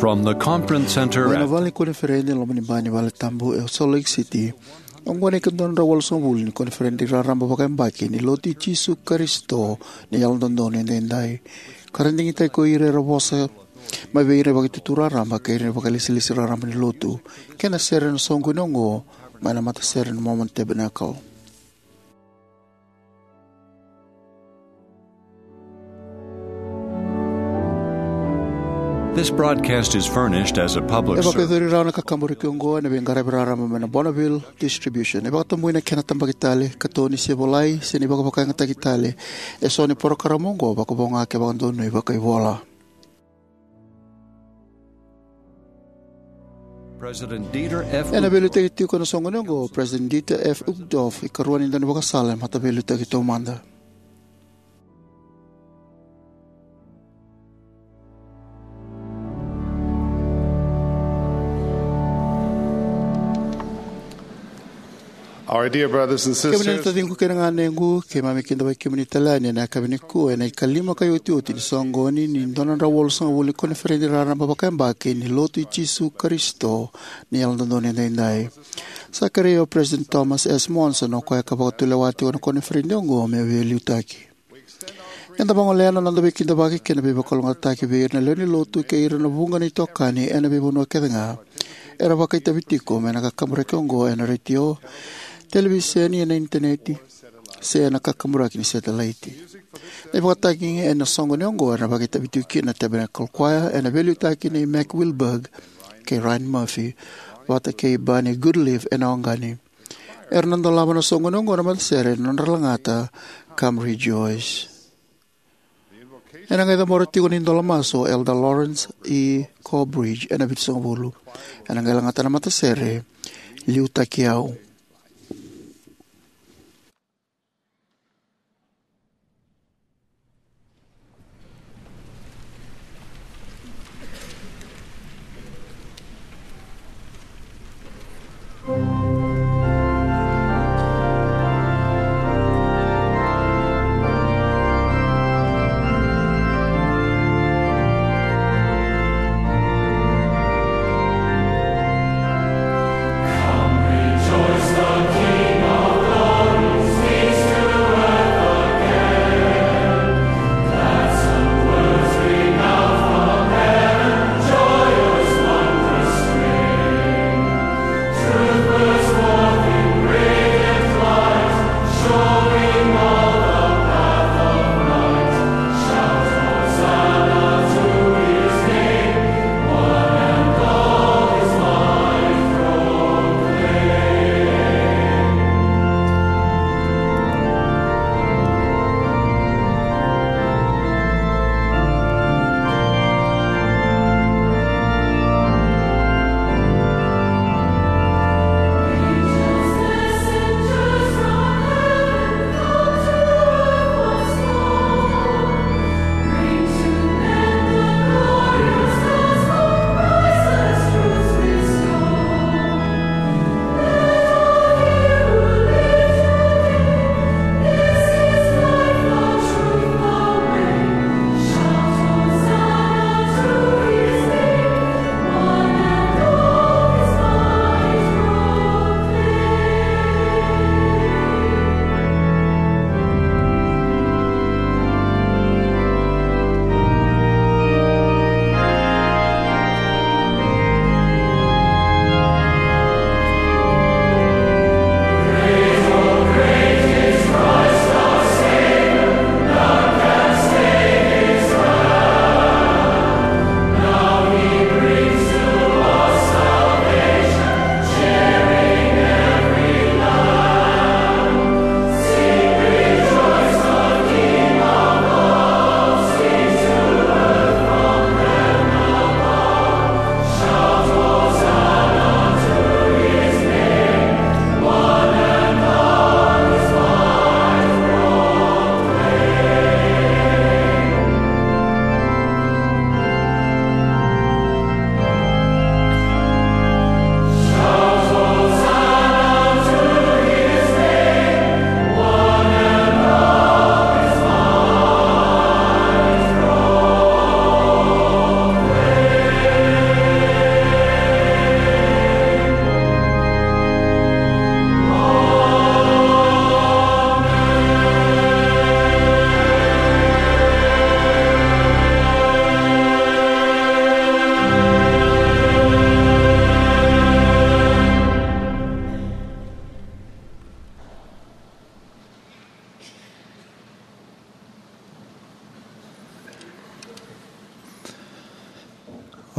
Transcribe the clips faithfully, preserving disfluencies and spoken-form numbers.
From the conference center mai na at vale ni koniferedi e loma ni bai ni vale tabu e Salt Lake City. Oqo na ikadua na drau walusagavulu ni koniferedi raraba vakayabaki ni Lotu i Jisu Karisito ni Yalododonu Edaidai, ka ra digitaki ko ira era vosa mai vei ira na vakaitutu raraba kei ira na vakailesilesi raraba ni Lotu, kei na sere ena soqoni oqo mai na matasere na Mormon Tabernacle. This broadcast is furnished as a public E service. Vakayacori rawa na kakaburaki oqo ena veiqaravi raraba mai na Bonneville Distribution. E vakatabui na kena tabaki tale, katoni se volai, se na ivakavakayagataki tale, eso ni porokaramu oqo, vakavo ga ke vakadonui vakaivola. President Dieter F. Ena veiliutaki tiko ena soqoni oqo o President Dieter F. Uchtdorf, ikarua ni daunivakasala e mataveiliutaki taumada. Our dear brothers and sisters, kemuni na taciqu kei na ganequ, keimami kidavaki kemuni tale yani ena yakavi nikua ena ikalima ka iotioti ni soqoni ni dua na drau walusagavulu ni koniferedi raraba vakayabaki ni Lotu i Jisu Karisito ni Yalododonu Edaidai. Sa kerei au o President Thomas S. Monson, o koya ka vakatulewa tiko na koniferedi oqo, meu veiliutaki. Eda vagolea na noda veikidavaki kei na veivakalougatataki vei ira na lewe ni Lotu kei ira na vuqa na itokani ena veivanua kece ga era vakaitavi tiko mai na kakaburaki oqo ena retio, televiseni, ena initaneti, se ena kakaburaki ni setelaiti. Na ivakatagi ena soqoni oqo era vakaitavi tiko kina na Tabernacle Choir ena veiliutaki nei Mac Wilberg kei Ryan Murphy vata kei Barney Goodliffe ena oqani. Era na dolava na soqoni oqo na matasere ena nodra lagata Come Rejoice. Ena qai cabora tiko na idola masu o Elder Lawrence E. Corbridge ena vitusagavulu. Ena qai lagata na matasere Liutaki Au.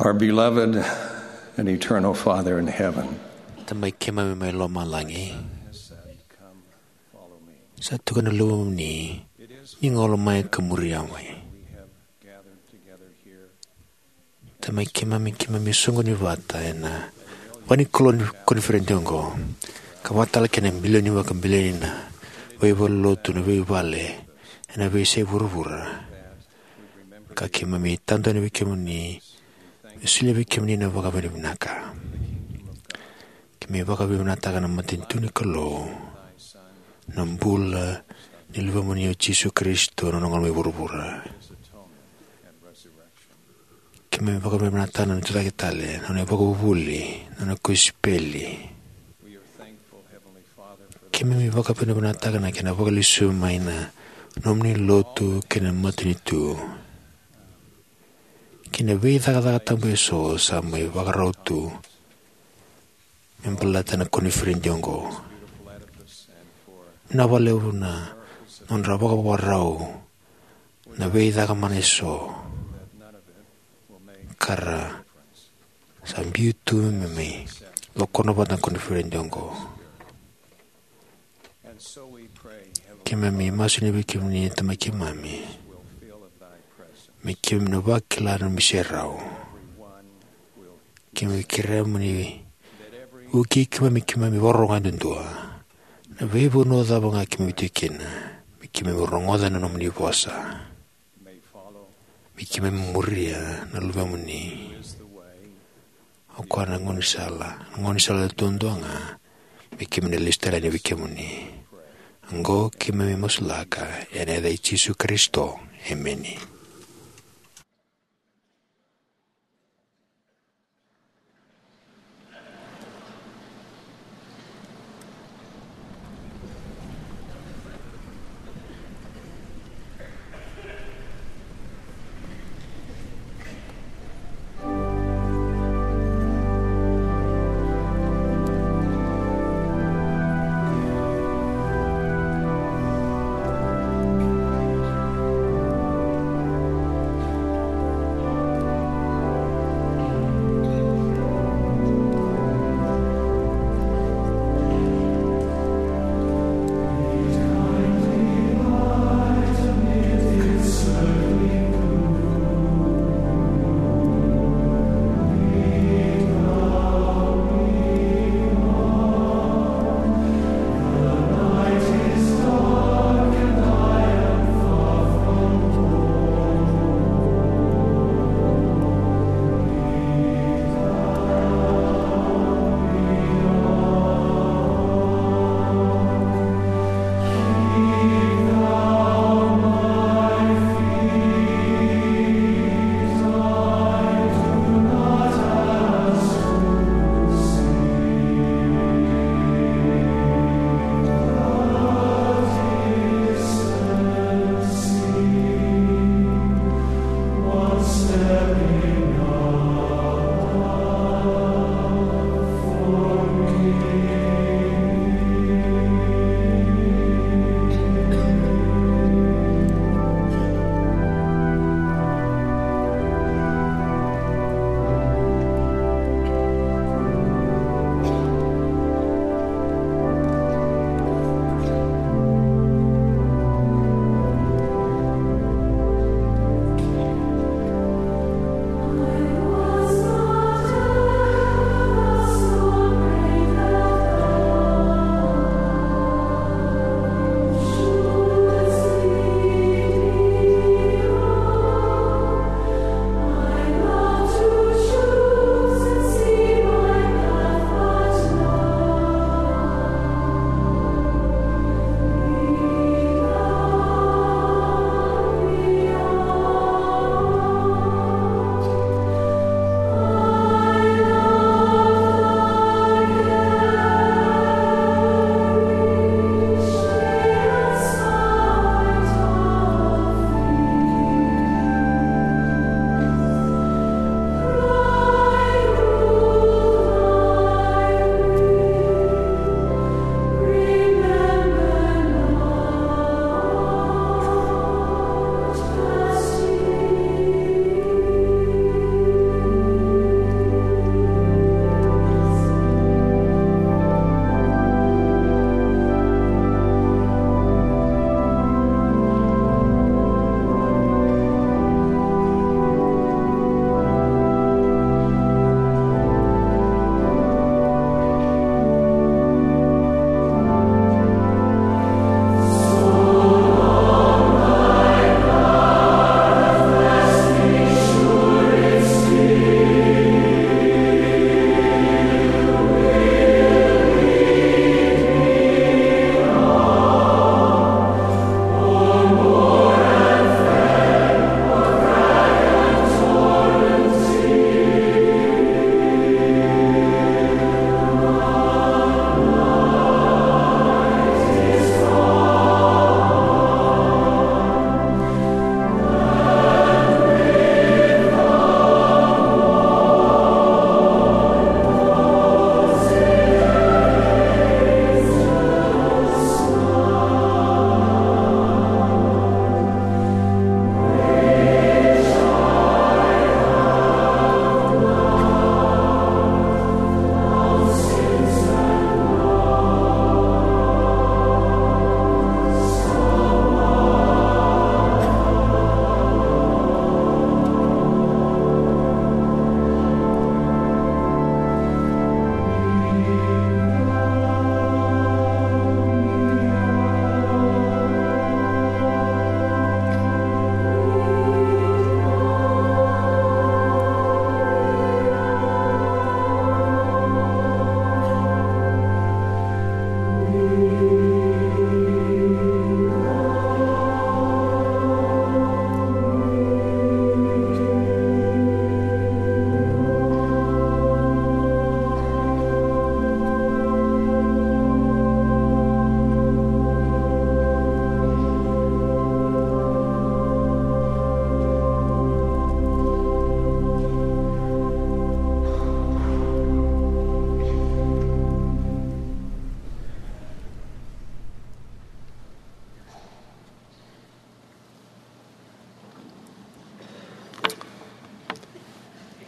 Our beloved and eternal Father in heaven, Tamai keimami mai lomalagi, sa tukuna na Luvemuni, ni gole mai ka muri au mai. Tamai keimami, keimami soqoni vata ena vale ni koniferedi oqo, ka vata tale kei na milioni vakabilioni na veivalenilotu, na veivale ena veiyasai vuravura. Ka keimami tadu yani vei kemuni, me solia vei kemuni na vakavinavinaka. Keimami vakavinavinakataka na matanitu ni Kalou, na bula ni Luvemuni o Jisu Karisito, na nona gole mai vuravura. Keimami vakavinavinakataka na nona tucake tale, na nona ivakavuvuli, na nona kosipeli. Keimami vakavinavinakataka na kena vakalesuya mai na nomuni lotu kei na matanitu, kei na veicakacaka tabu eso sa mai vakarau tu me baleta na koniferedi oqo. Vinaka vakalevu na nodra vakavakarau na veicaka mana eso ka ra sa biu tu me mai lokona vata na koniferedi oqo. Keimami masu yani vei kemuni, Tamai keimami, me keimami na vakila na nomuni serau. Keimami kerea mo ni vukei keimami, keimami vakarorogo yadudua. Na veivanua cava ga keimami tu kina, me keimami rogoca na nomuni vosa, me keimami muria na Luvemuni. O koya na gaunisala, na gaunisala duadua ga, me keimami na lesu tale yani vei kemuni. Oqo keimami masulaka ena yaca i Jisu Karisito. Emeni.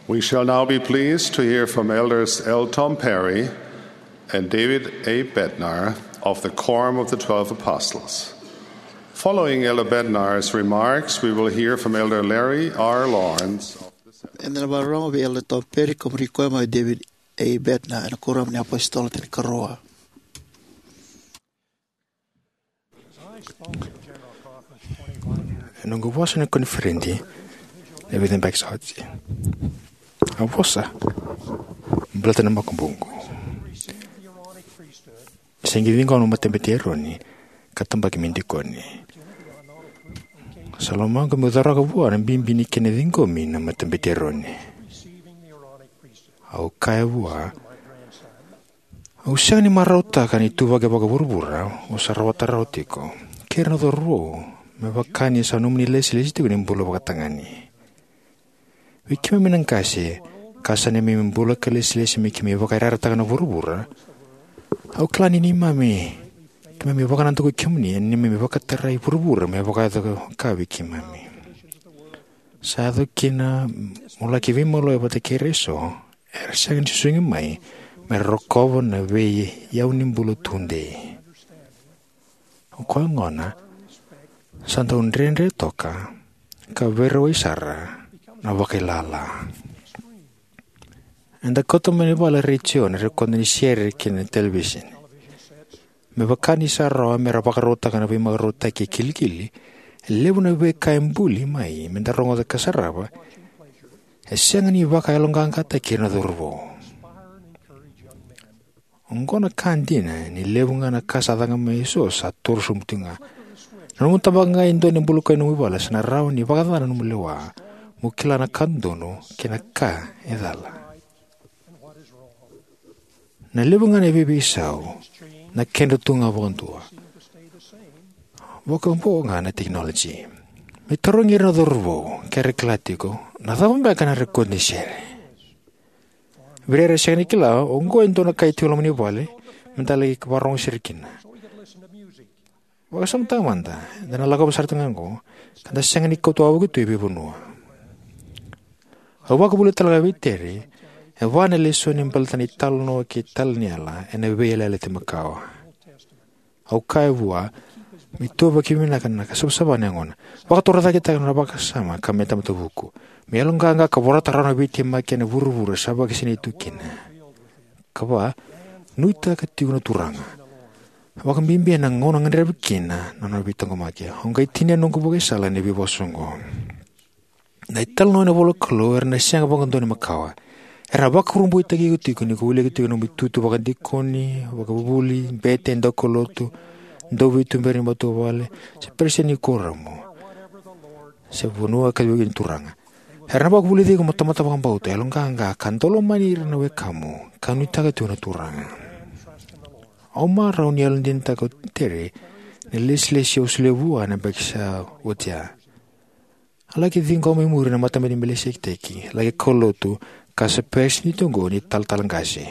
We shall now be pleased to hear from Elders L. Tom Perry and David A. Bednar of the Quorum of the Twelve Apostles. Following Elder Bednar's remarks, we will hear from Elder Larry R. Lawrence. Eda na vakarorogo vei Elder Tom Perry, ka muri koya mai David A. Bednar, ena Kuoramu ni Apositolo Tinikarua. Ena noqu vosa ena koniferedi ena vica na yabaki sa oti, au vosa baleta na makubuqu. Sega ni ciqoma na matabete i Eroni ka tabaki me dikoni. Sa lomaqu meu coroka vua na bibi ni kena ciqomi na matabete i Eroni. Au kaya vua, au sega ni marautaka na ituvaki vakavuravura o sa rawata rawa tiko kei ira na cauravou, me vaka ni sa nomuni lesilesi tiko ni bula vakatagane. Vei keimami na qase, ka sa neimami bula ka lesilesi me keimami vakayarayarataka na vuravura, au kila ni neimami, keimami vakanadakui kemuni ena neimami vakatarai vuravura me vakayaco ka vei keimami. Sa yaco kina mo laki veimaliwai vata kei ira eso era sega ni susugi mai me ra rokova na veiyau ni bula tudei. O koya gona sa dau dredre toka ka veirawai sara na vakailala. Eda kauta mai na vale retioni na rekoda ni sere kei na televisini. Me vaka ni sa rawa me ra vakarautaka na veimarautaki e kilikili, e levu na veika e buli mai me da rogoca ka sarava e sega ni vakayaloqaqataki ira na cauravou. Oqo na ka dina, ni levu ga na ka sa caka mai eso sa toro sobu tiko ga. Na nomu tabaka ga e dua na ibulukai ni nomu vale, sa na rawa ni vakacacana na nomu lewa mo kila na ka dodonu kei na ka e cala. Na levu ga na veiveisau na kedra tu ga vakadua. Vakavo ga na tekinoloji. Me tarogi ira na cauravou ke ra kila tiko, na cava beka na rekoda ni sere? Vei ira era sega ni kila, oqo e dua na ka e tiko e loma ni vale me da laki vakarogo sara kina. Vakasamataka mada, eda na lakova sara tu ga oqo, ka da sega ni kauta wavoki tu e veivanua. Au vakavuvuli tale ga vei Terry e va na lesoni baleta na italanoa kei Taliela ena Veiyalayalati Makawa. Au kaya vua me ituvaki vinaka na ka savasava na yagona. Vakatorocaketaka na nona vakasama ka me tamata vuku, me yaloqaqa ka vorata rawa na veitemaki ena vuravura sa vakasinaiti tu kina. Ka va, nuitaka tiko na Turaga, vakabibi ena gauna gadrevi kina na nona veitaqomaki. Au qai tinia na noqu vakaisala ena veivosa oqo. Na italanoa ena ivolanikalou era na sega vakadua ni makawa. Era vakurabuitaki iko tiko ni ko wilika tiko na nomu itutu vakadikoni, vakavuvuli, bete, daukaulotu, dauveituberi ni matavuvale, se peresitedi ni kuoramu, se vanua ka veiwekani ni Turaga. Era na vakavulici iko mo tamata vakabauta, yaloqaqa, ka dau lomani ira na wekamu ka nuitaka tiko na Turaga. Au marau ni yalodinataka o Terry na lesilesi au solia vua ena yabaki sa oti ya. A laki ciqoma e muri na Matabete i Melikiseteki, laki kaulotu, ka sa peresitedi oqo ni talatala qase.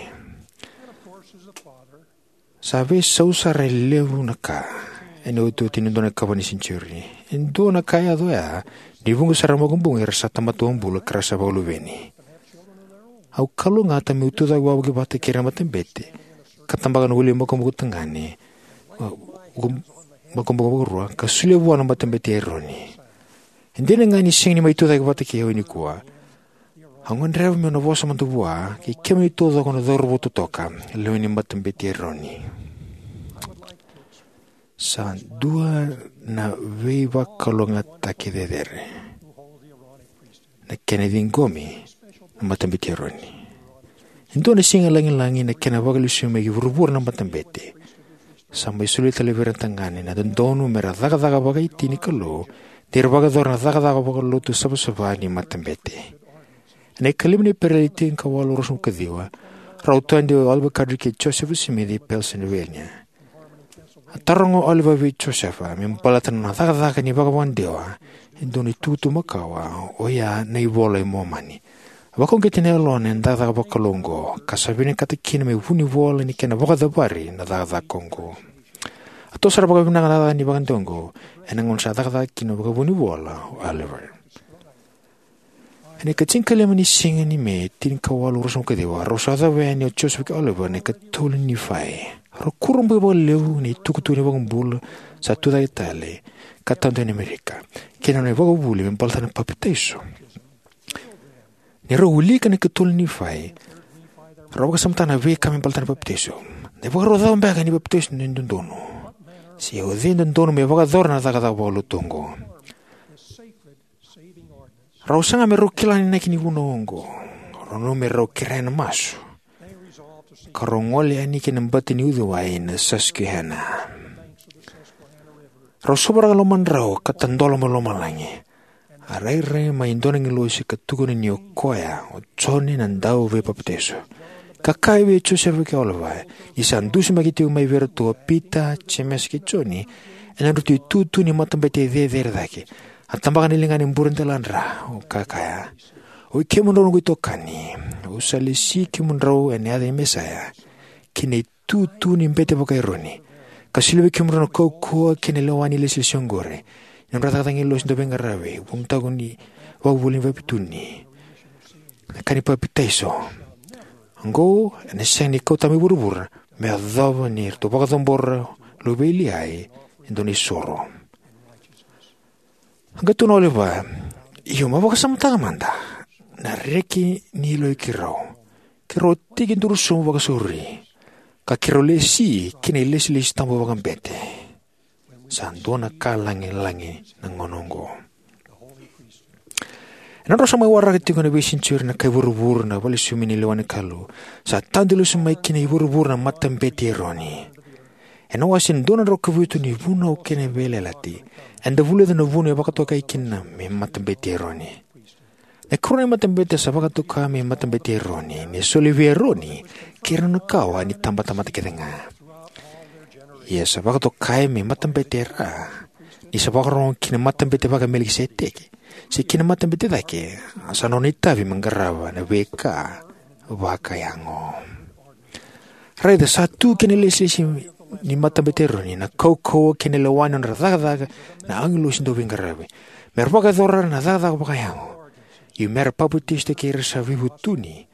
Sa veisau sara e levu na ka ena iotioti ni dua na ikava ni senitiuri. E dua na ka e yaco oya ni vuqa sara na makubuqu era sa tamata wabula ka ra sa vakaluveni. Au kalougata meu tucake wavoki vata kei ira na matabete ka tabaka na wili makubuqu tagane, makubuqu vakarua, ka solia vua na Matabete i Eroni. E dina ga ni sega ni mai tucake vata kei au nikua, au gadreva meu na vosa mada vua kei kemuni taucoko na cauravou totoka, lewe ni Matabete i Eroni. Sa dua na veivakalougatataki cecere na kena ciqomi na Matabete i Eroni. E dua na siga lagilagi na kena vakalesui mai ki vuravura na matabete. Sa mai solia tale vei ira na tagane na dodonu me ra cakacaka vakaiti ni Kalou, ni ra vakayacora na cakacaka vakalotu savasava ni matabete. Ena ikalima ni Epereli tinikawalu ruasagavulu ka ciwa, rau tadu o Oliver Cowdery kei Joseph Smith i Pennsylvania. A taroga o Oliver vei Joseph me baleta na cakacaka ni vakavakadewa e dua na itukutuku makawa, oya na iVola i Momani. A vakauqeti na yalona ena cakacaka vakalou oqo, ka sa vinakata kina me vunivola ni kena vakacavari na cakacaka oqo. A toso sara vakavinaka na cakacaka ni vakadewa oqo ena gauna sa cakacaka kina vakavunivola o Oliver. Ena ika tinikalima ni siga ni Me, tinikawalu ruasagavulu ka ciwa, rau sa yacova yani o Joseph kei Oliver na ikatolu ni Nifai. Rau kurabui vakalevu ena itukutuku ni iVakabula sa tucake tale ka tadu yani Amerika, kei na nona ivakavuvuli me baleta na papitaiso. Ni rau wilika na ikatolu ni Nifai, rau vakasamataka na veika me baleta na papitaiso. Na ivakarau cava beka ni papitaiso e dodonu? Se o cei e dodonu me vakayacora na cakacaka vakalotu oqo? Rau saga me rau kila na inaki ni vunau oqo. Rau nanuma me rau kerea na masu, ka rau gole yani ki na bati ni uciwai na Susquehanna. Rau sovaraka na lomadrau ka tadola mai lomalagi. A rairai mai e dua na agilosi ka tukuna ni o koya o Joni na Dauveipapitaiso, ka kaya vei Josefa kei Oliver ni sa dusimaki tiko mai vei iratou o Pita, Jemesa kei Joni ena nodratou itutu ni matabete cecere cake. A tabaka na ligana e bure deladra, ka kaya, "Oi kemudrau noqu itokani, au sa lesi kemudrau ena yaca i Mesaia, kei na itutu ni bete vaka-Eroni, ka solia vei kemudrau na kaukauwa kei na lewa ni ilesilesi oqori, na nodra cakacaka na agilosi dauveiqaravi, vuku ni ivakavuvuli ni veivutuni, na ka ni papitaiso. Oqo ena sega ni kauta mai vuravura, me yacova ni ratou vakacabora na luve i Liai e dua na isoro." A qai tukuna o Oliver, "Io, mo vakasamataka mada na reki ni yaloi keirau. Keirau a tekiduru sobu vakasauri, ka keirau lesi ki na ilesilesi tabu vakabete. Sa dua na ka lagilagi na gauna oqo." Ena nodra sa mai waraka tiko ena veisenitiuri na kai vuravura na vale sumi ni lewa ni Kalou, sa tadu lesu mai ki na vuravura na Matabete i Eroni. Ena wase dua na drau ka vitu ni Vunau kei na Veiyalayalati, eda vulica na vuna e vakatokai kina me Matabete i Eroni. Na ikarua ni matabete sa vakatoka me Matabete i Eroni, ni soli vei Eroni kei ira na nona kawa ni tabatamata kece ga. Ia sa vakatokai me matabete e ra, ni sa vakarorogo ki na matabete vaka-Melikiseteki, se ki na matabete cake, a sa nona itavi me qarava na veika vakayago. Raica, sa tu ki na ilesilesi ni Matabete i Eroni na kaukauwa kei na lewa ni nodra cakacaka na agilosi dauveiqaravi, me ra vakayacora na cakacaka vakayago, io me ra papitaisotaki ira sa veivutuni,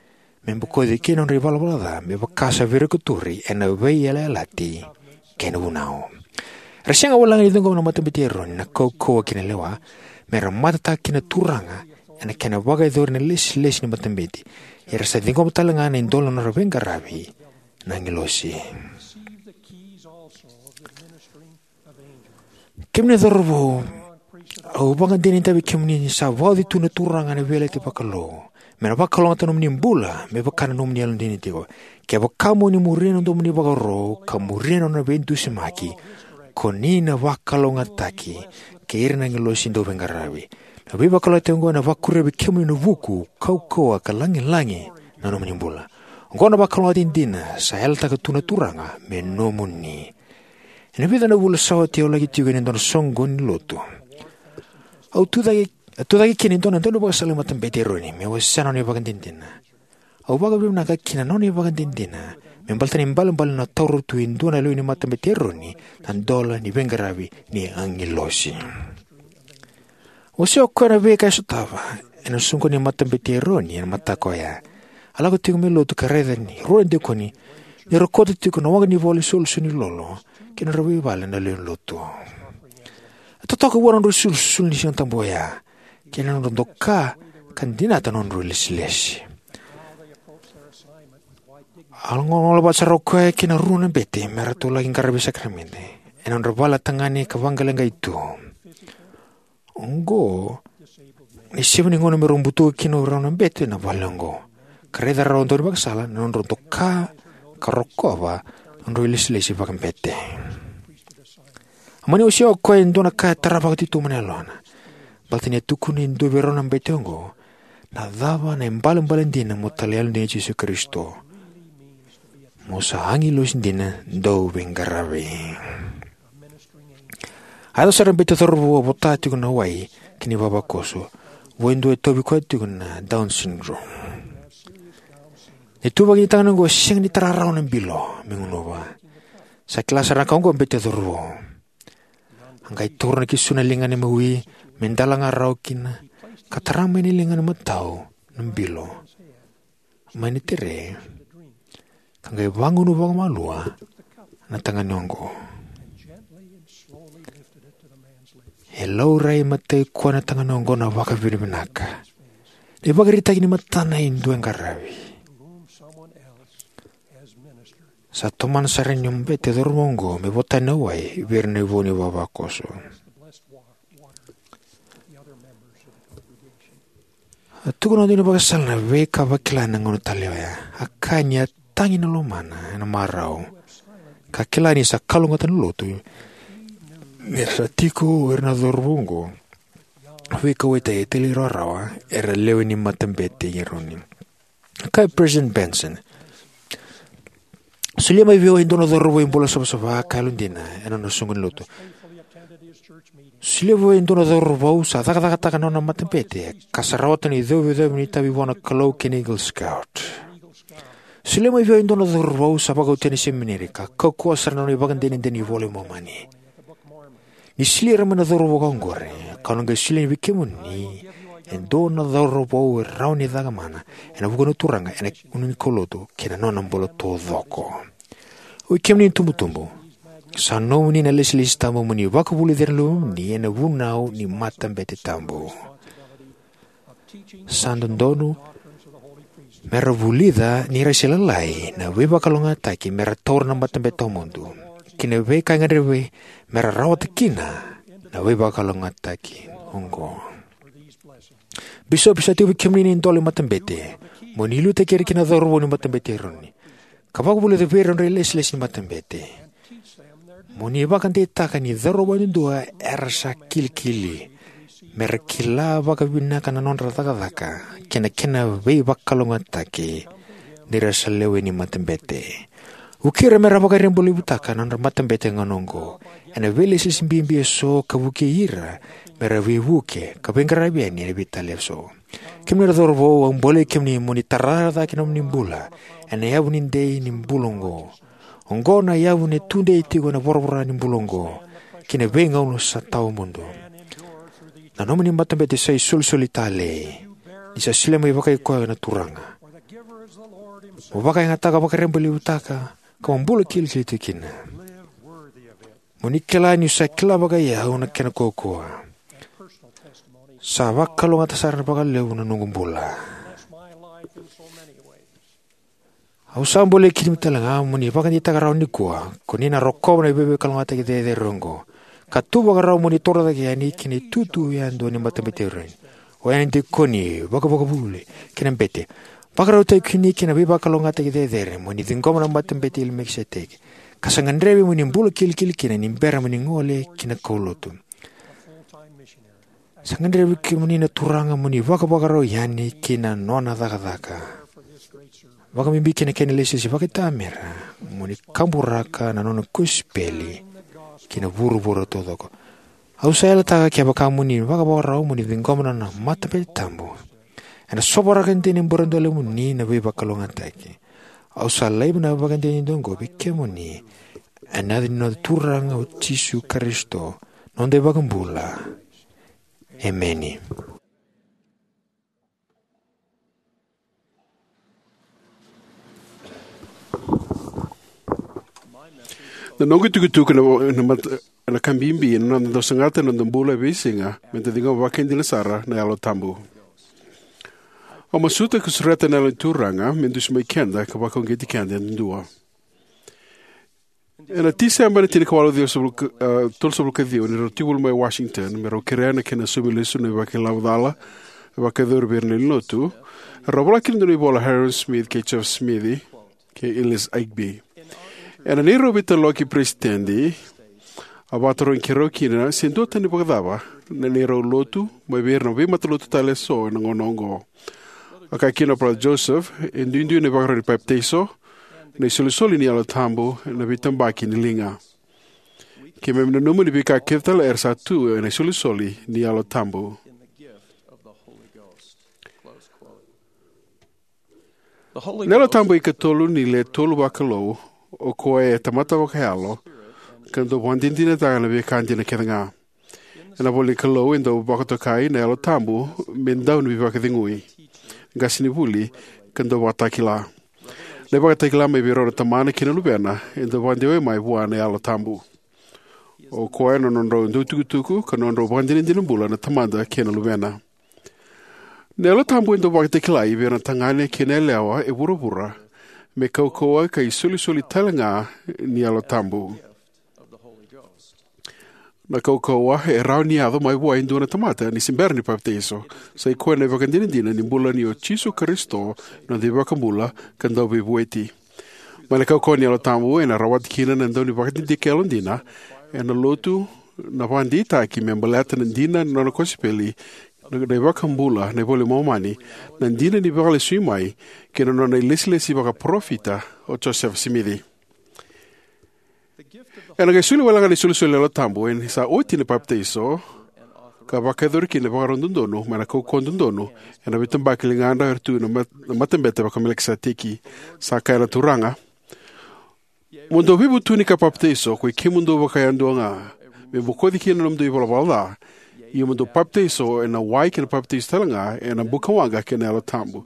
me bokoci kina na nodra ivalavala ca, me vaka sa virikotori ena Veiyalayalati kei na Vunau. Era sega walega ni ciqoma na Matabete i Eroni na kaukauwa kei na lewa, me ra matataka kina na Turaga ena kena vakayacori na ilesilesi ni matabete, ia era sa ciqoma tale ga na idola na nodra veiqaravi na agilosi. Kemuni na cauravou, au vakadinadinataka vei kemuni ni sa vauci tu na Turaga ena veiyalayalati vakalou, me na vakalougatataka na nomuni bula me vaka na nomuni yalodina tiko. Kevaka mo ni muria na domoni vakaro ka muria na nona veidusimaki, ko ni na vakalougatataki kei ira na agilosi dauveiqaravi. Na veivakalougatataki oqo ena vakuria vei kemuni na vuku, kaukauwa ka lagilagi na nomuni bula. Oqo na vakalougatataki dina sa yalataka tu na Turaga me nomuni. Ena vica na vula sa oti au laki tiko ena dua na soqoni ni lotu. Au tucake, a tucake kina e dua na daunivakasala ni Matabete i Eroni me wasea na nona ivakadinadina. Au vakavinavinaka ki na nona ivakadinadina me baleta na ibalebale ni nona taura tu e dua na lewe ni Matabete i Eroni na idola ni veiqaravi ni agilosi. Wasea o koya na veika e sotava ena soqoni ni Matabete i Eroni ena mataka oya. A lako tiko mai lotu ka raica ni rua na dikoni ni ra kauta tiko na waqa ni ivola isolisoli ni lolo ki na nodra veivale na lewe ni lotu. A totoka vua na nodra isolisoli ni Siga Tabu oya kei na nodra doka ka dinata na nodra ilesilesi. A lagolagola vata sara o koya kei na rua na bete me ratou laki qaravi sakaramede ena nodra vale na tagane ka vaqaleqai tu. Oqo na isevu ni gauna me rau butuka kina o rau na bete na vale oqo, ka raica rau daunivakasala na nodra doka ka rokova na nodra ilesilesi vakabete. A mani wasea o koya e dua na ka e tara vakatitobu na yalona, baleta ni a tukuna e dua vei rau na bete oqo na cava na ibalebale dina mo talei yalodina i Jisu Karisito. Mo sa agilosi dina dauveiqaravi. A yaco sara na bete cauravou a vota tiko na wai kei na ivavakoso vua e dua e tauvi koya tiko na Down syndrome. Na ituvaki ni tagane oqo e sega ni tara rawa na bilo me gunuva. Sa kila sara na ka oqo na bete cauravou. A qai taura na kisu na ligana e mawi me dalaga rawa kina ka tara mai na ligana matau na bilo mai na tere, ka qai vagunu vakamalua na tagane oqo. E laurai matai koya na tagane oqo na vakavinavinaka. Na ivakaraitaki ni matana e dua e qaravi. Sa tomana sara ni bete cauravou oqo me vota na wai vei ira na ivau ni vavakoso. A tukuna dua na ivakasala na veika a vakila ena gauna talei oya. A kaya ni a tagi na lomana ena marau, ka kila ni sa kalougata na lotu ni ra sa tiko o ira na cauravou oqo veikauwaitaki e talairawarawa, era lewe ni matabete i Eroni. A kaya President Benson, solia mai vei au e dua na cauravou e bula savasava ka yalodina ena nona soqoni lotu. Solia vei au e dua na cauravou sa cakacakataka na nona matabete ka sa rawata na icovecovi ni itavi vua na Kalou kei na Eagle Scout. Solia mai vei au e dua na cauravou sa vakauta ena semineri ka kaukauwa sara na nona ivakadenideni ni iVola i Momani. Ni solia ira mai na cauravou vakaoqori, kau na qai solia vei kemuni e dua na cauravou e rawa ni cakamana ena vuku ni Turaga ena gauna ni kaulotu kei na nona bula taucoko. Oi kemuni na itubutubu, sa nomuni na ilesilesi tabu mo ni vakavulici ira na luvemuni ena vunau ni matabete tabu. Sa dodonu me ra vulica ni ra se lalai na veivakalougatataki me ra taura na matabete tawamudu kei na veika e gadrevi me ra rawata kina na veivakalougatataki oqo. Bisopi, sa tiko vei kemuni na idola ni matabete mo ni liutaki ira kina na cauravou ni matabete i Eroni, ka vakavulica vei ira na nodra ilesilesi ni matabete. Mo ni vakadeitaka ni cauravou yadudua era sa kilikili me ra kila vakavinaka na nodra cakacaka kei na kena veivakalougatataki ni ra sa lewe ni matabete. Vukei ira me ra vakarabailevutaka na nodra matabete ena gauna oqo ena veilesilesi bibi eso, ka vukei ira me ra veivuke ka veiqaravi yani ena veitalia eso. Kemuni na cauravou, au bolei kemuni mo ni tara cake na nomuni bula ena yavu ni dei ni bula oqo. Oqo na yavu e tudei tiko ena voravora ni bula oqo kei na veigauna sa tawamudu. Na nomuni matabete sa isolisoli talei ni sa solia mai vakai koya na Turaga. Mo vakayagataka, vakarabailevutaka, ka mo bula kilikili tiko kina. Mo ni kila niu sa kila vakai au na kena kaukauwa. Sa vakalougatataka sara vakalevu na noqu bula. Au sa bolei kemuni talega mo ni vakadeitaka rawa nikua ko ni na rokova na veivakalougatataki cecere oqo, ka tu vakarau mo ni torocake yani ki na itutu yadua ni matabete i Eroni. O ya na dikoni, vakavakavuvuli kei na bete. Vakarautaki kemuni ki na veivakalougatataki cecere mo ni ciqoma na matabete i Melikiseteki, ka sa gadrevi mo ni bula kilikili kina ni bera mo ni gole ki na kaulotu. Sa gadrevi kemuni na Turaga mo ni vakavakarau yani ki na nona cakacaka, vakabibi ki na kena ilesilesi vakaitamera, mo ni kaburaka na nona kosipeli ki na vuravura taucoko. Au sa yalataka, kevaka mo ni vakavakarau mo ni ciqoma na nona matabete tabu, ena sovaraka dina e buredolemuni na veivakalougatataki. Au sa laiva na ivakadinadina oqo vei kemuni ena yaca ni noda Turaga o Jisu Karisito, noda iVakabula. Emeni. Na noqu itukutuku na, na, mat-, na ka bibi ena noda dau sagata ena noda bula e veisiga, me da ciqoma vakaidina sara na Yalo Tabu. Au masuta ka sureta na Yalo ni Turaga me dusimaki keda ka vakauqeti keda yadudua. Ena Tiseba ena tinikawalu ciwasagavulu ka, e, tolusagavulu ka ciwa, ni rau tekivu mai Washington me rau kerea na kena saumi lesu na ivakailavo cala e vakayacori vei ira na lewe ni lotu, rau vola kina e dua na ivola o Hyrum Smith kei Joseph Smith kei Elias Huxley. Ena neirau veitaloki peresitedi, a vakatarogi keirau kina se duatani vakacava na neirau lotu mai vei ira na veimatalotu tale eso ena gauna oqo. A kaya kina o Brother Joseph, e duidui na ivakarau ni papitaiso, na isolisoli ni Yalo Tabu ena veitabaki ni liga. Keimami nanuma ni veika kece tale era sa tu ena isolisoli ni Yalo Tabu. Na Yalo Tabu e ikatolu ni Le Tolu Vakalou, o koya e tamata vakayalo ka dau vakadinadinataka na veika dina kece ga. Ena ivola ni Kalou e dau vakatokai na Yalo Tabu me dau ni veivakacegui, qasenivuli, ka dau vakatakila. Na ivakatakila mai vei rau na Tamana kei na Luvena e dau vakadeitaki mai vua na Yalo Tabu. O koya na nodrau dauitukutuku ka nodrau ivakadinadina bula na Tamada kei na Luvena. Na Yalo Tabu e dau vakatakilai vei ira na tagane kei na yalewa e vuravura me kaukauwa ka isolisoli talega ni Yalo Tabu. Na kaukauwa e rawa ni yaco mai vua e dua na tamata ni se bera ni papitaiso. Sa i koya na ivakadinadina ni bula ni o Jisu Karisito na noda iVakabula ka Dauveivueti. Mai na kaukauwa ni Yalo Tabu ena rawati kina na dau ni vakadidike yalodina ena Lotu, na vakadeitaki me baleta na dina ni nona kosipeli, na iVakabula, na iVola i Momani, na dina ni Veivakalesuimai, kei na nona ilesilesi vakaparofita o Josefa Simici. Ena qai soli walega na isolisoli ni Yalo Tabu ni sa oti na papitaiso, ka vakayacori kina na ivakarau dodonu mai na kaukauwa dodonu ena veitabaki ligadra era tu ena mat-, na Matabete vaka-Melikiseteki. Sa kaya na Turaga: Mo dou veivutuni ka papitaiso, koi kemudou vakayadua ga, me bokoci kina na nomudou ivalavala ca, io mo dou papitaiso ena wai kei na papitaiso talega ena bukawaqa kei na Yalo Tabu.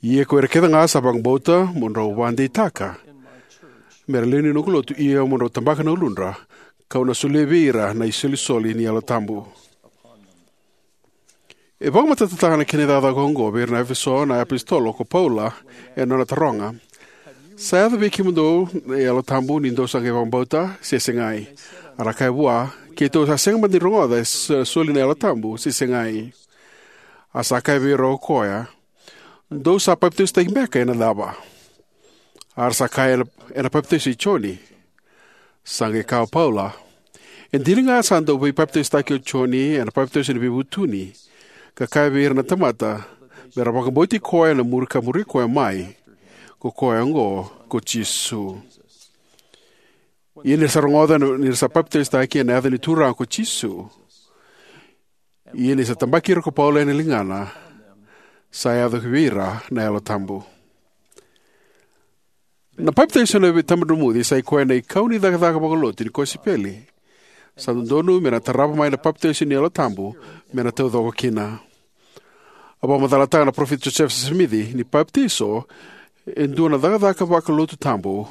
Ia ko ira kece ga sa vakabauta mo drau vakadeitaka me ra lewe ni noqu lotu, ia mo drau tabaka na uludra, ka'u na solia vei ira na isolisoli ni Yalo Tabu. E vakamatatataka na kena icakacaka oqo vei ira na Efeso na iapositolo ko Paula ena nona taroga: Sa yaco vei kemudou na Yalo Tabu ni dou sa qai vakabauta, se segai? A ra kaya vua: Keitou sa sega mada ni rogoca e so-, soli na Yalo Tabu, se segai. A sa kaya vei ira o koya: Dou sa papitaisotaki beka ena cava? A ra sa kaya: Ena, ena papitaiso i Joni. Sa qai kaya o Paula: E dina ga sa dau veipapitaisotaki o Joni ena papitaiso ni veivutuni, ka kaya vei ira na tamata me ra vakabauti koya ena muri ka muri koya mai, ko koya oqo ko Jisu. Ia ni ra sa rogoca ni ra sa papitaisotaki ena yaca ni Turaga ko Jisu, ia ni sa tabaki ira ko Paula ena ligana, sa yaco ki vei ira na Yalo Tabu. Na papitaiso ena veitabadromuci sa i koya na ikau ni cakacaka vakalotu ni kosipeli. Sa dodonu me na tarava mai na papitaiso ni Yalo Tabu me na taucoko kina. A vakamacalataka na parofita Josefa Simici ni papitaiso e dua na cakacaka vakalotu tabu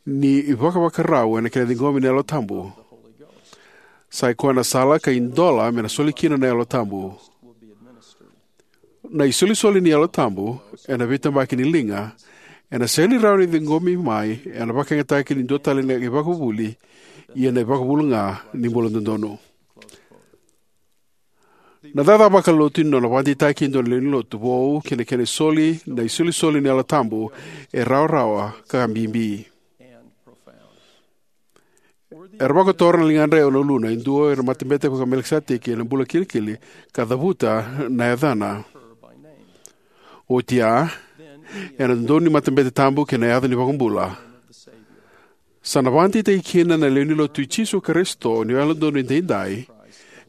ni ivakavakarau ena kena ciqomi na Yalo Tabu. Sa i koya na sala ka idola me na soli kina na Yalo Tabu. Na isolisoli ni Yalo Tabu ena veitabaki ni liga ena sega ni rawa ni ciqomi mai ena vakayagataki ni dua tale na ivakavuvuli, ia na ivakavuvuli ga ni bula dodonu. Na cakacaka vakalotu ni nona vakadeitaki e dua na lewe ni lotu vou kei na kena isoli na isolisoli ni Yalo Tabu e rawarawa ka bibi. Era vakotora na ligadra e ono uluna e dua ena Matabete vaka-Melikiseteki ena bula kilikili ka cavuta na yacana. Oti ya, ena dodonu ni matabete tabu kei na yaca ni iVakabula, sa na vakadeitaki kina na lewe ni lotu i Jisu Karisito ni Yalododonu Edaidai,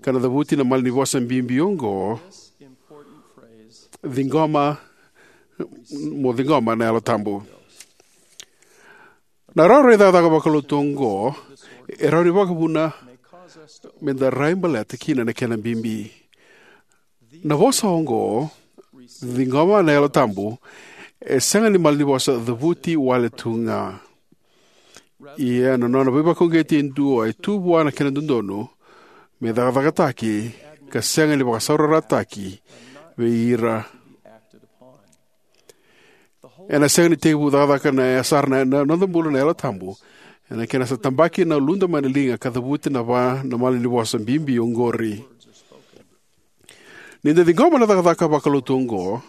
ka na cavuti na malanivosa bibi oqo: Ciqoma, mo ciqoma na Yalo Tabu. Na rawarawa ni cakacaka vakalotu oqo e rawa ni vakavuna me da rai baleta kina na kena bibi. Na vosa oqo, ciqoma na Yalo Tabu, e sega ni malanivosa cavuti wale tu ga. Ia na nona veivakauqeti e dua e tu vua na kena dodonu me cakacakataki ka sega ni vakasaurarataki vei ira. Ena sega ni tekivu cakacaka na, e sara na, na noda bula na Yalo Tabu ena kena sa tabaki na uluda mai na liga ka cavuti na va na malanivosa bibi oqori. Ni da ciqoma na cakacaka vakalotu oqo,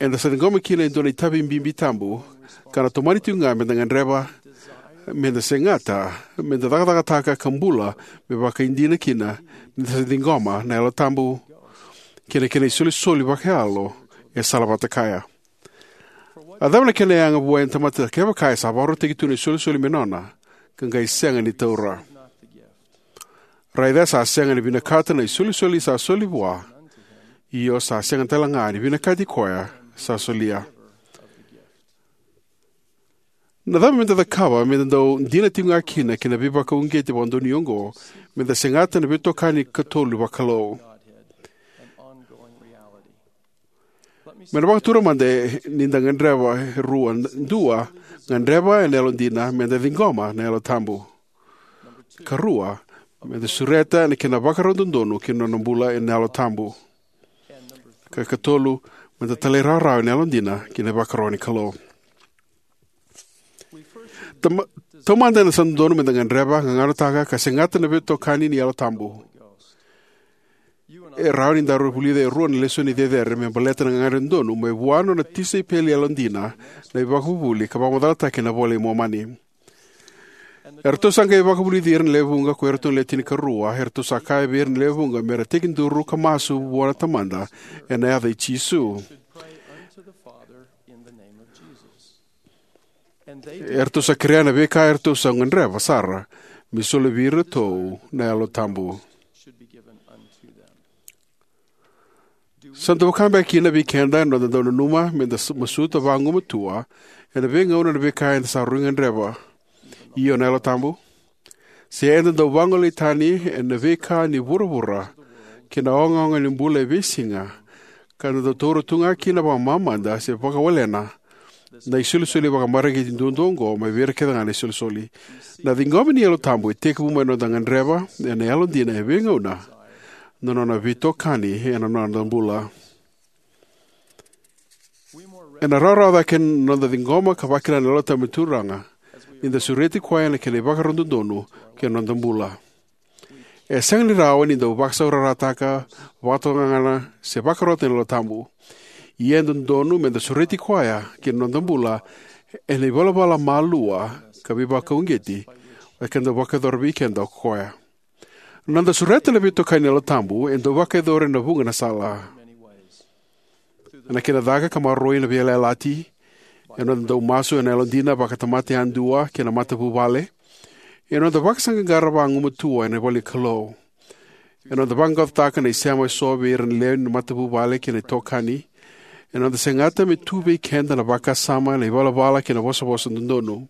eda sa ciqoma kina e dua na itavi bibi tabu, ka na tomani tiko ga me da gadreva, me da segata, me da cakacakataka ka bula me vakaidina kina ni da sa ciqoma na Yalo Tabu kei na kena isolisoli vakayalo e salavata kaya. A cava na kena yaga vua e tamata kevaka e sa vakarautaki tu na isolisoli me nona, ka qai sega ni taura? Raica sa sega ni vinakata na isolisoli sa soli vua, io sa sega tale ga ni vinakati koya sa solia. Na cava meda cakava meda dau dina tiko ga kina ki na veivakauqeti vakadonui oqo, meda segata na veitokani katolu vakalou? Me na vakatura mada ni da gadreva e rua. Dua, gadreva ena yalodina meda ciqoma na Yalo Tabu. Ka rua, meda sureta na kena vakarau dodonu ki na nona bula ena Yalo Tabu. Ka katolu, meda talairawarawa ena yalodina ki na ivakaro ni Kalou. Tama- Taumada, ena sa dodonu meda gadreva, gagadotaka, ka segata na veitokani ni Yalo Tabu. E rawa ni daru vulica e rua na lesoni cecere me baleta na gagadre dodonu mai vua na nona tisaipeli yalodina na iVakavuvuli ka vakamacalataki ena iVola i Momani. Eratou sa qai vakavulici ira na lewe vuqa ko iratou na le tinikarua. Eratou sa kaya vei ira na lewe vuqa mera tekiduru ka masu vua na Tamada ena yaca i Jisu. Eratou sa kerea na veika eratou sa gadreva sara me soli vei iratou na Yalo Tabu. Sa dau vaka beka kina vei keda ena noda dau nanuma meda s- masuta vagumatua ena veigauna na veika eda sa rui gadreva, io na Yalo Tabu? Se eda dau vagolei tani ena veika ni vuravura kei na ogaoga ni bula e veisiga, ka da dau taura tu ga kina vakamamada se vakawalena na isolisoli vakamareqeti duadua oqo mai vei ira kece ga na isolisoli? Na ciqomi ni Yalo Tabu e tekivu mai na noda gadreva ena yalodina e veigauna na nona veitokani ena noda bula. Ena rawarawa cake na noda ciqoma ka vakila na Yalo Tabu ni Turaga ni da sureti koya na kena ivakarau dodonu ki na noda bula. E sega ni rawa ni dau vakasaurarataka, vakatokagana, se vakarota na Yalo Tabu. Ia e dodonu meda sureti koya ki na noda bula ena ivalavala malua ka veivakauqeti eda dau vakayacora vei keda o koya. Na noda sureta na veitokani ni Yalo Tabu e dau vakayacori ena vuqa na sala. Ena kena caka ka maroroi na veiyalayalati, ena noda dau masu ena yalodina vakatamata yadua kei na matavuvale, ena noda vakasaqaqara vagumatua ena ivola ni Kalou, ena noda vaqaqacotaka na isema eso vei ira na lewe ni matavuvale kei na itokani, ena noda segata me tu vei keda na vakasama, na ivalavala kei na ivosavosa dodonu,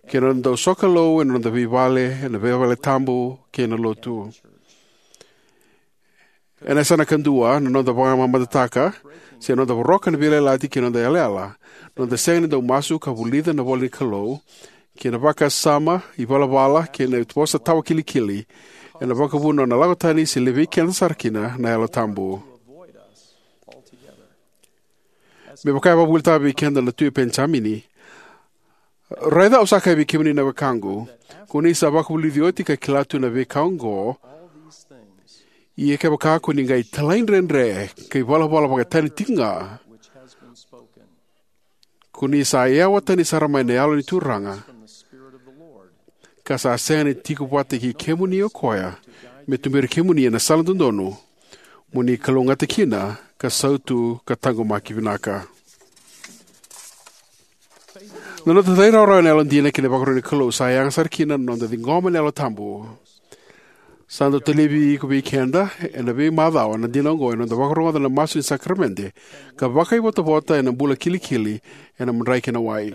kei na noda dau sokalou ena noda veivale, ena veivaletabu kei na lotu. Ena yasana kadua, na noda vakamamadataka se noda voroka na veiyalayalati kei na noda yalayala, na noda sega ni dau masu ka vulica na ivola ni Kalou, kei na vakasama, ivalavala kei na vosa tawakilikili, ena vakavuna na nona lako tani se levei keda sara kina na Yalo Tabu. Me vaka e vakavuvulitaka vei keda na Tui o Penijamini: Raica, au sa kaya vei kemuni na wekaqu, ko ni sa vakavulici oti ka kila tu na veika oqo, ia kevaka ko ni qai talaidredre ka ivalavala vakatani tiko ga, ko ni sa yawa tani sara mai na Yalo ni Turaga, ka sa sega ni tiko vata kei kemuni o koya me tuberi kemuni ena sala dodonu mo ni kalougata kina ka sautu ka taqomaki vinaka. Na noda talairawarawa ena yalodina ki na ivakaro ni Kalou sa yaga sara kina na noda ciqoma na Yalo Tabu. Sa dau talevi iko vei keda ena veimacawa na dina oqo ena noda vakarogoca na masu ni sakaramede ka vakaivotavota ena bula kilikili ena madrai kei na wai.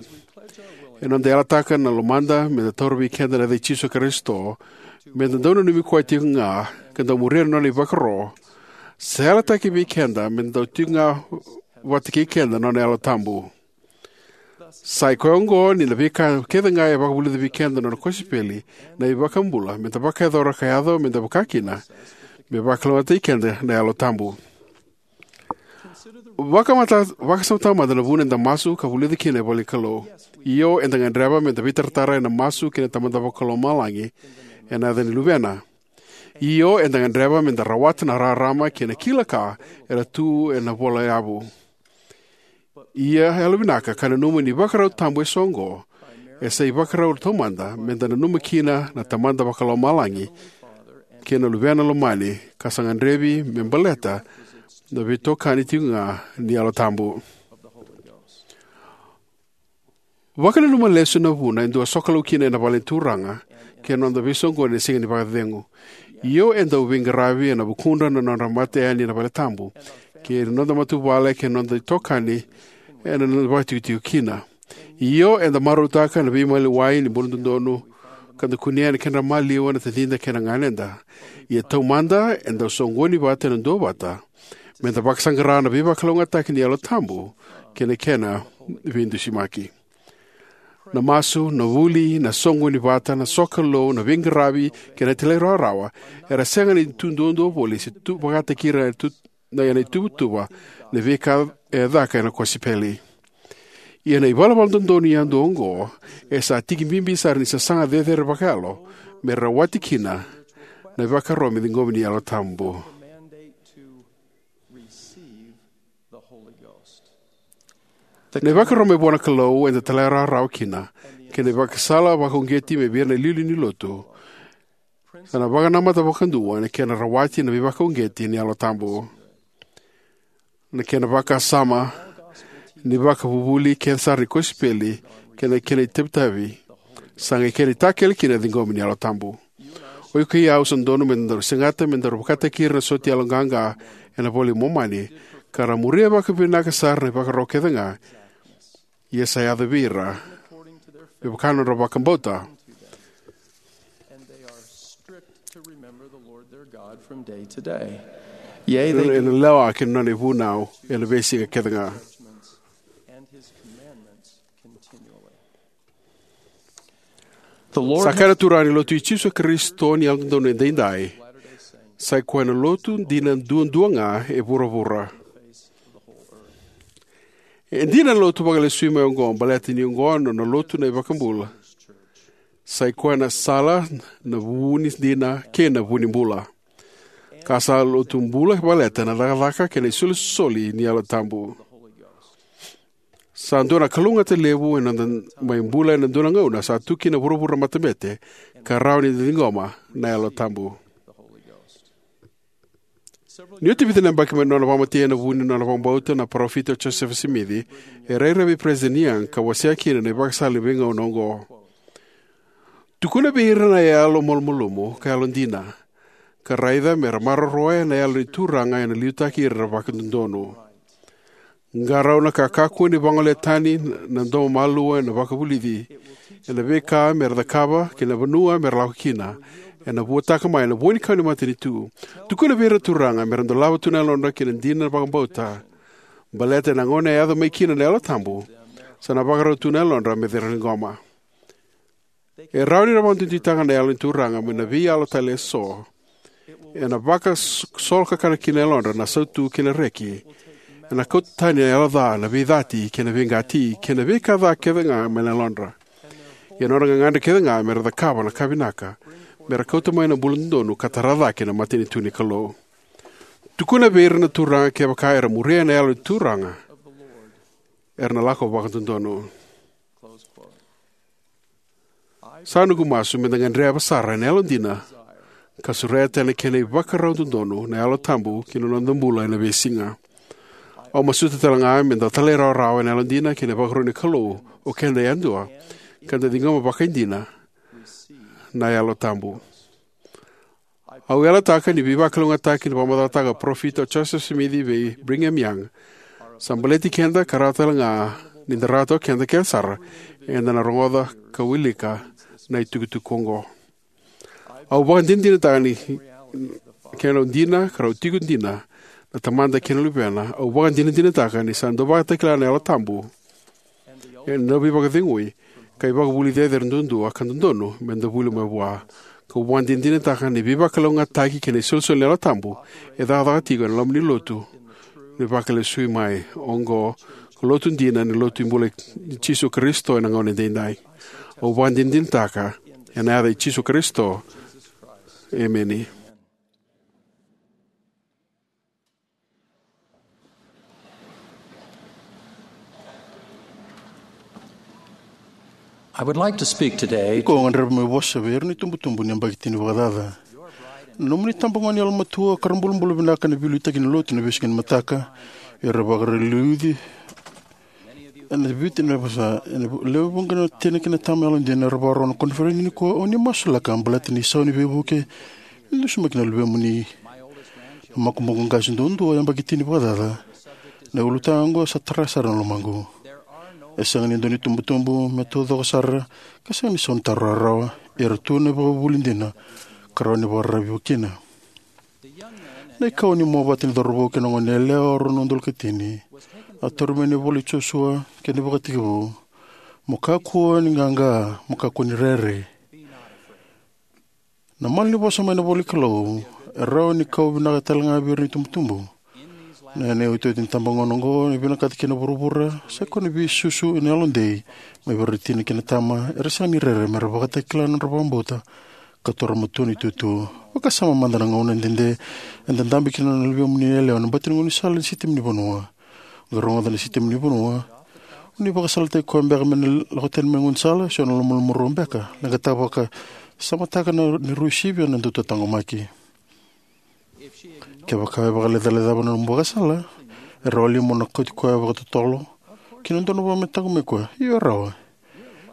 Ena noda yalataka na lomada meda taura vei keda na yaca i Jisu Karisito, meda dau nanumi koya tiko ga ka dau muria na nona ivakaro, sa yalataki vei keda meda dau tiko ga vata kei keda na nona Yalo Tabu. Sa i koya oqo ni na veika kece ga e vakavulica vei keda na nona kosipeli, na iVakabula, meda vakayacora ka yaco meda vaka kina, me vakalougatataki keda na Yalo Tabu. Vakamata, vakasamataka mada na vuna eda masu ka vulica kina na ivola ni Kalou. Io, eda gadreva meda veitaratara ena masu kei na Tamada Vakalomalagi ena yaca ni Luvena. Io, eda gadreva meda rawata na rarama kei na kila ka era tu ena iVola Yavu. Ia, yalovinaka ka nanuma ni ivakarau tabu eso oqo e sa ivakarau taumada meda nanuma kina na Tamada Vakalomalagi kei na Luvena Lomani, ka sa gadrevi me baleta na veitokani tiko ga ni Yalo Tabu. Vakananuma lesu na vuna e dau sokalou kina ena vale ni Turaga kei na noda veisoqoni ena Siga ni Vakacecegu. Io, e dau veiqaravi ena vukudra na nodra mata yani na valetabu kei na noda matavuvale kei na noda itokani ena noda vakatikotiko kina. Io, eda marautaka na veimaliwai ni buladodonu ka da kunea na kedra maliwa na tacida kei na ganeda. Ia taumada eda soqoni vata ena duavata me da vakasaqara na veivakalougatataki ni Yalo Tabu kei na kena veidusimaki. Na masu, na vuli, na soqoni vata, na sokalou, na veiqaravi kei na talairawarawa era sega ni tu duadua voli se tu vakataki ira tu na ena ituvatuva na veika e caka ena kosipeli. Ia na ivalavala dodonu yadua oqo e sa tiki bibi sara ni sasaga cecere vakayalo me rawati kina na ivakaro me ciqomi ni Yalo Tabu. Na ivakaro mai vua na Kalou eda talairawarawa kina kei na ivakasala vakauqeti mai vei ira na iliuliu ni lotu sa na vakanamata vakadua ena kena rawati na veivakauqeti ni Yalo Tabu. Na kena vakasama ni vakavuvuli kece sara ni kosipeli kei na kena itavitavi sa qai kena itakele kina na ciqomi ni Yalo Tabu. O iko kei au sa dodonu me daru segata me daru vakataki ira na soti yaloqaqa ena iVola i Momani ka ra muria vakavinaka sara na ivakaro kece ga ia sa yaco vei ira me vaka na nodra vakabauta. And they are strict to remember the Lord their God from day to day. Yea, they ena lewa kei na nona ivunau ena veisiga kece ga. And his commandments continually. The Lord sa kaya na Turaga ni Lotu i Jisu Karisito ni Yalododonu Edaidai, sa i koya na lotu dina duadua ga e vuravura. E dina na lotu vakalesui mai oqo baleta ni oqo na nona lotu na iVakabula. Sa i koya na sala, na vu ni dina kei na vu ni bula. Ka sa lotu bula baleta na cakacaka kei na isolisoli ni Yalo Tabu. Sa dua na kalougata levu ena noda mai bula ena dua na gauna sa tu kina na vuravura matabete ka rawa ni da ciqoma na Yalo Tabu. Ni oti vica na yabaki mai na nona vakamatei ena vu ni nona vakabauta na Parofita o Josefa Simici, e rairai vei Peresitedi Young ka wasea kina na ivakasala ni veigauna oqo. Tukuna vei ira na yalo malumalumu ka yalodina, ka raica me ra maroroya na Yalo ni Turaga ena liutaki ira vakadodonu. Qarauna ka kakua ni vagolea tani na domo malua ena vakavulici ena veika me ra cakava kei na vanua me ra lako kina. Ena vuataka mai na vua ni kau ni matanitu. Tukuna vei ira na turaga me ra dolava tu na yalodra kei na dina na vakabauta. Baleta ena gauna e yaco mai kina na Yalo Tabu, sa na vakarau tu na yalodra me ra ciqoma. E rawa ni ra vakaduiduitaka na Yalo ni Turaga mai na veiyalo tale eso. Ena vakasolokakana kina na yalodra na sautu kei na reki. Ena kauta tani na yalo ca, na veicati kei na veiqati kei na veika ca kece ga mai na yalodra. Ia na nodra gagadre kece ga me ra cakava na ka vinaka me ra kauta mai na bula dodonu ka tara cake na matanitu ni Kalou. Tukuna vei ira na turaga kevaka era muria na Yalo ni Turaga, era na lako vakadodonu. Sa noqu masu me da gadreva sara ena yalodina ka sureta ena kena ivakarau dodonu na Yalo Tabu ki na noda bula ena veisiga. Au masuta tale ga me da talairawarawa ena yalodina kei na ivakarau ni Kalou o keda yadua, ka da ciqoma vakaidina na Yalo Tabu. Au yalataka ni veivakalougatataki ni vakamacalataka o Parofita o Josefa Simici vei Brigham Young sa baleti keda ka rawa tale ga ni da rawata o keda kece sara eda na rogoca ka wilika na itukutuku oqo. Au vakadinadinataka ni kena dina ka rau tiko dina na Tamada kei na Luvena. Au vakadinadinataka ni sa dau vakatakila na Yalo Tabu ena veivakacegui ka ivakavuvuli cecere duadua ka dodonu me da vuli mai vua. Kau vakadinadinataka ni veivakalougatataki kei na isolisoli ni Yalo Tabu e cakacaka tiko ena loma ni lotu ni vakalesui mai oqo, ka lotu dina ni lotu ni bula i Jisu Karisito ena gauna edaidai. Au vakadinadinataka ena yaca i Jisu Karisito. Emeni. I would like to speak today. Iko gadreva me vosa vei ira na itubutubu ni yabaki tini vakacaca. Na nomuni tabagone yalomatua ka ra bulabula vinaka na veiliutaki ni lotu na veisiga ni mataka. Era vakaraliuci ena Viti na vosa ena levu vuqa na tina kei na tama yalodina era vakarau na koniferedi nikua. O ni masulaka baleta ni sau ni veivuke ni dusimaki na luvemuni. Na makubuqu qase duadua yabaki tini vakacaca. Na ulutaga oqo sa tara sara na lomaqu. E sega ni dua na itubutubu me taucoko sara, ka sega ni saunitaro rawarawa. Era tu na ivakavuvuli dina ka rawa ni vakararavi kina. Na ikawa ni Moavati ni cauravou kei na goneyalewa, rua na udolu ka tini, a tauri mai na ivola i Josua kei na ivakatekivu: Mo kakua ni qaqa, mo kakua ni rere. Na malanivosa mai na ivolanikalou e rawa ni kau vinaka talega vei ira na itubutubu. Na yanuyanu ni tabagauna oqo e vinakata kina na vuravura, sa ikoya na veisusu ena yalodei mai vei ira na tina kei na tama era sega ni rere mera vakatakila na nodra vakabauta ka taura matua na itutu. Vakasama mada na gauna dede eda dabe kina na luvemu ni yalewa ena bati ni gaunisala ni sitema ni vanua. Qai rogoca na sitema ni vanua. O ni vakasalataki koya beka me na lako tani mai na gaunisala, se o na lomalumarua beka? Leqataka vakasamataka na, ni rui sivia na dautataqomaki. Kevaka e vakalecalecava na nomu vakasala, e rawa li mo na kauti koya vakatotolo ki na dua na vanua me taqomaki koya? Io, e rawa.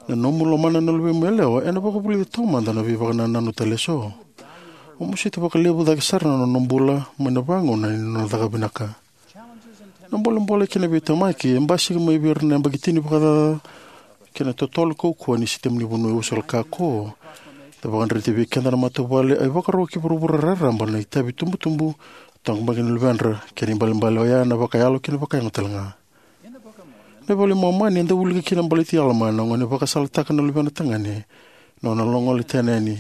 Na nomu lomana na luvemu yalewa ena vakavulica taumada na veivakanananu tale eso. O mosita vakalevu cake sara na nona bula mai na vagauna ni nona caka vinaka. Na bolebole kei na veitemaki e basika mai vei ira na yabaki tini vakacaca kei na totolo kaukauwa ni sitema ni vanua e uasala kako. E vakadreti vei keda na matavuvale, e vakaro ki vuravura raraba na itavi tubutubu, taqomaki na luvedra, kei na ibalebale oya na vakayalo kei na vakayago talega. Na iVola i Momani eda wilika kina baleti Alama, na gone vakasalataka na luvena tagane, na nona gole tani yani.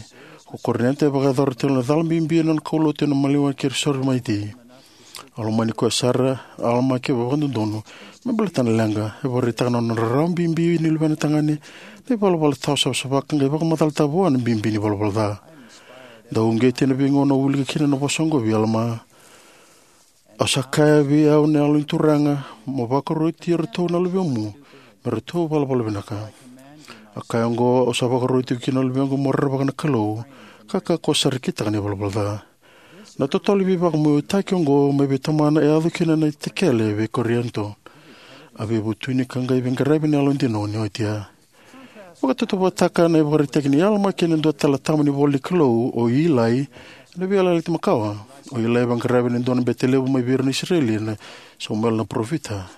O Korinita e vakayacora tiko na cala bibi ena nona kaulotu ena maliwa kei ira na Soromiti. A lomani koya sara o Alama ka vakadodonu me baleta na leqa. E vakaraitaka na nona rarawa bibi ni luvena tagane na ivalavala tawa savasava ka qai vakamacalataka vua na bibi ni valavala ca. Dau uqeti ena veigauna au wilika kina na vosa oqo vei Alama: Au sa kaya vei au na Yalo ni Turaga, mo vakaroti iratou na luvemu me ratou valavala vinaka. A kaya oqo: Au sa vakaroti iko kina na luvequ mo rerevaka na Kalou, ka kakua sara ni kitaka na ivalavala ca. Na totolo ni veivakamautaki oqo mai vei Tamana e yaco kina na itakele vei Korinito. A veivutuni ka qai veiqaravi ena yalodina ni oti ya. Vakatautauvatataka na ivakaraitaki nei Alama kei na dua tale na tama ni ivolanikalou, o Ilai, ena Veiyalayalati Makawa. O Ilai e veiqaravi ena dua na bete levu mai vei ira na Isireli ena Samuela na parofita.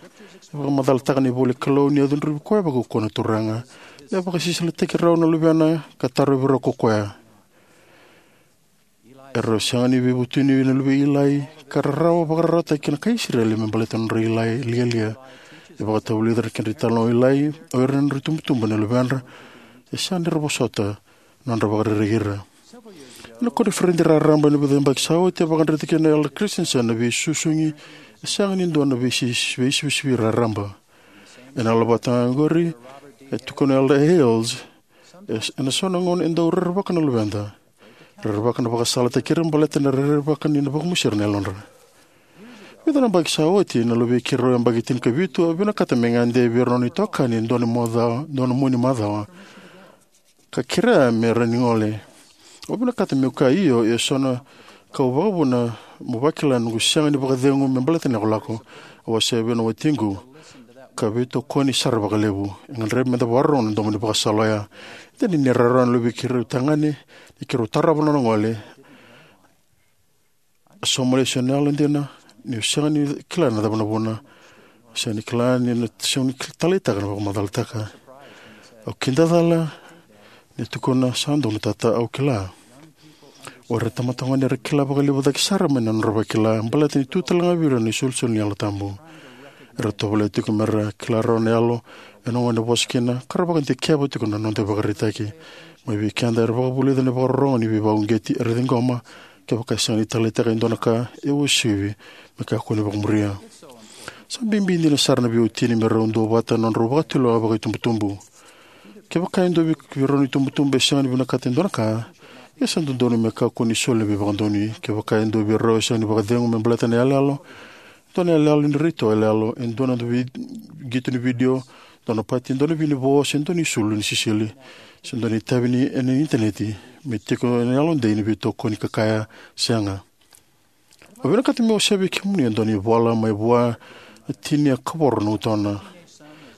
E vakamacalataka na ivolanikalou ni a cudruvi koya vakaukauwa na Turaga, ni a vakasisilataki rau na luvena ka tarovi rau ko koya. Erau sega ni veivutuni na luvei Ilai ka rarawa vakararawataki na kai Isireli me baleta na nodra lialia. E vakatavulica na kedra italanoa o Ilai o ira na nodra itubutubu na luvedra, e sega ni ra vosota na nodra vakarerei ira. Ena koniferedi raraba ena vica na yabaki sa oti, a vakadreta kina o Elder Christensen na veisusugi e sega ni dua na veisi-, veisivisivi raraba. Ena ivolavata ga oqori, e tukuna o Elder Hales, e, ena so na gauna e dau rerevaka na luveda. Rerevaka na vakasalataki ira baleta na rerevaka ni na vakamosi ira na yalodra. Vica na yabaki sa oti, na luvei keirau yabaki tinikavitu a vinakata me gade vei ira na nona itokani e dua na macawa, dua na mua ni macawa, ka kerea me rawa ni gole. Au vinakata meu kaya io, ia e so na ka au vakavuna meu vakila noqu sega ni vakacegu me baleta na ilakolako. Au a wasea vei au na watiqu, ka veitokoni sara vakalevu. E gadrevi meda vakarorogo ena domo ni ivakasala oya. E dina ni rarawa na luvei keirau tagane ni keirau tarova na nona gole. A sauma lesu ena yalodina, niu sega ni kila na cava na vuna. Au sega ni kila ni na sega ni taleitaka na vakamacalataka. Au kidacala ni tukuna sa donu, tata, au kila. O ira na tamata gone era kila vakalevu cake sara mai na nodra vakila baleta ni tu talega vei ira na isolisoli ni Yalo Tabu. Era tovolea tiko mera kila rawa na yalo ena gauna e vosa kina, ka ra vakadikeva tiko na noda ivakaraitaki. Mai vei keda era vakavulica na vakarorogo ni veivakauqeti era ciqoma. Kevaka e sega ni taleitaka e dua na ka, e uasivi me kakua ni vakamuria. Sa bibi dina sara na veiwatini me rau duavata na nodrau vakatulewa vakaitubutubu. Kevaka e dua vei, vei rau na itubutubu e sega ni vinakata e dua na ka, ia sa dodonu me kakua ni soli na veivakadonui. Kevaka e dua vei rau e sega ni vakacegu me baleta na iyaloyalo, dua na iyaloyalo ni raica iyaloyalo, e dua na vei-, qito ni vidio, dua na pati, dua na vinivo, se dua na isulu ni sisili, se dua na itavi ni, ena initaneti, me tiko ena yalodei na veitokoni ka kaya, sega. Au vinakata meu wasea vei kemuni e dua na ivola mai vua na tini e kavoro na utona.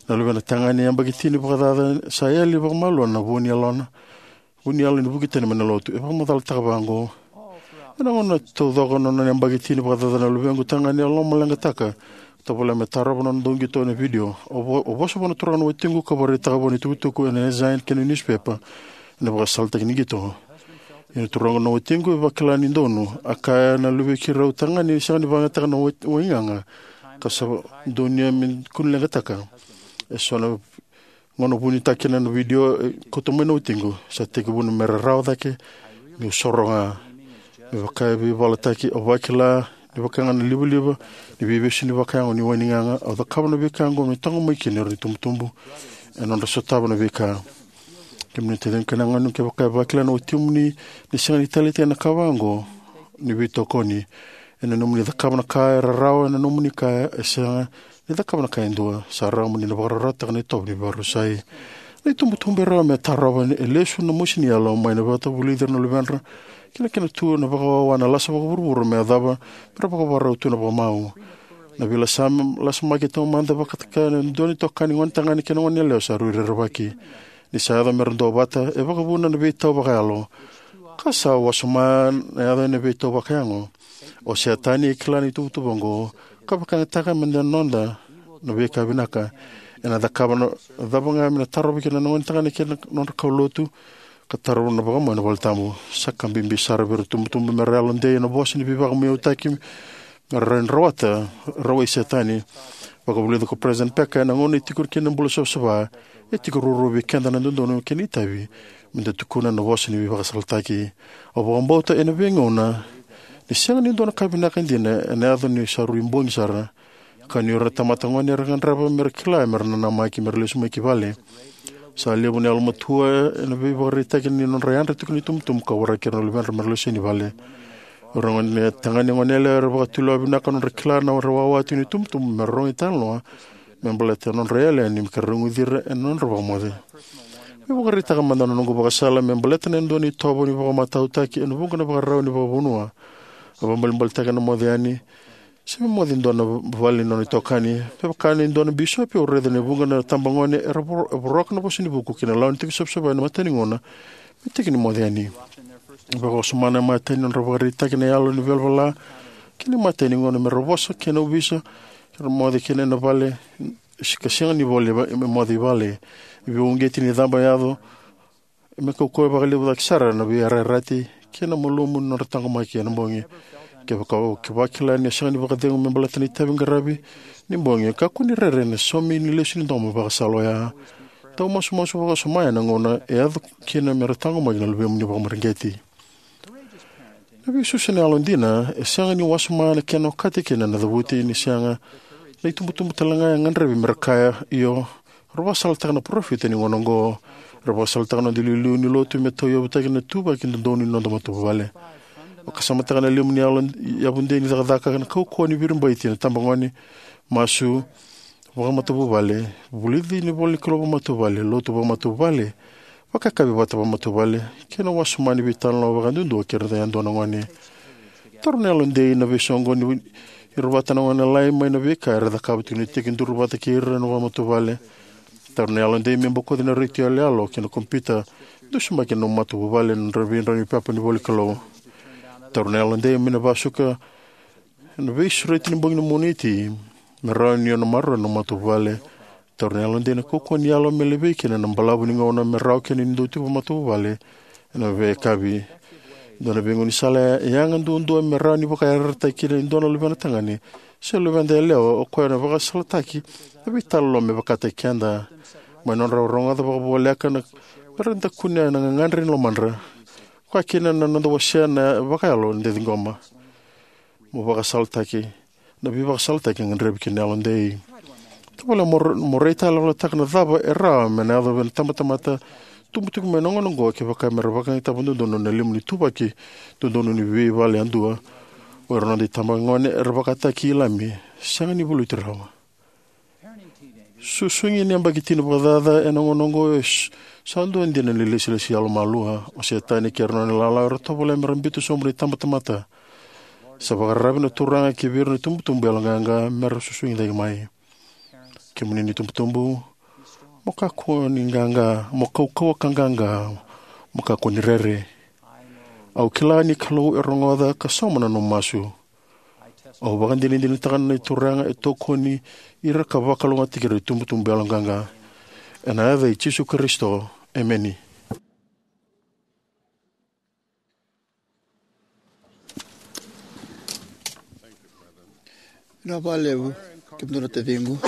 Na luvena tagane yabaki tini vakacaca sa yali vakamalua na vu ni yalona, vu ni yalo ni vuki tani mai na lotu. E vakamacalataka vaqo: Ena gauna taucoko na nona yabaki tini vakacaca na luvequ tagane, a lomaleqataka Tovolea me tarova na nona dau qito ena vidio. O vo-, o vosa vua na turaga na watiqu ka vakaraitaka vua na itukutuku ena Ensign kei na niusipepa ena vakasalataki ni qito. Ia na turaga na watiqu e vakila ni donu, a kaya na luvei keirau tagane ni sega ni vakayagataka na wai-, waigaga, ka sa donuya me kua ni leqataka. E so na gauna vunitaki kina na vidio, e, kauta mai na watiqu, sa tekivu me rarawa cake, meu soro ga. Me vaka e veivalataki, au vakila ni vaka ga na livaliva ni veivesu ni vakayago ni waigaga, au cakava na veika oqo me taqomaki kina o ira na itubutubu ena nodra sotava na veika. Kemuni na taciqu kei na ganequ, kevaka e vakila na watimuni ni sega ni taleitaki na ka vaqo ni veitokoni, ena nomuni cakava na ka e rarawa, ena nomuni ka e sega ni cakava na ka e dua, sa rawa mo ni na vakararawataka na itovo ni vakarusai. Na itubutubu e rawa me tarova e lesu na mosi ni yalo mai na vata vulici ira na luvedra, kei na kena tu na vakawawa na lasa vakavuravura me yacova me ra vakavakarau tu na vakamau. Na veilasamaki taumada vakataka na dua na itokani gone tagane kei na gone yalewa sa rui rerevaki. Ni sa yaco me ra duavata, e vakavuna na veitau vakayalo. Ka sa wasoma na yaco ena veitau vakayago. O Setani e kila na ituvatuva oqo, ka vakayagataka me da noda na veika vinaka. Ena cakava na cava ga me na tarova kina na gone tagane kei na nodra kaulotu, ka tarova na vakamau ena valetabu. Sa ka bibi sara vei ira na itubutubu me ra yalodei ena vosa ni veivakamuyautaki me ra rawa ni rawata, rawai Setani. Vakavulica ko President Packer, ena gauna e tiko kina na bula savasava, e tiko ruarua vei keda na dodonu kei na itavi me da tukuna na vosa ni veivakasalataki. Au vakabauta ena veigauna ni sega ni dua na ka vinaka dina ena yaco ni sa rui bogi sara. Ka ni o ira na tamata gone era gadreva me ra kila me ra nanamaki me ra lesu mai ki vale. Sa levu na yalomatua ena veivakaraitaki ni nodra yadra tiko na itubutubu ka waraki ira na luvedra me ra lesu yani vale. O ira na gone tagane, gone yalewa era vakatulewa vinaka nodra kila na nodra wawa tiko na itubutubu me ra rogo italanoa me baleta na nodra yali yani me ka ra guci ira ena nodra vakamoce. Me vakaraitaka mada na noqu vakasala me baleta na dua na itovo ni vakamatautaki ena vuqa na ivakarau ni vakavanua. A vabalibalitaka na moce yani se me moce e dua na vale ni nona itokani. Me vaka e dua na bisopi, au raica ni vuqa na tabagone era vo-, voroka na vosa ni vuku kei na lawa ni tiko savasava ena imatai ni gauna me tiki ni moce yani. Vakawasoma na imatai ni nodra vakaraitaki na yalo ni valavala kei na imatai ni gauna me ra vosa kei na ovisa, ke ra moce kina ena vale, se ka sega ni voli va-, me moce i vale. E veivakauqeti ni caba e yaco me kaukauwa vakalevu cake sara na veiyarayarataki kei na malumu ni nodra taqomaki ena bogi. Kevaka o vakila ni o sega ni vakacegu me baleta na itavi qaravi ni bogi, kakua ni rere ena saumi ni lesu ni domo vakasala oya. Dau masumasu vakawasoma ena gauna e yaco kina me ra taqomaki na luvemuni vakamareqeti. Na veisusu ena yalodina e sega ni wasoma na kena okati kina na cavuti ni sega na itubutubu tale ga e gadrevi me ra kaya io. Ra vakasalataka na parofita ni gauna oqo. Ra vakasalataka na noda iliuliu ni lotu me tauyavutaki na ituvaki dodonu ni noda matavuvale. Vakasamataka na limu ni yalo yavudei ni cakacaka, na kaukauwa ni viribaiti na tabagone, masu vakamatavuvale, vulici ni ivolanikalou vakamatavuvale, lotu vakamatavuvale, vakayakavi vata vakamatavuvale, kei na wasoma ni veitalanoa vakayadudua kei ira yadua na gone. Taura na yalodei na veisoqoni ira vata na gone lalai mai na veika era cakava tiko ni tekiduru vata kei ira na vakamatavuvale. Taura na yalodei me bokoci na retio yaloyalo kei na kompiuta, dusimaki ena nomu matavuvale ena nodra veidraunipepa ni ivolanikalou. Taura na yalodei me na vakasuka na veisureti ni bogi ni Moniti me rawa ni o na maroroya na nomu matavuvale. Taura na yalodei na kaukauwa ni yalo me levei kina na balavu ni gauna me rawa kina ni dau tiko vakamatavuvale ena veiyakavi. Dua na veigaunisala e yaga duadua me rawa ni vakayarayarataki kina e dua na luvena tagane se luveda yalewa o koya na vakasalataki na veitalanoa me vakataki keda mai na nodra rogoca vakavoleka na, me ra dau kunea na gagadre ni lomadra, vaka kina na noda wasea na vakayalo ni da ciqoma. Mo vakasalataki na veivakasalataki e gadrevi kina na yalodei. Tavale mo, mo raitayaloyalotaka na cava e rawa me na yaco vei na tabatamata tubu tiko mai na gauna oqo kevaka me ra vakayagataka vakadodonu na limu ni ituvaki dodonu ni veivale yadua. O ira na noda itabagone era vakataki Ilami, sega ni valuti rawa. Susugi ni yabaki tini vakacaca ena gauna oqo e s-, sa dua dina na ilesilesi yalomalua. O Setani kei ira na nona ilala era tovolea me ra biuta sobu na itabatamata. Sa vakararavi na Turaga ki vei ira na itubutubu yaloqaqa me ra susugi cake mai. Kemuni na itubutubu, mo kakua ni qaqa, mo kaukauwa ka qaqa, mo kakua ni rere. Au kila ni Kalou e rogoca ka sauma na nomu masu. Au vakadinadinataka na Turaga e tokoni ira ka vakalougatataki ira na itubutubu yaloqaqa. Ena yaca i Jisu Karisito, emeni. Na vakalevu, kemudou na taciqu.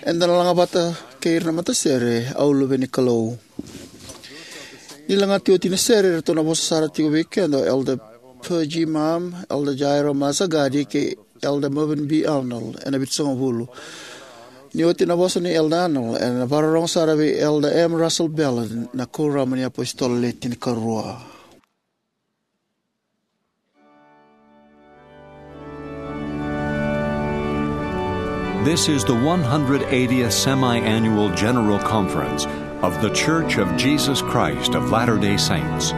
Eda na laga vata kei ira na matasere, Au Luve ni Kalou. Ni lagati oti na sere, eratou na vosa sara tiko vei keda o Elder Pergy Mam, Elder Jairo Mazagadi, kei Elder Mervyn B. Arnold, ena Vitusagavulu. Ni oti na vosa nei Elder Arnold, ena vakarorogo sara vei Elder M. Russell Ballard, na Kuoramu ni iApositolo Le Tinikarua. This is the one hundred eightieth Semi-Annual General Conference of The Church of Jesus Christ of Latter-day Saints.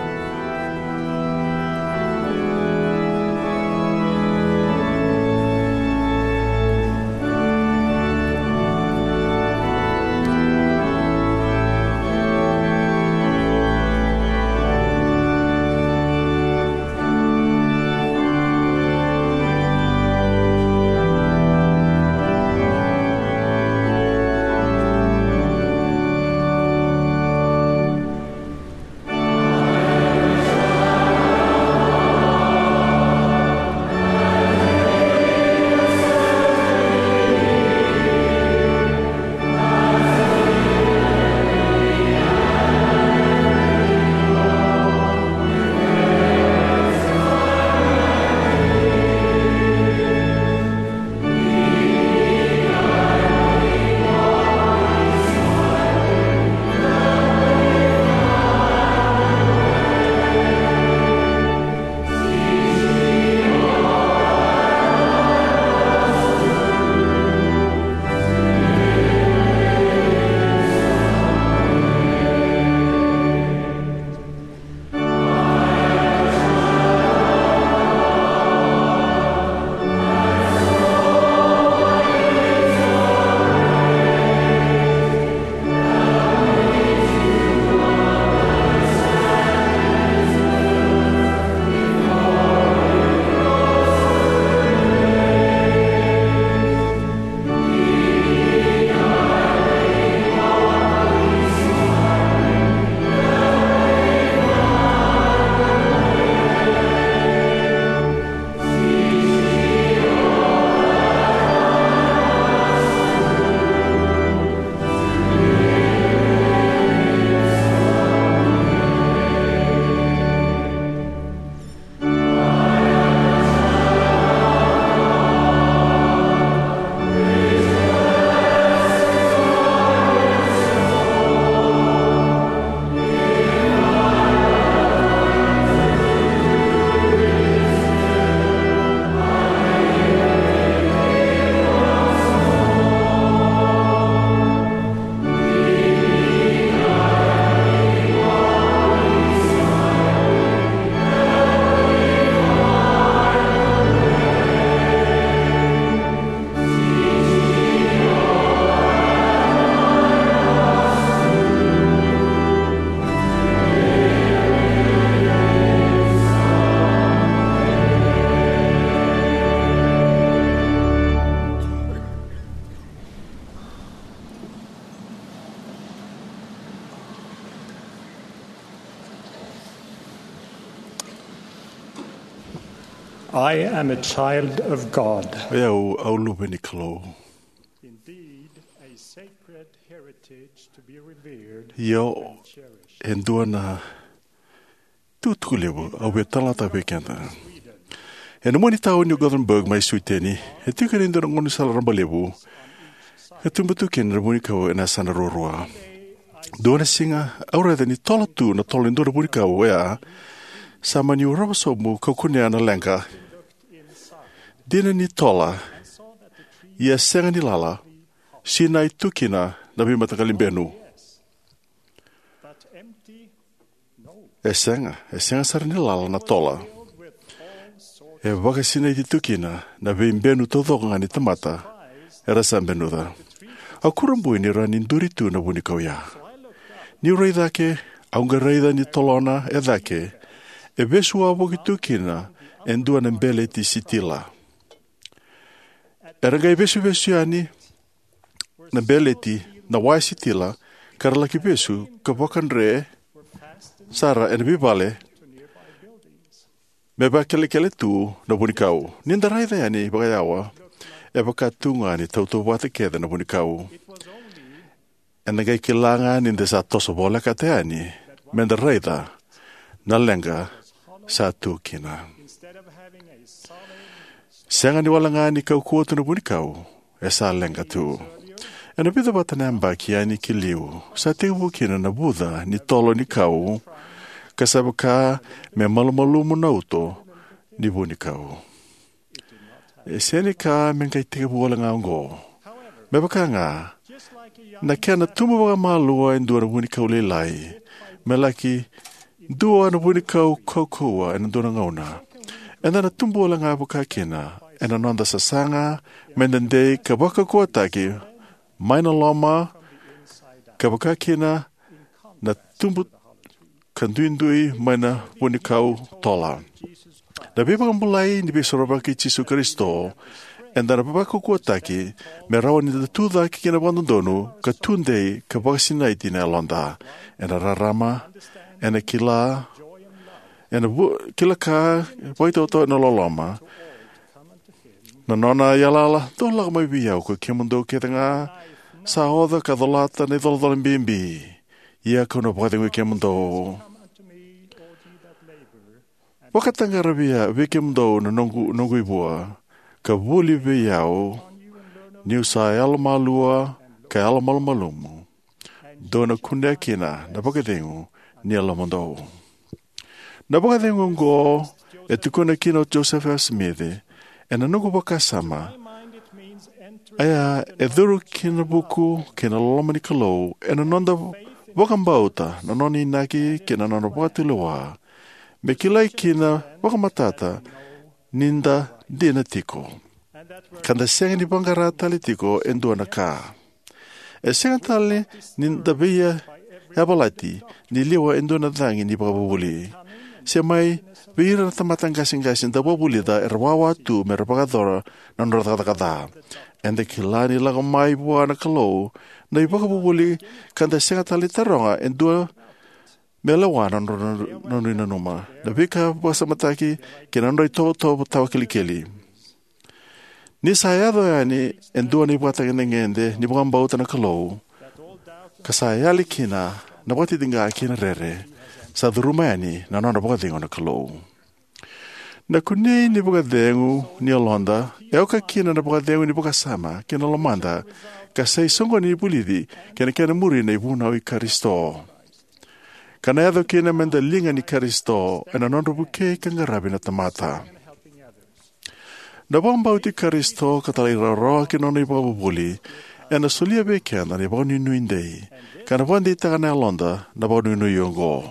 I am a child of God. O yau au luve ni Kalou. Indeed, a sacred heritage to be revered. Io, and cherished. E dua na tukutuku levu au via talanoataka vei keda. Ena mua ni tauni o Gothenburg mai Sweden, e tiko kina e dua na gaunisala rabailevu ka tubu tu kina na vunikau ena yasana ruarua. Dua na siga au raica ni tola tu na tola ni dua na vunikau oya. Sa mani urava sobu kau kunea na leqa. Dina ni tola, ia sega ni lala, sinai tu kina na veimataqali benu. E sega, e sega sara ni lala na tola. E vakasinaiti tu kina na veibenu taucoko ga ni tamata era sa benuca. Au kurabui ni rawa ni duri tu na vunikau ya. Niu rai cake, au qai raica ni tolona e cake e vesu wavoki tu kina e dua na beleti sitila. Era qai vesuvesu yani na beleti, na waya sitila, ka ra laki vesu ka vakadre sara ena veivale me vakelekele tu na vunikau. Ni da raica yani vakayawa, e vaka tu ga ni tautauvata kece na vunikau. Eda qai kila ga ni da sa toso voleka yani me da raica na leqa sa tu kina. Sega ni wale ga ni kaukauwa tu na vunikau, e sa leqa tu. Ena vica vata na yabaki yani ki liu, sa tekivu kina na vuca ni tolo ni kau, ka sa vaka me malumalumu na uto ni vunikau. E sega ni ka me qai tekivu wale ga oqo. Me vaka ga na kena tubu vakamalua e dua na vunikau lailai, me laki dua na vunikau kaukauwa ena dua na gauna, eda na tubu wale ga vakakina ena noda sasaga me da dei ka vakaukauwataki mai na loma, ka vakakina na tubu ka duidui mai na vunikau tola. Na veivakabulai ni Veisorovaki i Jisu Karisito eda na vakaukauwataki me rawa ni da tucake kina vakadodonu ka tudei ka vakasinaiti na yaloda ena rarama, ena kila, ena vu, kila ka, vakaitaotaoti, ena loloma. Na nona yalayala: "Dou lako mai vei au, koi kemudou kece ga sa oca ka colata na icolacola bibi, ia kau na vakacegui kemudou." Vakataqara vei, vei kemudou na noqu, noqu ivua, ka vuli vei au, niu sa yalomalua ka yalomalumalumu. Dou na kunea kina na vakacegu ni yalomudou. Na vakacegu oqo e tukuna kina o Joseph F. Smith, ena noqu vakasama, oya e curu ki na vuku kei na loloma ni Kalou, ena noda vakabauta na nona inaki kei na nona vakatulewa, me kilai kina vakamatata ni da dina tiko, ka da sega ni vaqara tale tiko e dua na ka. E sega tale ni da veiyavalati ni liwa e dua na cagi ni vakavuvuli, se mai vei ira na tamata qaseqase da vakavulica era wawa tu me ra vakayacora na nodra cakacaka ca. Eda kila ni lako mai vua na Kalou na ivakavuvuli, ka da sega tale ni taroga e dua me lewa na nodra, nodra nanuma. Na veika vakasamataki kei na nodra itovotovo tawa kilikili. Ni sa yaco yani e dua na ivakatagedegede ni vakabauta na Kalou, ka sa yali kina na vakatitiqa kei na rere, sa curuma yani na nona vakacegu na Kalou. Na kunei ni vakacegu ni yaloda e oka kina na vakacegu ni vakasama kei na lomada, ka sa isoqoni ni vulici kei na kena muri na ivunau i Karisito. Ka na yaco kina me da liga ni Karisito ena nodra vukei ka qaravi na tamata. Na vakabauti Karisito ka talairawarawa ki na nona ivakavuvuli ena solia vei keda na vakanuinui dei, ka na vakadeitaka na yaloda na vakanuinui oqo.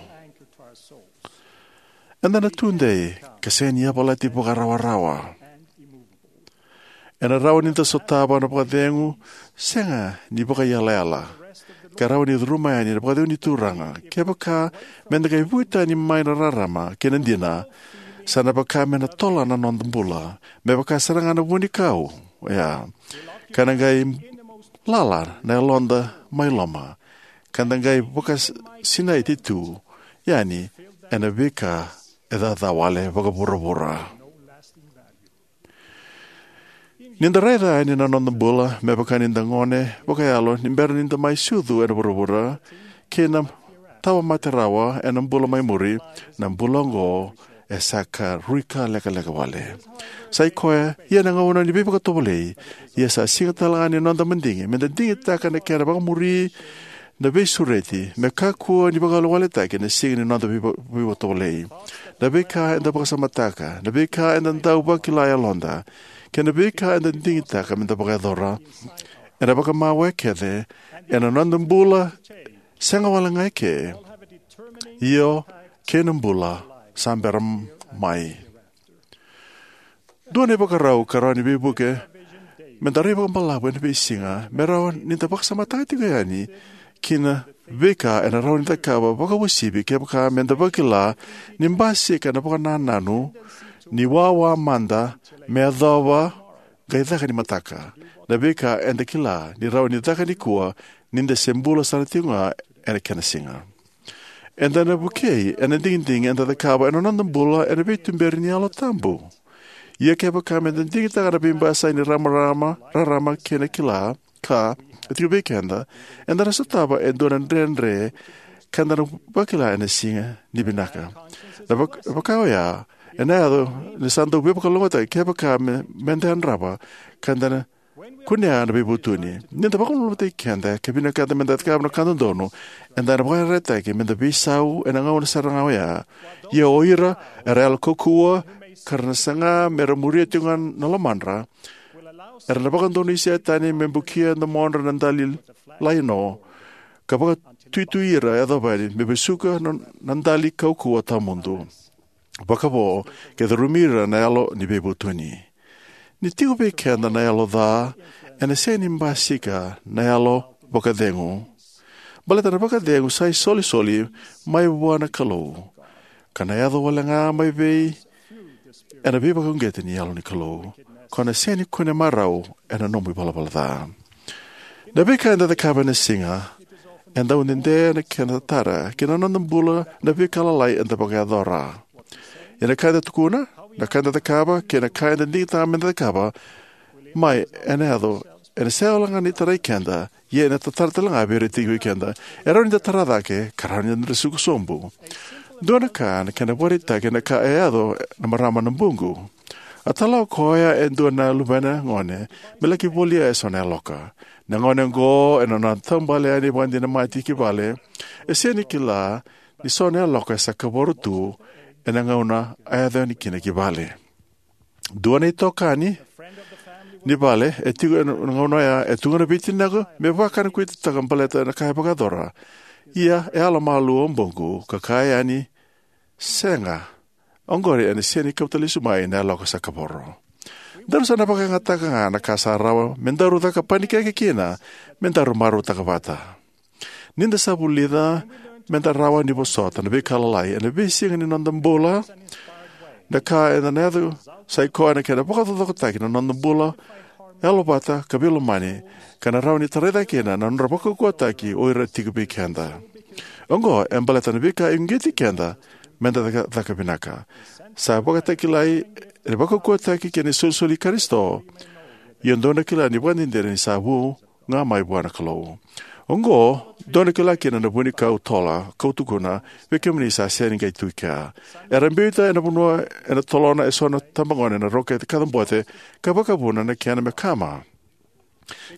Eda na tudei ka sega ni yavalati vakarawarawa. Ena rawa ni da sotava na vakacegu sega ni vakaiyalayala, ka rawa ni curuma yani na vakacegu ni Turaga. Kevaka me da qai vuki tani mai na rarama kei na dina, sa na vaka me na tola na noda bula, me vaka sara ga na vunikau oya, ka na qai lala na yaloda mai loma, ka da qai vakasinaiti tu yani ena veika e caca wale vakavuravura. Ni da raica yani na noda bula me vaka ni da gone vakayalo ni bera ni da mai sucu ena vuravura, kei na tawa mate rawa ena bula mai muri, na bula oqo e sa ka rui ka lekaleka wale. Sa i koya ia na gauna ni veivakatovolei, ia sa siga tale ga ni noda madigi me da digitaka na kena vakamuri na veisureti, me kakua ni vakawalewaletaki na siga ni noda veiva-, veivakatovolei. Na veika eda vakasamataka, na veika eda dau vakila e yaloda, kei na veika eda digitaka me da vakayacora, ena vakamawe kece ena noda bula, sega wale ga eke, io, kei na bula sa bera mai. Dua na ivakarau ka rawa ni veivuke me da rai vakabalavu ena veisiga, me rawa ni da vakasamataka tiko yani ki na veika ena rawa ni cakava vakauasivi kevaka me da vakila ni basika na vakanananu ni wawa mada me yacova qai caka ni mataka. Na veika eda kila ni rawa ni caka nikua, ni da se bula sara tiko ga ena kena siga. Eda na vukei ena digidigi eda cakava ena noda bula ena veituberi ni Yalo Tabu. Ia kevaka meda digitaka na veibasai ni rarama, rarama kei na kila ka e tiko vei keda, eda na sotava e dua na dredre ka da na vakila ena siga ni vinaka. Na vak-, vaka oya, ena yaco ni sa dau veivakalougatataki kevaka me, meda yadrava ka da na kunea na veivutuni. Ni da vakalolomataki keda ka vinakata meda cakava na ka dodonu, eda na vakaraitaki meda veisau ena gauna sara ga oya. Ia o ira era yalo kaukauwa ka ra na saga mera muria tiko ga na lomadra, era na vakadonui Setani me bukia na domodra na dali laino, ka vakatuitui ira yacova yani me vesuka na, na dali kaukauwa tawamudu vakavo, ke curumi ira na yalo ni veivutuni. Ni tiko vei keda na yalo ca, ena sega ni basika na yalo vakacegu. Baleta na vakacegu sa isolisoli mai vua na Kalou, ka na yaco wale ga mai vei ena veivakauqeti ni Yalo ni Kalou, ko na sega ni kune marau ena nomu ivalavala ca. Na veika eda cakava ena siga, eda dau dede na kena tara ki na noda bula na veika lalai eda vakayacora. Ia na ka eda tukuna, na ka eda cakava, kei na ka eda digitaka meda cakava mai, ena yaco, ena sega wale ga ni tarai keda, ia ena tatara tale ga vei ira tiko vei keda. E rawa ni da tara cake, ka rawa ni da suka sobu. Dua na ka na kena vakaraitaki na ka e yaco na marama na buqu. A tala o koya e dua na luvena gone me laki volia eso na yaloka. Na gone oqo ena nona taubale yani vakadinamati ki vale, e sega ni kila ni so na yaloka e sa kavoro tu ena gauna a yaco yani kina ki vale. Dua na itokani ni vale e tiko ena gauna oya e tukuna vei tinaqu me vakanakuitataka baleta na ka e vakayacora. Ia e yalo malua o buqu ka kaya yani, "Sega, oqori ena sega ni kauta lesu mai na yaloka sa kavoro." Daru sa na vakayagataka ga na ka sa rawa me daru caka panikeke kina me daru marautaka vata. Ni da sa vulica me da rawa ni vosota na veika lalai ena veisiga ni noda bula, na ka eda na yaco sa i koya na kena vakacokocokotaki na noda bula yalovata ka veilomani, ka na rawa ni tarai cake kina na nodra vakaukauwataki o ira tiko vei keda. Oqo e baleta na veika e uqeti keda me da caka, caka vinaka. Sa vakatakilai ena vakaukauwataki kei na isolisoli i Karisito. Ia dou na kila ni vakadinadina ni sa vu ga mai vua na Kalou. Oqo dou na kila kina na vunikau tola kau tukuna vei kemuni sa sega ni qai tu i kea. Era biuta ena vanua ena tolona eso na tabagone na roka e kacabote ka vakavuna na kena me kama,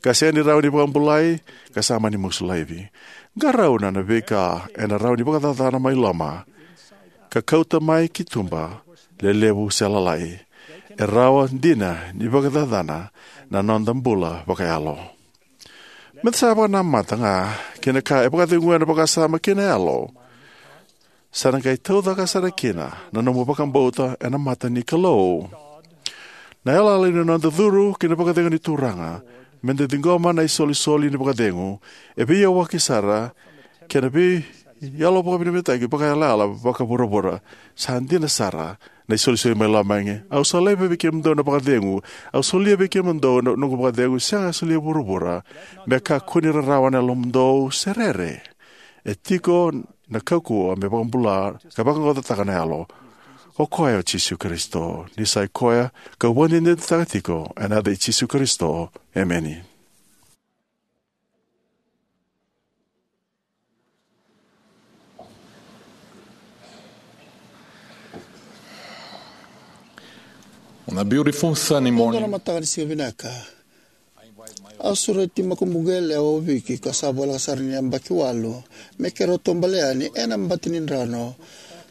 ka sega ni rawa ni vakabulai, ka sa mani musu laivi. Qarauna na veika ena rawa ni vakacacana mai loma ka kauta mai ki tuba, lelevu se lalai. E rawa dina ni vakacacana na noda bula vakayalo. Me da sa vakanamata ga kei na ka e vakaceguya na vakasama kei na yalo, sa na qai taucaka sara kina na nomu vakabauta ena mata ni Kalou. Na yalayala ni noda curu ki na vakacegu ni Turaga me da ciqoma na isolisoli ni vakacegu e veiyawaki sara kei na veiyalo vakavinavinakataki vakayalayala vakavuravura. Sa dina sara na isolisoli mai loma. Au sa laiva vei kemudou na vakacegu. Au solia vei kemudou na noqu vakacegu, sega solia vuravura. Me kakua ni rarawa na yalomudou se rere. E tiko na kaukauwa me vakabula ka vaqaqacotaka na yalo. O koya o Jisu Karisito. Ni sa i koya kau vakadinadinataka tiko ena yaca i Jisu Karisito. Emeni. On a beautiful sunny morning, dua na mataka ni siga vinaka, au sureti makubuqu yalewa o Viki, ka sa voleka sara ni yabaki walu, me keirau taubale yani ena bati ni drano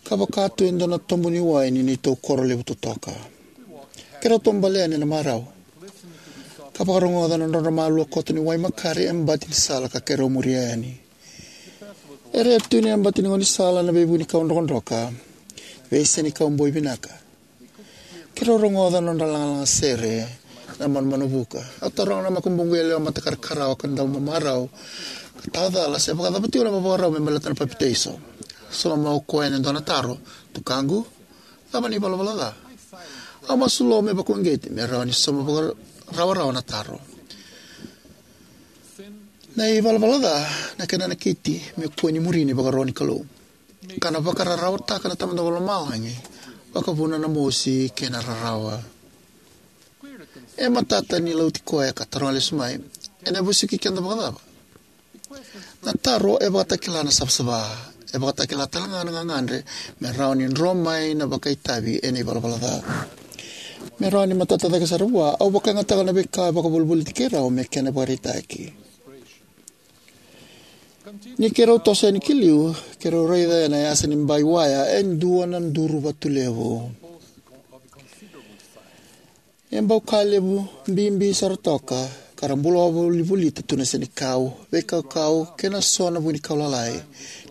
ka vaka tu e dua na tobu ni wai ni neitou koro levu totoka. Keirau taubale yani ena marau ka vakarogoca na drodro malua koto ni wai makare e bati ni sala ka keirau muria yani. Era tu ena bati ni gaunisala na veivunikau drokadroka, veisenikau boi vinaka. Keirau rogoca na nodra lagalaga sere na manumanu vuka. Au taroga na makubuqu yalewa matakarakarawa ka dau mamarau ka tawacala se vakacava tiko na vakarau me baleta na papitaiso. Sauma o koya ena dua na taro: "Tukaqu, cava na ivalavala ca?" Au masulou me vakauqeti me rawa ni sauma vaka-, rawarawa na taro. Na ivalavala ca na kena nakiti me kua ni muri na ivakaro ni Kalou, ka na vakararawataka na Tamada Vakalomalagi, vakavuna na mosi kei na rarawa. E matata ni lauti koya ka taroga lesu mai, ena vesuki keda vakacava? Na taro e vakatakila na savasava. E vakatakila talega na gagadre me rawa ni dro mai na vakaitavi ena ivalavala ca. Me rawa ni matata cake sara vua, au vakayagataka na veika e vakavolivoliti keirau me kena ivakaraitaki. Ni keirau toso yani ki liu, keirau raica ena yasa ni bai waya e dua na duru vatu levu. E bau ka levu bibi sara toka, ka ra bula volivolita tu na senikau, veikaukau, kei na so na vunikau lalai.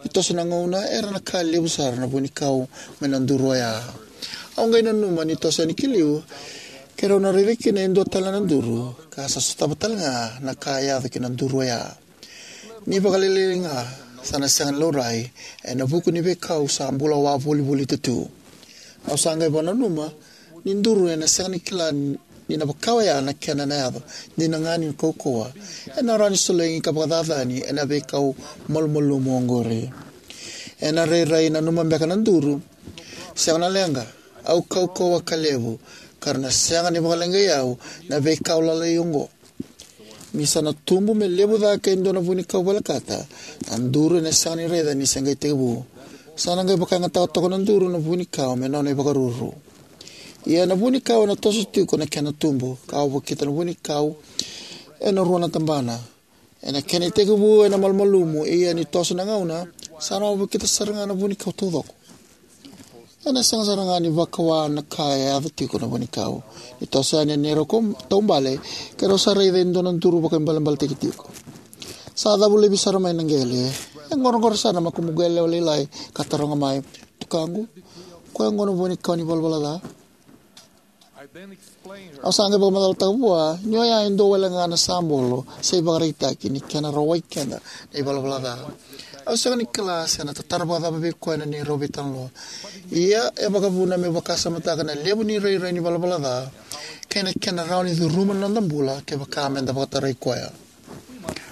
Ni toso na gauna, era na ka levu sara na vunikau mai na duru oya. Au qai nanuma ni toso yani ki liu, keirau na raica kina e dua tale na duru, ka sa sotava talega na ka e yaco ki na duru oya. Ni vakalailai ga, sa na sega ni laurai ena vuku ni veikau sa bula wavolivolita tu. Au sa qai vakananuma ni duru ena sega ni kila ni na vaka oya na kena na yaco, dina ga ni kaukauwa. Ena rawa ni solegi ka vakacacani ena veikau malumalumu oqori. Ena rairai nanuma beka na duru, sega na leqa, au kaukauwa ka levu, ka ra na sega ni vakaleqai au na veikau lalai oqo. Ni sa na tubu me levu cake e dua na vunikau volekata, na duru ena sega ni raica ni se qai tekivu. Sa na qai vakayagataka toka na duru na vunikau me nona ivakaruru. Ia na vunikau ena toso tiko na kena tubu, ka au vakita na vunikau ena rua na tabana. Ena kena itekivu ena malumalumu, ia ni toso na gauna, sa na vakita sara ga na vunikau taucoko. Ena sega sara ga ni vakawa na ka e yaco tiko na vunikau. Ni toso yani na neirau kau-, taubale, keirau sa raica e dua na duru vakaibalebaletaki tiko. Sa cavu laivi sara mai na qele. E qoroqoro sara na makubuqu yalewa lailai ka taroga mai, "Tukaqu, koya qo na vunikau ni valavala ca?" Au sa qai vakamacalataka vua ni oya e dua wale ga na sabolo se ivakaraitaki ni kena rawai keda na ivalavala ca. Au sega ni kila se na tatara vakacava vei koya na neirau veitalanoa. Ia e vakavuna meu vakasamataka na levu ni rairai ni valavala ca kei na kena rawa ni curuma na noda bula kevaka meda vakatarai koya.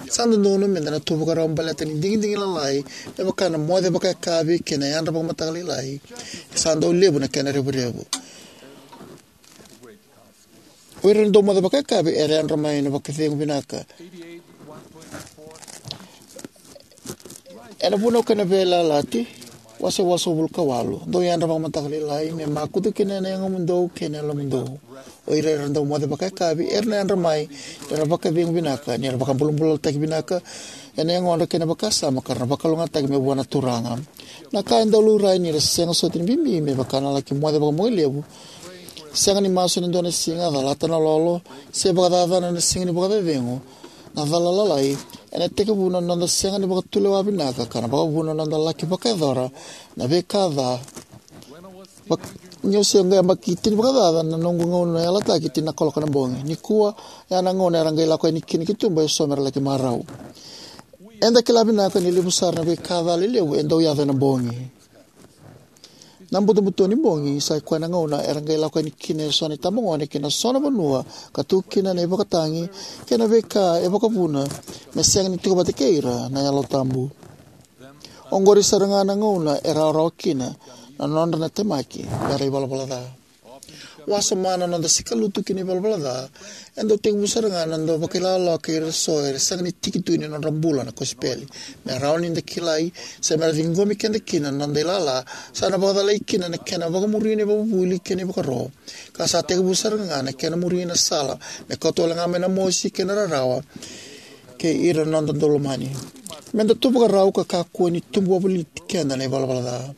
Sa dodonu meda na tu vakarau baleta ni digidigi lalai, me vaka na moce vakayakavi kei na yadra vakamataka lailai. E sa dau levu na kena revurevu. O ira na dau moce vakayakavi era yadra mai na vakacegu vinaka. Ena Vunau kei na Veiyalayalati, wase walusagavulu ka walu, dou yadra vakamataka lailai me makutu kina na yagomudou kei na yalomudou. O ira era dau moce vakayakavi era na yadra mai, era na vakacegu vinaka, ni ra vakabulabulataki vinaka ena yagodra kei na vakasama, ka ra na vakalougatataki mai vua na Turaga. Na ka e dau laurai ni ra sega soti ni bibi me vaka na laki moce vakabogilevu, sega ni masu ena dua na siga, calata na lolo, se vakacacana na siga ni vakacecegu, na cala lalai, ena tekivu na noda sega ni vakatulewa vinaka, ka na vakavuna na noda laki vakayacora na veika ca. Vak-, niu se qai yabaki tini vakacaca na noqu gauna yalataki, tini na kaloko na bogi. Nikua, ya na gauna era qai lako yani kina ki tuba eso me ra laki marau. Eda kila vinaka ni levu sara na veika ca lelevu e dau yaco ena bogi. Na butobuto ni bogi sa i koya na gauna era qai lako yani kina eso na itabagone ki na so na vanua ka tu kina na ivakatagi kei na veika e vakavuna me sega ni tiko vata kei ira na Yalo Tabu. Oqori sara ga na gauna e rawarawa kina na nodra na temaki me ra ivalavala ca. Wasoma na noda sikalutu ki na ivalavala ca, e dau tekivu sara ga na noda vakailala kei ira so era sega ni tiki tu ni nodra bula na kosipeli. Me rawa ni da kilai se me ra ciqomi keda kina na noda ilala, sa na vakacalai kina na kena vakamuri na ivakavuvuli kei na ivakaro. Ka sa tekivu sara ga na kena muri na sala me kauta wale ga mai na mosi kei na rarawa kei ira na noda daulomani. Meda tu vakarau ka kakua ni tubu wavoliti keda na ivalavala ca.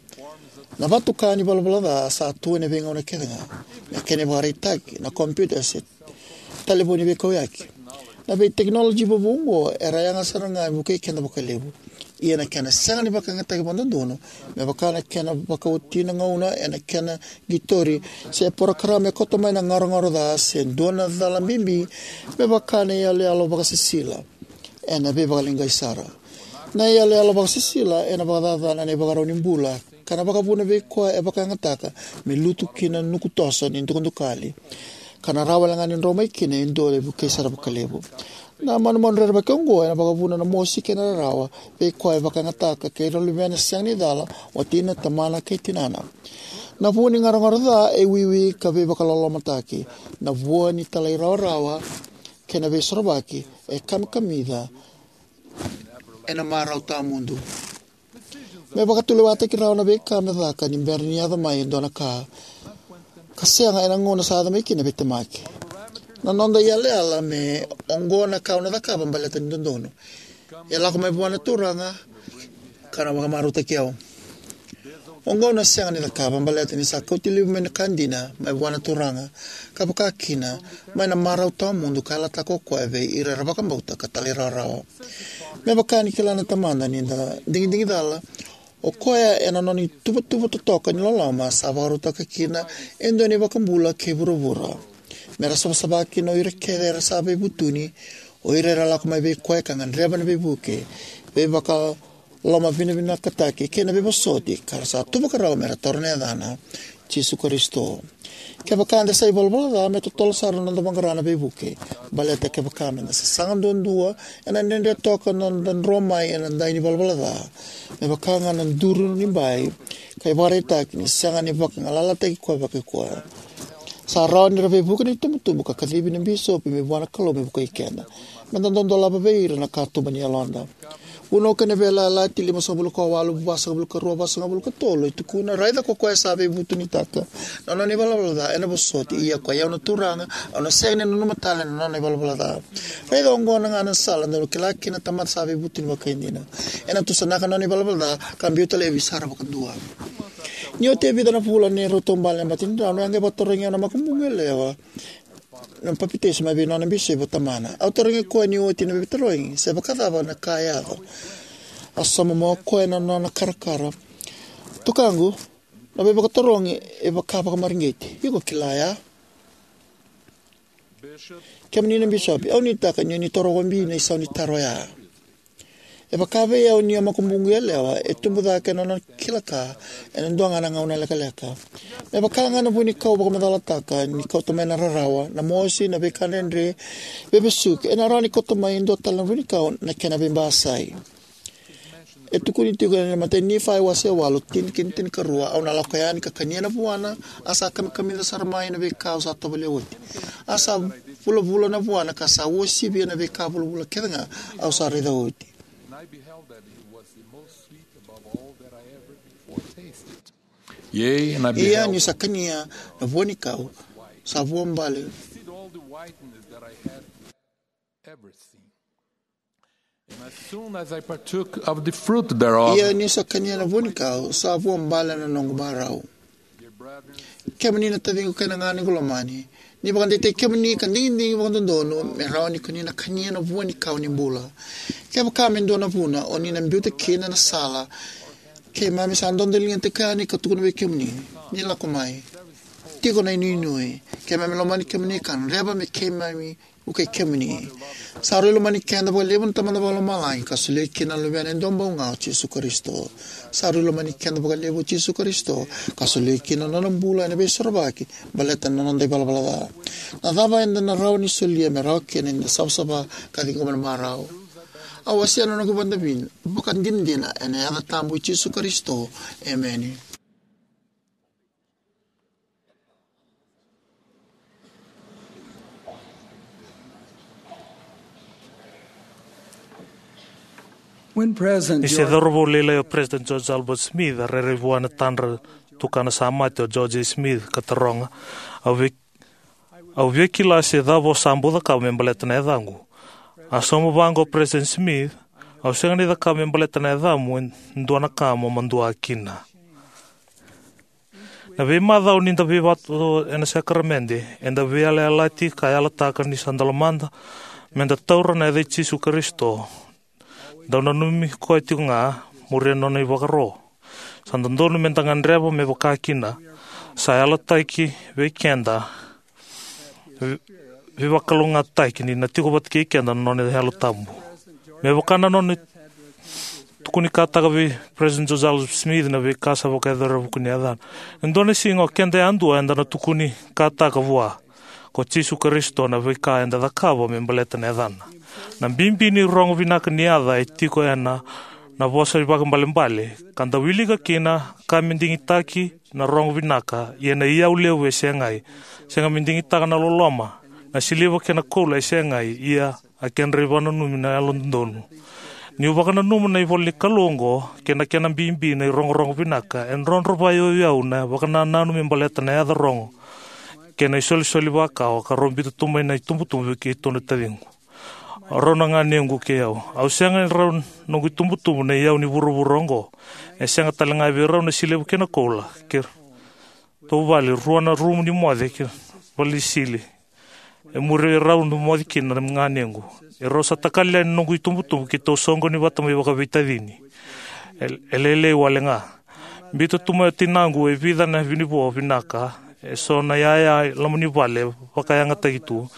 Na vatuka ni valavala ca sa tu ena veigauna kece ga. Na kena ivakaraitaki, na kompiuta se talevoni veikauyaki. Na veitekinoloji vovou oqo era yaga sara ga me vukei keda vakalevu. Ia na kena sega ni vakayagataki vakadodonu, me vaka na kena vakaoti na gauna ena kena qitori, se porokaramu e koto mai na garogaro ca, se dua na cala bibi, me vaka na iyaloyalo vakasisila, ena veivakaleqai sara. Na iyaloyalo vakasisila ena vakacacana na ivakarau ni bula, ka na vakavuna vei koya e vakayagataka me lutu ki na nuku toso ni dukadukali. ka na rawa wale ga ni dro mai kina e dua e vukei sara vakalevu. Na manumanu rerevaki oqo ena vakavuna na mosi kei na rarawa vei koya e vakayagataka kei ira na luvena sega ni cala, watina, tamana kei tinana. Na vu ni garogaro ca e wiwi ka veivakalolomataki. Na vua ni talairawarawa kei na veisorovaki e kamikamica ena marau tawamudu. Me vakatulewataki rawa na veika me caka ni bera ni yaco mai e dua na ka ka sega ena gauna sa yaco mai kina vei temaki. Na noda iyalayala me oqo na ka au na cakava baleta ni dodonu. E lako mai vua na Turaga ka na vakamarautaki au. Oqo au na sega ni cakava baleta ni sa kauti levu mai na ka dina mai vua na Turaga, ka vaka kina mai na marau tawamudu ka yalataka o koya vei ira era vakabauta ka talairawarawa. Me vaka ni kila na Tamada ni da digidigi cala, o koya ena nona ituvatuva totoka ni loloma sa vakarautaka kina e dua na iVakabula kei vuravura me ra savasava kina o ira kece era sa veivutuni, o ira era lako mai vei koya ka gadreva na veivuke, veivaka lomavinavinakataki kei na veivosoti ka ra sa tu vakarau me ra taura na yacana, Jisu Karisito. Kevaka eda sa ivalavala ca, me totolo sara na noda vaqara na veivuke. Baleta kevaka me da sasaga duadua, ena dredre toka na noda dro mai ena dai ni valavala ca. Me vaka ga na duru ni bai ka ivakaraitaki ni sega ni vakagalalataki koya vakaikoya. Sa rawa ni ra veivuke na itubutubu ka kacivi na bisopi mai vua na Kalou me vukei keda. Me da dodolava vei ira na katuba ni yaloda. Vunau kei na Veiyalayalati limasagavulu ka walu, vasagavulu ka rua, vasagavulu ka tolu e tukuna: Raica ko koya sa veivutunitaka na nona ivalavala ca ena vosoti, ia koi au na Turaga, au na sega ni nanuma tale na nona ivalavala ca. Raica oqo ga na sala dou na kila kina na tamata sa veivutuni vakaidina. Ena tusanaka na nona ivalavala ca ka biuta laivi sara vakadua. Ni oti e vica na vula ni rau taubale na matanidrau, au a qai vakatarogi au na makubuqu yalewa na papitaiso mai vei nona bisopi o tamana. Au tarogi koya ni oti na veivakatarogi se vakacava na ka e yaco. A sauma mai o koya na nona karakara: Tukaqu, na veivakatarogi e vaka vakamareqeti. Iko kila oya? Kemuni na bisopi, au nuitaka ni o ni taroga bibi na isau ni taro oya. E vaka vei au ni o makubuqu yalewa e tubu cake na nona kila ka ena dua ga na gauna lekaleka. Me vaka ga na vuanikau vakamacalataka ni kauta mai na rarawa, na mosi, na veika dredre, veivesuki, ena rawa ni kauta mai e dua tale na vuanikau na kena veibasai. E tukuni tiko ena imatai ni Nifai wase walu, tini kei na tinikarua: Au na lako yani ka kania na vuana, a sa kamikamica sara mai na veika au sa tovolea oti. A sa vulavula na vuana ka sa uasivia na veika vulavula kece ga au sa raica oti. And I beheld that it was the most sweet above all that I ever before tasted. Yea, and I Ia beheld niu sa kania na vuanikau, sa vuabale. Tasted all the whiteness that I had ever seen. And as soon as I partook of the fruit thereof, Ia niu sa kania na vuanikau, sa vuabale na noqu marau. Kemuni na taciqu kei na ganequ lomani, ni vakadeitaki kemuni ka digidigi vakadodonu me rawa ni ko ni na kania na vuanikau ni bula. Kevaka me dua na vuna o ni na biuta kina na sala, keimami sa dodoligataki yani ka tukuna vei kemuni ni lako mai. Tiko na inuinui. Keimami lomani kemuni ka gadreva me keimami vukei kemuni. Sa rui lomani keda vakalevu na Tamada Vakalomalagi ka solia kina na Luvena e dua bau ga, o Jisu Karisito. Sa rui lomani keda vakalevu o Jisu Karisito ka solia kina na nona bula ena Veisorovaki baleta na noda ivalavala ca. Na cava eda na rawa ni solia me rawa kina ni da savasava ka ciqoma na marau? Au wasea na noqu vakadinadina ena yaca tabu i Jisu Karisito. Emeni. When President Ni se George cauravou lailai o President George Albert Smith, a rairai vua na tadra tukana sa mate o George A. Smith ka taroga: Au via, au via kila se cava o sa bau cakava me baleta na yacaqu. A sauma vaqo o President Smith: Au sega ni cakava me baleta na yacamu e dua na ka mo madua kina. Na veimacawa ni da veivatu ena sakaramede, eda veiyalayalati ka yalataka ni sa da lomada me da taura na yaca i Jisu Karisito. Dau nanumi koya tiko ga, muria na nona ivakaro. Sa dodonu me da gadreva me vaka kina. Sa yalataki vei keda, vei, veivakalougatataki ni na tiko vata kei keda na nona Yalo Tabu. Me vaka na nona tukunikataka vei President Joseph Smith na veika sa vakayacori ena vuku ni yacana. E dua na siga o keda yadua eda na tukunikataka vua. ko Jisu Karisito na veika eda cakava me baleta na yacana. Na bibi ni rogo vinaka ni yaca e tiko ena na vosa ivakaibalebale, ka da wilika kina ka me digitaki na rogo vinaka, ia na iyau levu e segai. Sega me digitaka na loloma, na siliva kei na koula e segai, ia a kedra ivakananumi na yalododonu. Niu vakananuma na ivola ni Kalou oqo kei na kena bibi na irogorogo vinaka, e drodro vakayauyau na vakanananu me baleta na yaca rogo kei na isolisoli vakawa ka rau biuta tu mai na itubutubu vei keitou na taciqu. Rau na ganequ kei au. Au sega ni rau noqu itubutubu na iyau ni vuravura oqo. E sega tale ga vei rau na siliva kei na koula. Keitou vale rua na rumu ni moce kei vale ni sili. E muri rau na moce kina na ganequ. E rau sa takali yani na noqu itubutubu keitou soqoni vata mai vakaveitacini. E, e lailai wale ga. Biuta tu mai o tinaqu e vica na vinivo vinaka, e so na yaya loma ni vale vakayagataki tu.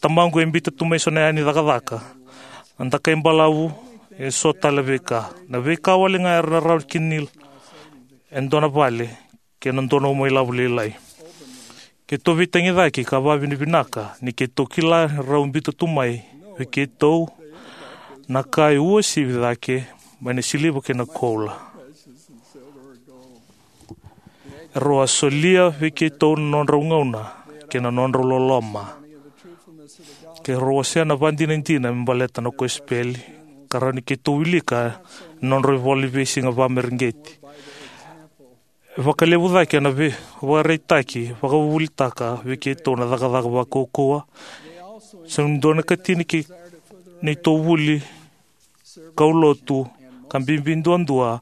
Tamaqu e biuta tu mai so na yaya ni cakacaka. Na dakai balavu, e so tale veika. Na veika wale ga era na rawa kina e dua na vale, kei na dua na uma ilavo lailai. Keitou veitagicaki ka vakavinavinaka ni keitou kila rau biuta tu mai vei keitou na ka e uasivi cake mai na siliva kei na koula. Rau a solia vei keitou na nodrau gauna kei na nodrau loloma. Kei rau wasea na vakadinadina me baleta na kosipeli, ka rawa ni keitou wilika na nodrau ivola ni veisiga vakamareqeti. E vakalevu cake na veivakaraitaki, vakavuvulitaka vei keitou na cakacaka vakaukauwa. Sa dua na katini kei neitou vuli kaulotu, ka bibi duadua,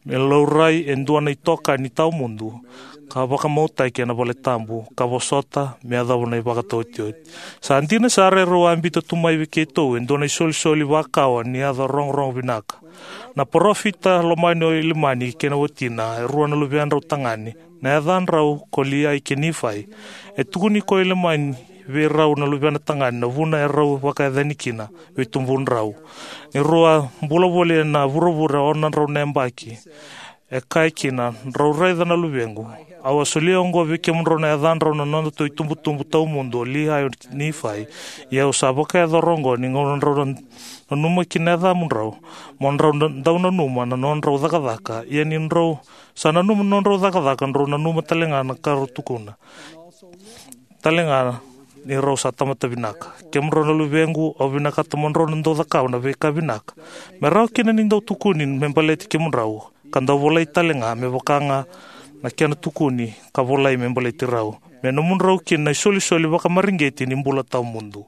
me laurai e dua na itokani tawamudu, ka vakamautaki ena valetabu, ka vosota, me yacova na ivakataotioti. Sa dina sara e rau a biuta tu mai vei keitou, e dua na isolisoli vakawa, ni yaca rogorogo vinaka. Na parofita lomani o Ilamani kei na watina, e rua na luvedrau tagane, na yacadrau ko Liai kei Nifai. E tukuni ko Ilamani vei rau na luvena tagane na vuna e rau vakayacani kina vei tubudrau. Ni rau a bula voli ena vuravura e ono na drau na yabaki. E kaya kina, drau raica na luvequ. Au a solia oqo vei kemudrau na yacadrau na nodatou itubutubu tawamudu o Liai kei Nifai. Ia au sa vakayacora oqo ni gauna drau na nanuma kina na yacamudrau. Mo drau na, dau nanuma na nodrau cakacaka. Ia ni drau sa nanuma na nodrau cakacaka, drau nanuma tale ga na ka rau tukuna. Tale ga ni rau sa tamata vinaka. Kemudrau na luvequ, au vinakata mo drau na dau cakava na veika vinaka. Me rawa kina ni dau tukuni me baleti kemudrau. Ka dau volai tale ga, me vaka ga na kena tukuni, ka volai me baleti rau. Me nomudrau kina na isolisoli vakamareqeti ni bula tawamudu.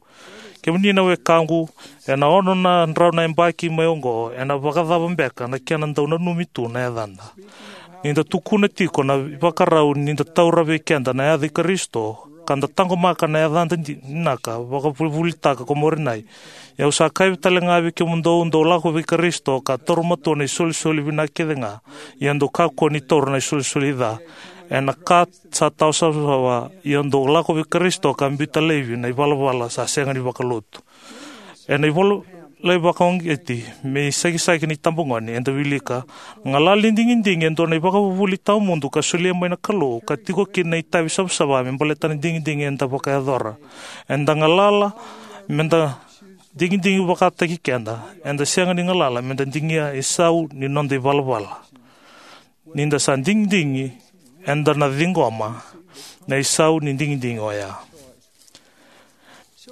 Kemuni na wekaqu, ena ono na drau na yabaki mai oqo, ena vakacava beka na kena dau nanumi tu na yacada. Ni da tukuna tiko na ivakarau ni da taura vei keda na yaca i Karisito, ka da taqomaka na yacada di-, vinaka, vakavuvulitaka ko Moronai. Ia au sa kaya tale ga vei kemudou, dou lako vei Karisito, ka taura matua na isolisoli vinaka kece ga, ia dou kakua ni taura na isolisoli ca. Ena ka sa tawa savasava, ia dou lako vei Karisito ka biuta laivi na ivalavala sa sega ni vakalotu. Ena ivola lai vakauqeti, me isakisaki ni tabagone, eda wilika, galala ni digidigi e dua na ivakavuvuli tawamudu ka solia mai na Kalou, ka tiko kina na itavi savasava me baleta na digidigi eda vakayacora. Eda galala, meda digidigi vakataki keda, eda sega ni galala, meda digia isau ni noda ivalavala. Ni da sa digidigi, eda na ciqoma na isau ni digidigi oya.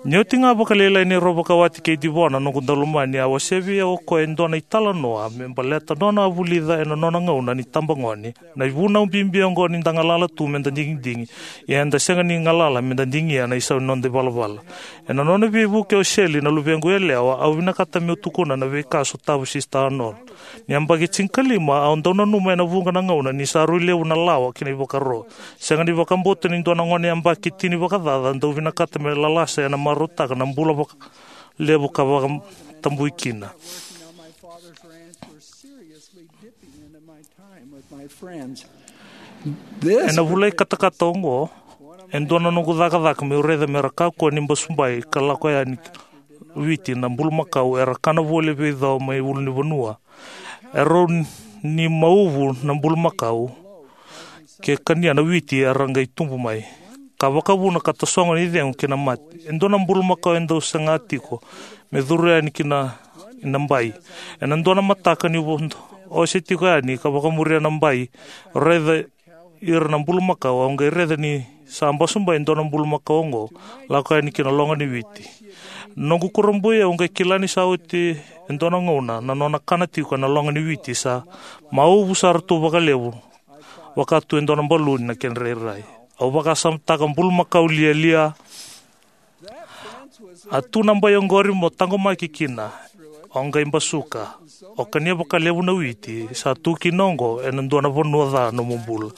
Ni oti ga vakalailai ni rau vakawati kei Divona, noqu daulomani, a wasea vei au o koya e dua na italanoa me baleta nona a vulica ena nona gauna ni tabagone. Na ivunau bibi oqo ni da galala tu meda digidigi, ia eda sega ni galala meda digia na isau ni noda ivalavala. Ena nona veivuke o Seli, na luvequ yalewa, au vinakata meu tukuna na veika a sotavi Sisita Arnold. Ni yabaki tinikalima, au dau nanuma ena vuqa na gauna ni sa rui levu na lawa kei na ivakaro. Sega ni vakabauta ni dua na gone yabaki tini vakacaca dau vinakata me lalasa ena marautaka na bula vakalevu ka vakatabui kina. Ena vula i katakata oqo, e dua na noqu cakacaka meu raica mera kakua ni basubai ka lako yani Viti na bulumakau era kana voli vei cau mai ulunivanua. Erau ni mauvu na bulumakau ke kania na witi era qai tubu mai. ka vakavuna ka tasogo ni cegu kei na mate. E dua na bulumakau e dau saga tiko me curu yani ki na, na bai. Ena dua na mataka ni'u vo-, ose tiko yani ka vakamuria na bai, raica ira na bulumakau, au qai raica ni sa basubaya e dua na bulumakau oqo, lako yani ki na loga ni witi. Noqu kurabui, au qai kila ni sa oti e dua na gauna na nona kana tiko ena loga ni witi, sa mauvu sara tu vakalevu, vaka tu e dua na baluni na kena rairai. Au vakasamataka bulumakau lialia. A tu na bai oqori mo taqomaki kina. Au qai basuka. Au kania vakalevu na witi sa tu kina oqo ena dua na vanua ca nomu bula.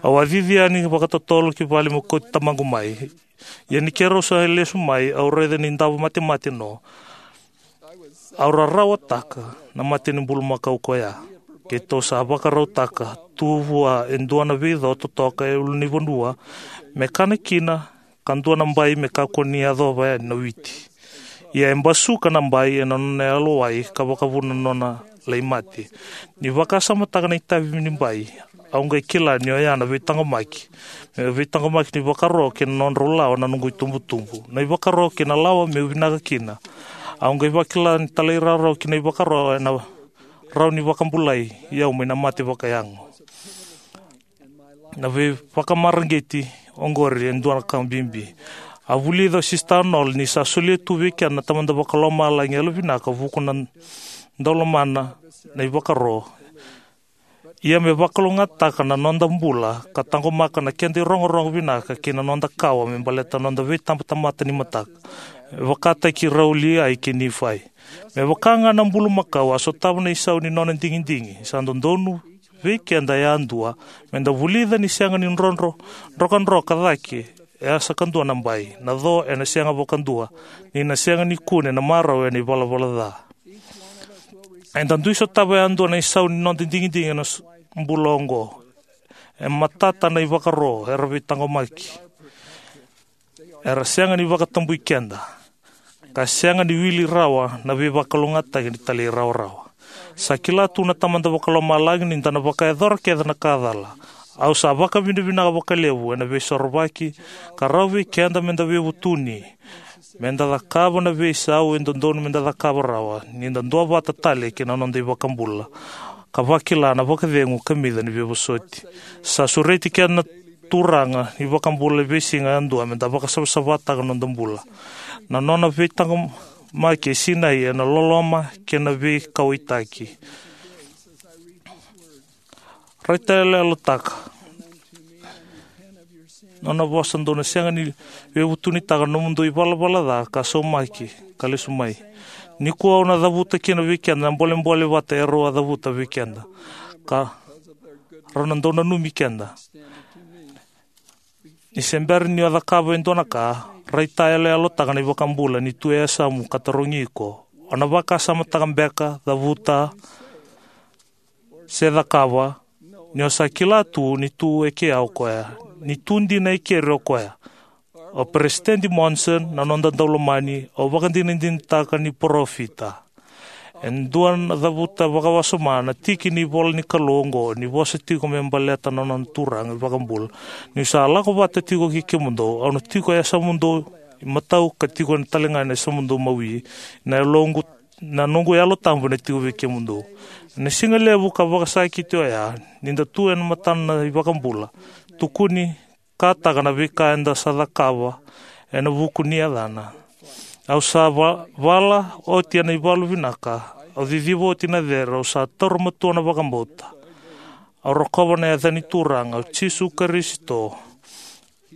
Au a cici yani vakatotolo ki vale meu kauti tamaqu mai. Ia ni keirau sa lesu mai, au raica ni davo matemate no. Au rarawataka na mate ni bulumakau koya. Keitou sa vakarautaka tu vua e dua na veico totoka e ulunivanua me kana kina, ka dua na bai me kakua ni yacova yani na witi. Ia e basuka na bai ena nona yalowai ka vakavuna na nona lai mate. Ni vakasamataka na itavi ni bai, au qai kila ni oya na veitaqomaki. Me veitaqomaki ni vakaro kei na nodrau lawa na noqu itubutubu. Na ivakaro kei na lawa meu vinaka kina. Au qai vakila ni talairawarawa ki na ivakaro ena rawa ni vakabulai au mai na mate vakayago. Na veivakamareqeti oqori e dua na ka bibi. A vulica o Sista Arnold ni sa solia tu vei keda na Tamada Vakalomalagi yalovinaka vuku na daulomana na ivakaro. Ia me vakalougatataka na noda bula ka taqomaka na keda irogorogo vinaka kei na noda kawa me baleta na noda veitabatamata ni mataka. E vakataki rau Liai kei Nifai. Me vaka ga na bulumakau a sotava na isau ni nona digidigi, sa dodonu vei keda yadua me da vulica ni sega ni drodro, drokadroka cake e a sa kadua na bai, na co ena sega vakadua, ni na sega ni kune na marau ena ivalavala ca. Eda dui sotava yadua na isau ni noda digidigi ena s-, bula oqo. E matata na ivakaro era veitaqomaki. Era sega ni vakatabui keda, ka sega ni wili rawa na veivakalougatataki ni talairawarawa. Sa kila tu na Tamada Vakalomalagi ni da na vakayacora kece na ka cala. Au sa vakavinavinaka vakalevu ena veisorovaki ka rawa vei keda me da veivutuni, me da cakava na veisau e dodonu me da cakava rawa ni da duavata tale kei na noda iVakabula, ka vakila na vakacegu kamica ni veivosoti. Sa sureti keda na Turaga ni iVakabula e veisiga yadua me da vakasavasavataka na noda bula. Na nona veitaqomaki e sinai ena loloma kei na veikauwaitaki. Raitayaloyalotaka. Nona vosa dou na sega ni veivutunitaka na nomudou ivalavala ca ka saumaki ka lesu mai. Nikua au na cavuta kina vei keda na bolebole vata erau a cavuta vei keda, ka rau na dau nanumi keda. Ni se bera ni o cakava e dua na ka, raitayaloyalotaka na iVakabula ni tu e yasamu ka tarogi iko. O na vakasamataka beka, cavuta, se cakava, ni o sa kila tu ni tu e kea o koya, ni tu dina e keri o koya. O Peresitedi Monson, na noda daulomani, au vakadinadinataka ni parofita. E dua na cavuta vakawasoma na tiki ni ivola ni Kalou oqo, ni vosa tiko me baleta na nona Turaga iVakabula. Niu sa lako vata tiko kei kemudou, au na tiko e yasamudou imatau ka tiko talega ena yasamudou imawi, na yaloqu, na noqu Yalo Tabu ena tiko vei kemudou. Ena siga levu ka vakasakiti oya, ni da tu ena matana na iVakabula, tukuni, kataka na veika eda sa cakava ena vuku ni yacana. Au sa va-, vala oti ena ivalu vinaka, au ciciva oti na cere, au sa taura matua na vakabauta. Au rokova na yaca ni Turaga, o Jisu Karisito,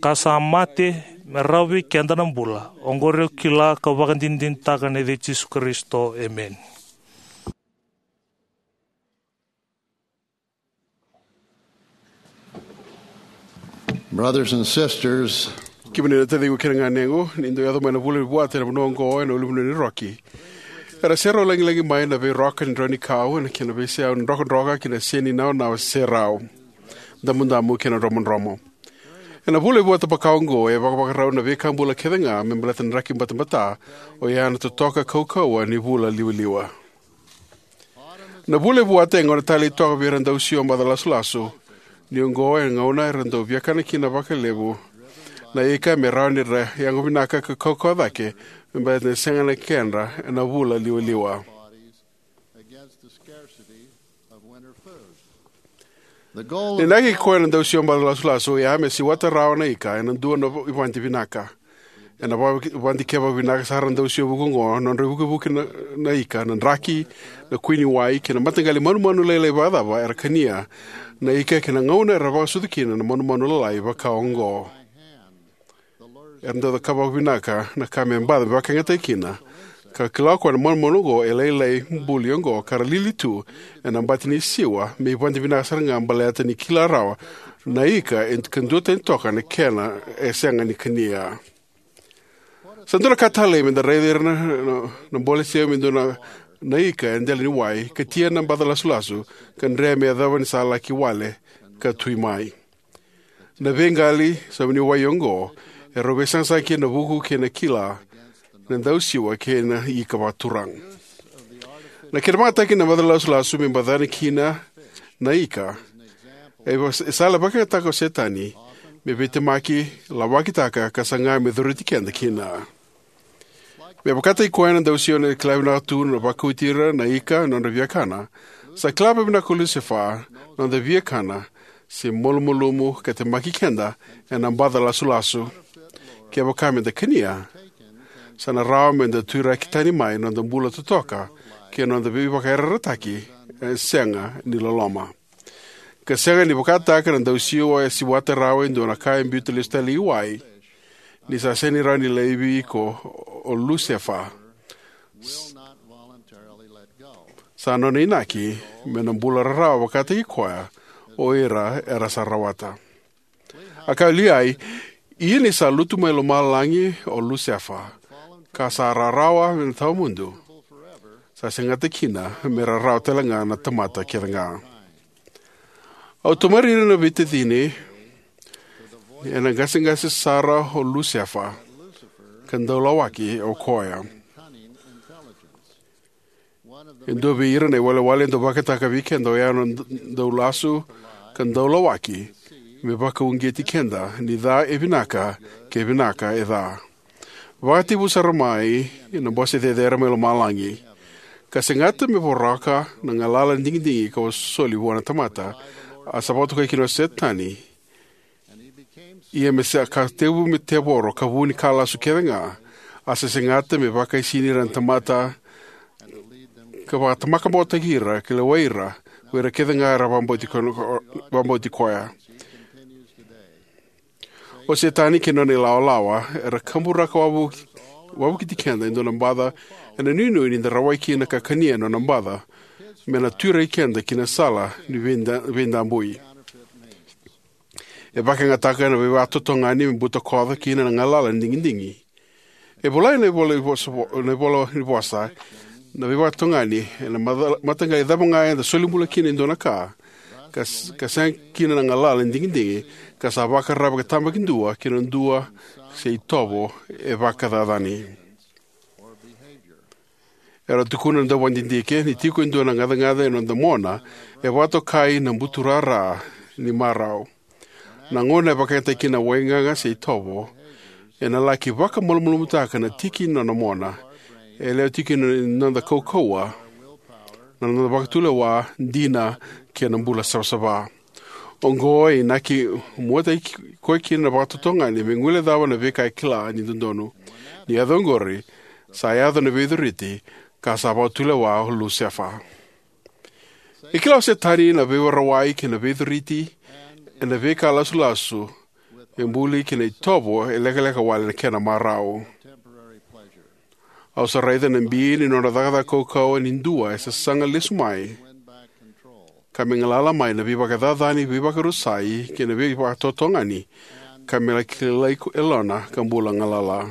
ka sa mate me rawa vei keda na bula. Oqori au kila ka vakadinadinataka ena yaca i Jisu Karisito. Emeni. Brothers and sisters, kemuni na taciqu kei na ganequ, ni dau yaco mai na vula ni vuata ena vanua oqo ena ulunivanua ni Rocky. Era serau lagilagi mai na veiroka ni drau ni kau, ena kena veisau ni drokadroka kei na seni naonawa serau, damudamu kei na dromodromo. Ena vula i vuata vaka oqo, e vakavakarau na veika bula kece ga me baleta na draki batabata, oya na totoka kaukauwa ni vula liwaliwa. Na vula i vuata e gauna talei toka vei ira dau siwa maca lasulasu, ni oqo e gauna era dau viakana kina vakalevu na ika me rawa ni ra yago vinaka ka kaukauwa cake me baleta ni sega na kedra ena vula liwaliwa. Na inaki koya na dausiwa baca lasulasu oya me siwata rawa na ika ena dua na ivadi vinaka. Ena ivadi kevaka vinaka sara na dausiwa vuku oqo, nodra ivukivuki na, na ika, na draki, na kui ni wai, kei na mataqali manumanu lailai vakacava era kania na ika kei na gauna era vakasucu kina na manumanu lalai vaka oqo. Era dau cakava vinaka na ka me baca me vakayagataki kina. Ka kila o koya na manumanu oqo e lailai buli oqo ka ra lili tu ena bati ni siwa me ivadi vinaka sara ga baleta ni kila rawa na ika e ka duatani toka na kena e sega ni kania. Sa dua na ka talei me da raica ira na, na, na bole seu me dua na, na ika e dela ni wai, katia na baca lasulasu, ka dre me yacova ni sa laki wale ka tui mai. Na veiqali sa vuniwai oqo e rau veisaqasaqa kina na vuku kei na kila na dausiwa kei na ika vakaturaga. Na kena vakayagataki na baca lasulasu me bacani kina na ika e va-, e sala vakayagataka o Setani me veitemaki, lawakitaka ka saga me coriti keda kina. Me vakataki koya na dausiwa na kila vinaka tu na vakauti ira na ika na nodra viakana, sa kila vakavinaka o Lusefa na noda viakana se malumalumu ka temaki keda ena baca lasulasu. Kevaka me da kania, sa na rawa me da tuiraki tani mai na noda bula totoka kei na noda veivakayarayarataki e sega ni loloma. Ka sega ni vakataka na dausiwa e siwata rawa e dua na ka e biuta lesu tale i wai, ni sa sega ni rawa ni laivi iko o Lusefa. Sa nona inaki me na bula rarawa vakataki koya o ira era sa rawata. A kaya o Liai, ia ni sa lutu mai lomalagi o Lusefa, ka sa rarawa me na tawamudu, sa segata kina me rarawa tale ga na tamata kece ga. Au tamari ira na veitacini ena qaseqase sara o Lusefa, ka daulawaki o koya. E dua vei ira na iwalewale e dau vakataka vei keda oya na d-, daulasu ka daulawaki me vakauqeti keda ni ca e vinaka, ke vinaka e ca. Vakatekivu sara mai na Bose Cecere mai Lomalagi, ka segata me voroka na galala ni digidigi ka soli vua na tamata, a sa vakatokai kina o Setani. Ia me sa ka tekivu me tevoro ka vu ni ka lasu kece ga, a sa segata me vakaisini ira na tamata, ka vakatamaka botaki ira, ka lewai ira, ko ira kece ga era vakabauti ko-, vakabauti koya. O Setani kei nona ilawalawa era kaburaka wavu-, wavokiti keda e dua na baca ena nuinui ni da rawai kina ka kania na nona baca, me na tuiraki keda ki na sala ni veida-, veidabui. E vakayagataka na veivakatotogani me butakoca kina na galala ni digidigi. E volai na ivola ni vosa vo-, na ivola ni vosa, na veivakatotogani ena mata-, mataqali cava ga eda soli bula kina e dua na ka, ka s-, ka sega kina na galala ni digidigi, ka sa vakararavi ka tabakidua ki na dua se itovo e vakacacani. Era tukuna na dauvakadidike ni tiko e dua na gacagaca ena noda mona e vakatokai na buturara ni marau. Na gauna e vakayagataki kina na waigaga se itovo, ena laki vakamalumalumutaka na tiki ni nona mona. E lewe tiko ni noda kaukauwa, na noda vakatulewa, dina, kei na bula savasava. Oqo e inaki muataki koya kina na vakatotogani me guilecava na veika e kila ni dodonu. Ni yaco oqori, sa yaco na veicuriti, ka sa vakatulewa o Lusefa. E kila o Setani na veirawai kei na veicuriti ena veika lasulasu, e buli kei na itovo e lekaleka wale na kena marau. Au sa raica na bi ni nona cakacaka kaukauwa ni dua e sasaga lesu mai, ka me galala mai na veivakacacani, veivakarusai, kei na veivakatotogani, ka me laki kilai ko yalona ka bula galala.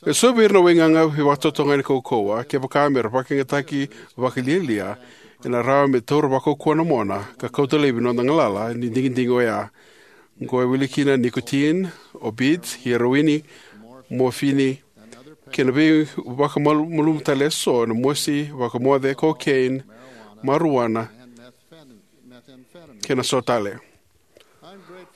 E so vei ira na waigaga veivakatotogani kaukauwa, kevaka me ra vakayagataki vakalialia, ena rawa me taura vakaukauwa na mona ka kauta laivi na noda galala ni digidigi oya. Oqo e wili kina nicotine, opiates, heroini, morphine, kei na veivakamalumalumu tale e so, na mosi, vakamoce, cocaine, marijuana, kei na so tale.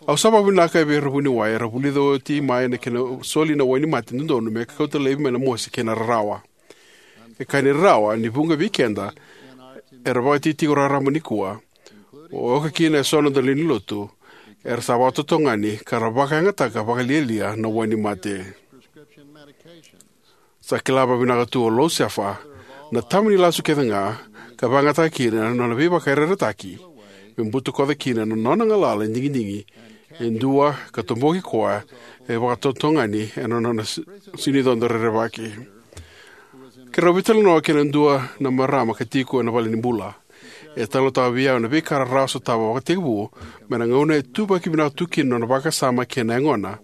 Au sa vakavinavinaka vei ira na vuniwai era vulica oti mai na kena soli na wainimate dodonu me kauta laivi mai na mosi kei na rarawa. E ka ni rarawa ni vuqa vei keda era vakaitikotiko raraba nikua, oka kina eso na noda lewe ni lotu, era sa vakatotogani ka ra vakayagataka vakalialia na wainimate. Sa kila vakavinaka tu o Lou Sefa na tama ni lasu kece ga, ka vakayagataka kina na nona veivakayarayarataki me butakoca kina na nona galala e digidigi e dua ka toboki koya e vakatotogani ena nona si- sinicodo rerevaki. Keirau veitalanoa kei na dua na marama ka tiko ena valenibula. E talanoataka vei au na veika rarawa sotava vakatekivu mai na gauna e tuvaki vinaka tu kina na nona vakasama kei na yagona.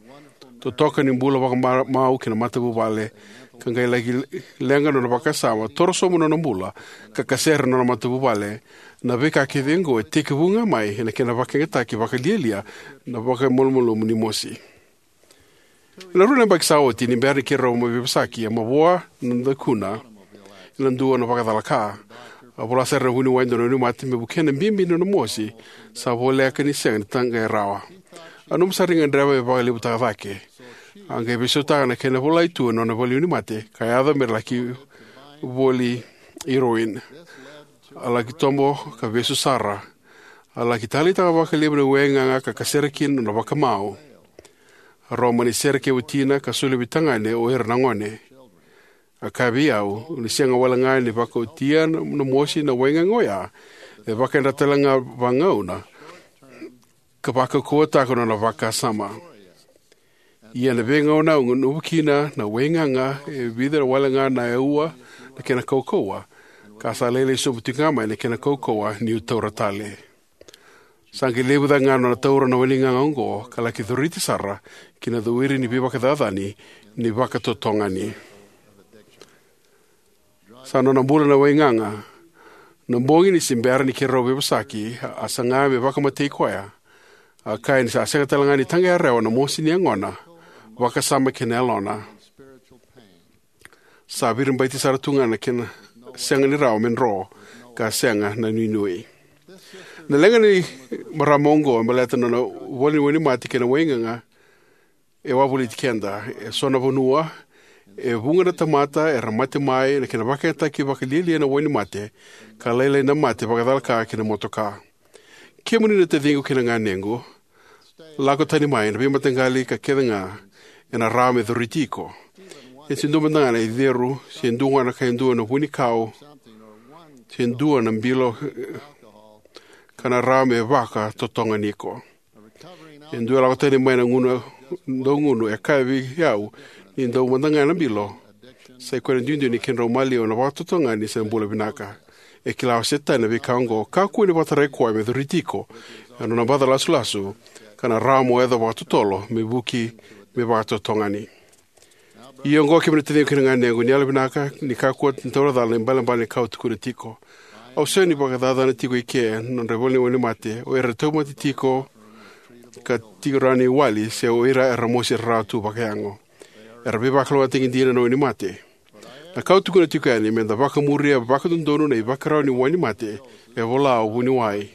Totoka ni bula vakamau ki na matavuvale, ka qai laki leqa na nona vakasama, toro sobu na nona bula, ka kasere na nona matavuvale. Na veika kece oqo e tekivu ga mai ena kena vakayagataki vakalialia na vakamalumalumu ni mosi. Ena rua na yabaki sa oti, ni bera ni keirau mai veivosaki, a mavoa na dakuna ena dua na vakacala ka. A vola sara na vuniwai e dua na wainimate me vukea na bibi ni nona mosi, sa voleka ni sega ni taqaya rawa. A nanuma sara ni gadreva me vakalevutaka cake. A qai veisautaka na kena volai tu ena nona valewainimate, ka yaco me ra laki voli heroin. A laki tobo ka vesu sara. A laki taleitaka vakalevu na waigaga ka kasere kina na nona vakamau. A rau mani sere kei watina ka soli veitagane o ira na gone. A kaya vei au ni sega wale ga ni vakaotia na mosi na waigaga oya, e vakayadrata tale ga vagauna ka vakaukauwataka na nona vakasama. Ia na veigauna au gunuva kina na waigaga, e vica wale ga na aua na kena kaukauwa, ka sa lailai sobu tiko ga mai na kena kaukauwa niu taura tale. Sa qai levu cake ga na nona taura na waigaga oqo, ka laki coriti sara ki na cowiri ni veivakacacani ni vakatotogani. Sa nona bula na waigaga. Na bogi ni se bera ni keirau veivosaki, a saga me vakamatei koya. A kaya ni sa sega tale ga ni taqaya rawa na mosi ni yagona, vakasama kei na yalona. Sa viribaiti sara tu ga na kena sega ni rawa me dro, ka sega na nuinui. Na leqa ni marama oqo e baleta na nona valewainimate kei na waigaga, e wavoliti keda. E so na vanua, e vuqa na tamata era mate mai na kena vakayagataki vakalialia na wainimate, ka lailai na mate vakacalaka ki na motoka. Kemuni na taciqu kei na ganequ, lako tani mai na veimataqali ka kece ga ena rawa me coriti iko. E se dua mada ga na iceru, se dua ga na ka e dua na vunikau, se dua na bilo, ka na rawa me vakatotogani iko. E dua e lako tani mai na gunu, dau gunu, e kaya vei au ni dau mada ga na bilo. Sa i koya na duidui ni kedrau maliwa na vakatotogani se na bula vinaka. E kila o Setani na veika oqo, kakua ni vakatarai koya me coriti iko ena nona baca lasulasu, ka na rawa mo yaco vakatotolo me vuki me vakatotogani. Ia oqo, kemuni na taciqu kei na ganequ, ni yalovinaka ni kakua ni taura cala na ibalebale ni ka au tukuna tiko. Au sega ni vakacacana tiko eke na nodra valewainimate o ira era tauvimate tiko ka tiko rawa ni wali, se o ira era mosi rarawa tu vakayago. Era veivakalougatataki dina na wainimate. Na ka au tukuna tiko yani, meda vakamuria vakadodonu na ivakarau ni wainimate e vola o vuniwai.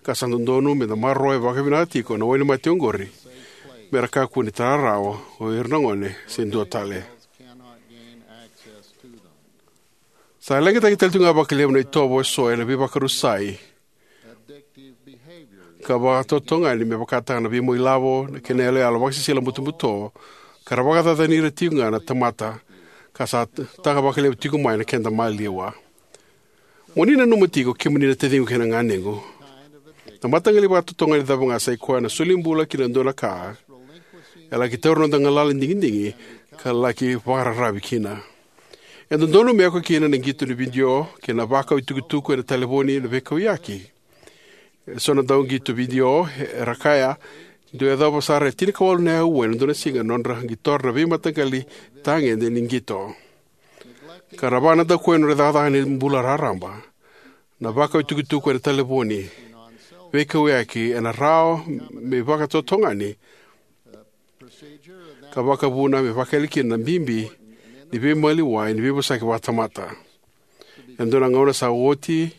Ka sa dodonu meda maroroya vakavinaka tiko na wainimate oqori, me ra kakua ni tara rawa o ira na gone se dua tale. Sa leqataki tale tu ga vakalevu na itovo eso ena veivakarusai ka vakatotogani, me vakataka na veimau ilavo, na kena iyaloyalo vakasisila butobuto, ka ra vakacacani ira tiko ga na tamata, ka sa taka vakalevu tiko mai na keda maliwa. Mo ni nanuma tiko, kemuni na taciqu kei na ganequ, na mataqali vakatotogani cava ga sa i koya na soli bula ki na dua na ka, e laki taura noda galala ni digidigi, ka laki vakararavi kina. E dodonu me oka kina na qito ni vidio kei na vakau itukutuku ena talevoni na veikauyaki. E so na dauqito vidio era kaya ni dau yacova sara e tinikawalu na aua ena dua na siga na nodra qitora na veimataqali tagede ni qito, ka ra vakanadakuya na nodra cakacaka ni bula raraba. Na vakau itukutuku ena talevoni, veikauyaki ena rawa me vakatotogani, ka vakavuna me vakayali kina na bibi ni veimaliwai ni veivosaki vakatamata. E dua na gauna sa oti,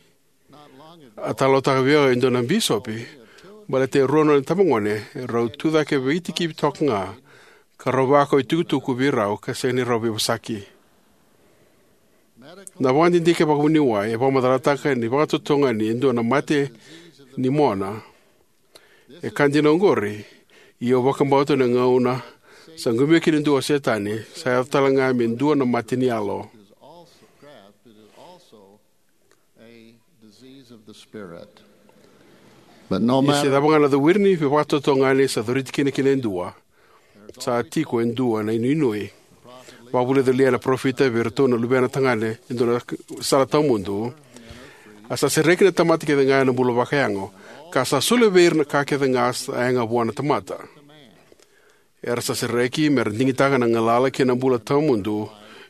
a talanoataka vei au e dua na bisopi Baleta e rua na nona itabagone, e rau tucake veitikivi toka ga, ka rau vakau itukutuku vei rau ka sega ni rau veivosaki. Na vakadidike vakavuniwai e vakamacalataka ni vakatotogani e dua na mate ni mona. E ka dina oqori, ia au vakabauta na gauna sa qumia kina e dua o Setani, sa yaco tale ga me dua na mate ni yalo. Is also craft, it is also a disease of the spirit. But no Ia se matter, cava ga na cauravou ni vakatotogani sa coriti kina kina e dua, sa tiko e dua na inuinui. Vakavulica o Liai na parofita vei iratou na luvena tagane e dua na sala tawamudu. A sa sereki na tamata kece ga ena bula vakayago, ka sa solia vei ira na ka kece ga sa yaga vua na tamata. Era sa sereki me ra digitaka na galala kei na bula tawamudu,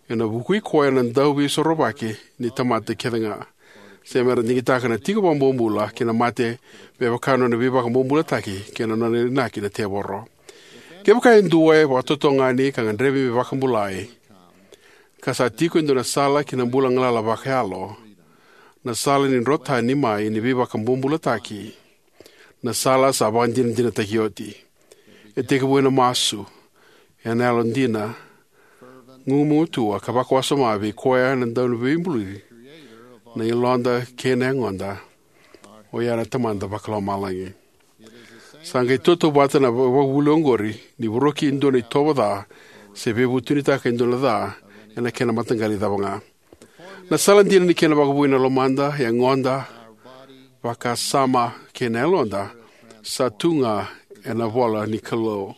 ena vukui koya na dauveisorovaki ni tamata kece ga, se me ra digitaka na tiko vakabobula kei na mate, me vaka na nona veivakabobulataki kei na nona inaki na tevoro. Kevaka e dua e vakatotogani ka gadrevi me vakabulai, ka sa tiko e dua na sala ki na bula galala vakayalo, na sala ni dro tani mai ni veivakabobulataki, na sala sa vakadinadinataki oti. E tekivu ena masu, ena yalodina, gugumatua ka vakawasoma vei koya na dauveibuli na yaloda kei na yagoda, oya na Tamada Vakalomalagi. Sa qai tautauvata na vakavuvuli oqori ni voroki e dua na itovo ca, se veivutunitaka e dua na ca, ena kena mataqali cava ga. Na sala dina ni kena vakavoui na lomada, yagoda, vakasama kei na yaloda, sa tu ga ena ivola ni Kalou.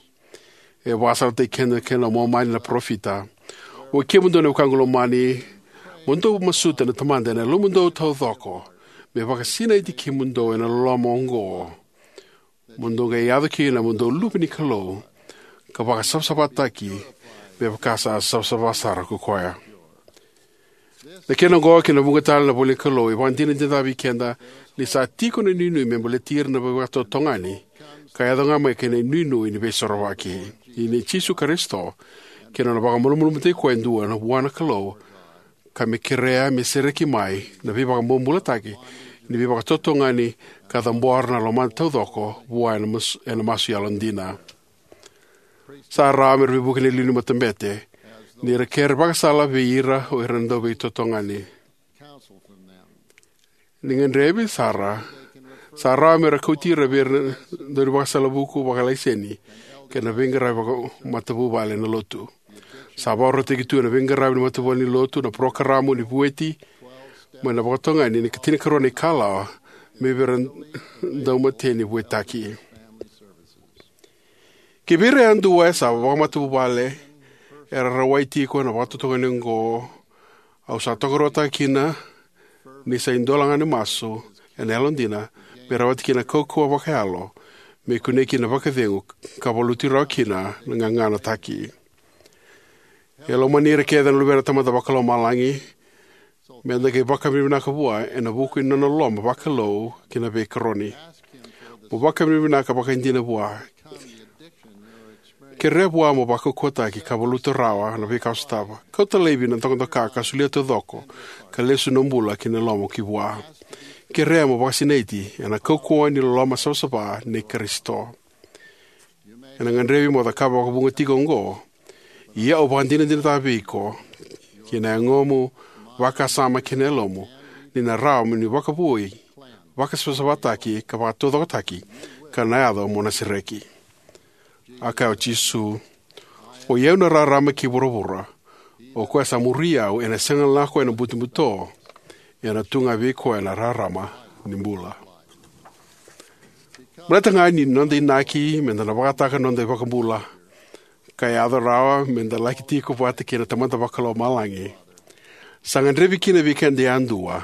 E vakasalataki keda kina o Momani na parofita: O kemudou na wekaqu lomani, mo dou masuta na Tamada ena yalomudou taucoko, me vakasinaiti kemudou ena loloma oqo, mo dou qai yaco kina mo dou luve ni Kalou, ka vakasavasavataki me vaka sa savasava sara ko koya. Na kena oqo kei na vuqa tale na ivolanikalou e vakadinadinataka vei keda ni sa tiko na inuinui me baleti ira na veivakatotogani, ka yaco ga mai kei na inuinui ni veisorovaki. Ia ni Jisu Karisito, kei na nona vakamalumalumutaki koya e dua na vua na Kalou, ka me kerea me sereki mai na veivakabobulataki ni veivakatotogani, ka cabora na lomada taucoko vua ena mas-, ena masu yalodina. Sa rawa me ra veivuke na iliuliu ni matabete ni ra kere vakasala vei ira o ira na dauveitotogani. Ni gadrevi sara, sa rawa me ra kauti ira vei ira na daunivakasala vuku vakalaiseni kei na veiqaravi vakamatavuvale na lotu. Sa vakarautaki tu ena veiqaravi ni matavuvale ni lotu na parokaramu ni vueti mai na vakatotogani ni katinikarua na ikalawa mai vei ira na daumateni vuetaki. Kivei ira yadua era sa vakamatavuvale era rawai tiko na vakatotogani oqo, au sa tokaruataka kina ni sa idola ga ni masu ena yalodina me rawati kina na kaukauwa vakayalo me kunei kina na vakacegu ka valuti rawa kina na gaganataki. E lomani ira kece na luvena na Tamada Vakalomalagi, me da qai vakavinavinaka vua ena vuku ni nona loloma vakalou kei na veikaroni. Mo vakavinavinaka vakaidina vua. Kerea vua mo vakaukauwataki ka valuta rawa na veika o sotava. Kauta laivi na dokadoka ka solia taucoko ka lesu na bula kei na loloma ki vua. Kerea mo vakasinaiti ena kaukauwa ni loloma savasava nei Karisito. Ena gadrevi mo cakava vakavuqa tiko oqo, ia au vakadinadinataka vei iko, kei na yagomu, vakasama kei na yalomu, ni na rawa mo ni vakavoui, vakasavasavataki ka vakataucokotaki, ka na yaco mo na sereki. A kaya o Jisu: O i au na rarama kei vuravura. O koya sa muri au ena sega na lako ena butobuto, ena tu ga vei koya na rarama ni bula. Baleta ga ni noda inaki me da na vakataka na noda iVakabula, ka yaco rawa me da laki tiko vata kei na Tamada Vakalomalagi, sa gadrevi kina vei keda yadua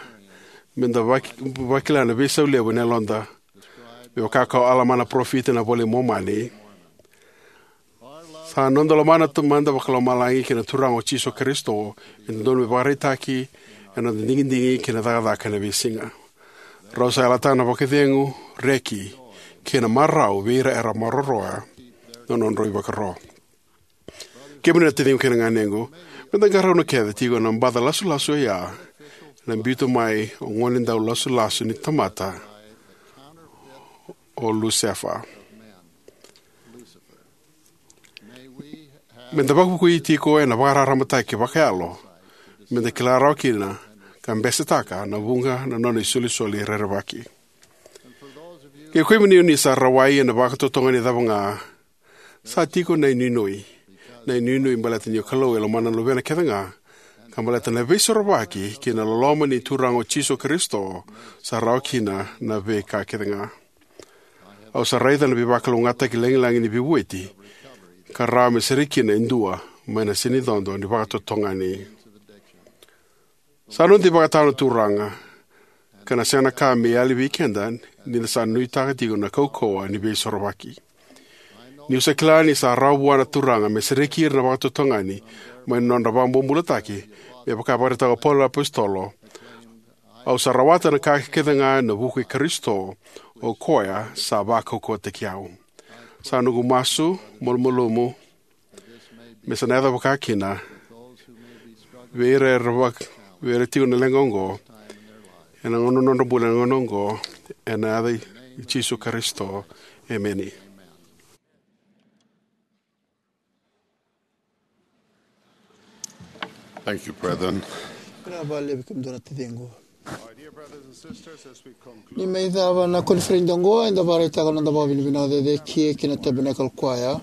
me da vaki-, vakila na veisau levu ena yaloda, me vaka kau Alama na parofita ena iVola i Momani. Sa noda lomana na Tamada Vakalomalagi kei na Turaga o Jisu Karisito e dodonu me vakaraitaki ena noda digidigi kei na cakacaka ena veisiga. Rau sa yalataka na vakacegu, reki, kei na marau vei ira era maroroya na nodrau ivakaro. Kemuni na taciqu kei na ganequ, me da qarauna kece tiko na baca lasulasu oya ena biuta mai o gone dau lasulasu ni tamata, o Lusefa. Me da vakavukui tiko ena vakararamataki vakayalo me da kila rawa kina ka besetaka na vuqa na nona isolisoli rerevaki. Kei kemuni o ni sa rawai ena vakatotogani cava ga, sa tiko na inuinui, na inuinui baleta ni o Kalou e lomana na luvena kece ga, ka baleta na veisorovaki kei na loloma ni Turaga o Jisu Karisito sa rawa kina na veika kece ga. Au sa raica na veivakalougatataki lagilagi ni veivueti ka rawa me sereki kina e dua mai na senicodo ni vakatotogani. Sa noda ivakatawa na Turaga, ka na sega na ka me yali vei keda ni da sa nuitaka tiko na kaukauwa ni veisorovaki. Niu sa kila ni sa rawa vua na Turaga me sereki ira na vakatotogani mai na nodra vakabobulataki, me vaka e vakaraitaka o Paula na apositolo, au sa rawata na ka kece ga ena vuku i Karisito, o koya sa vakaukauwataki au. Sa noqu masu malumalumu me sa na yaco vaka kina vei ira era vaka, vei ira tiko na leqa oqo, ena gauna nodra bula ena gauna oqo, ena yaca i Jisu Karisito. Emeni. Thank you, brethren. Vinaka vakalevu kemudou na taciqu. Ni mai cava na koniferedi oqo, eda vakaraitaka na noda vakavinavinaka cecere ki na Tabernacle Choir,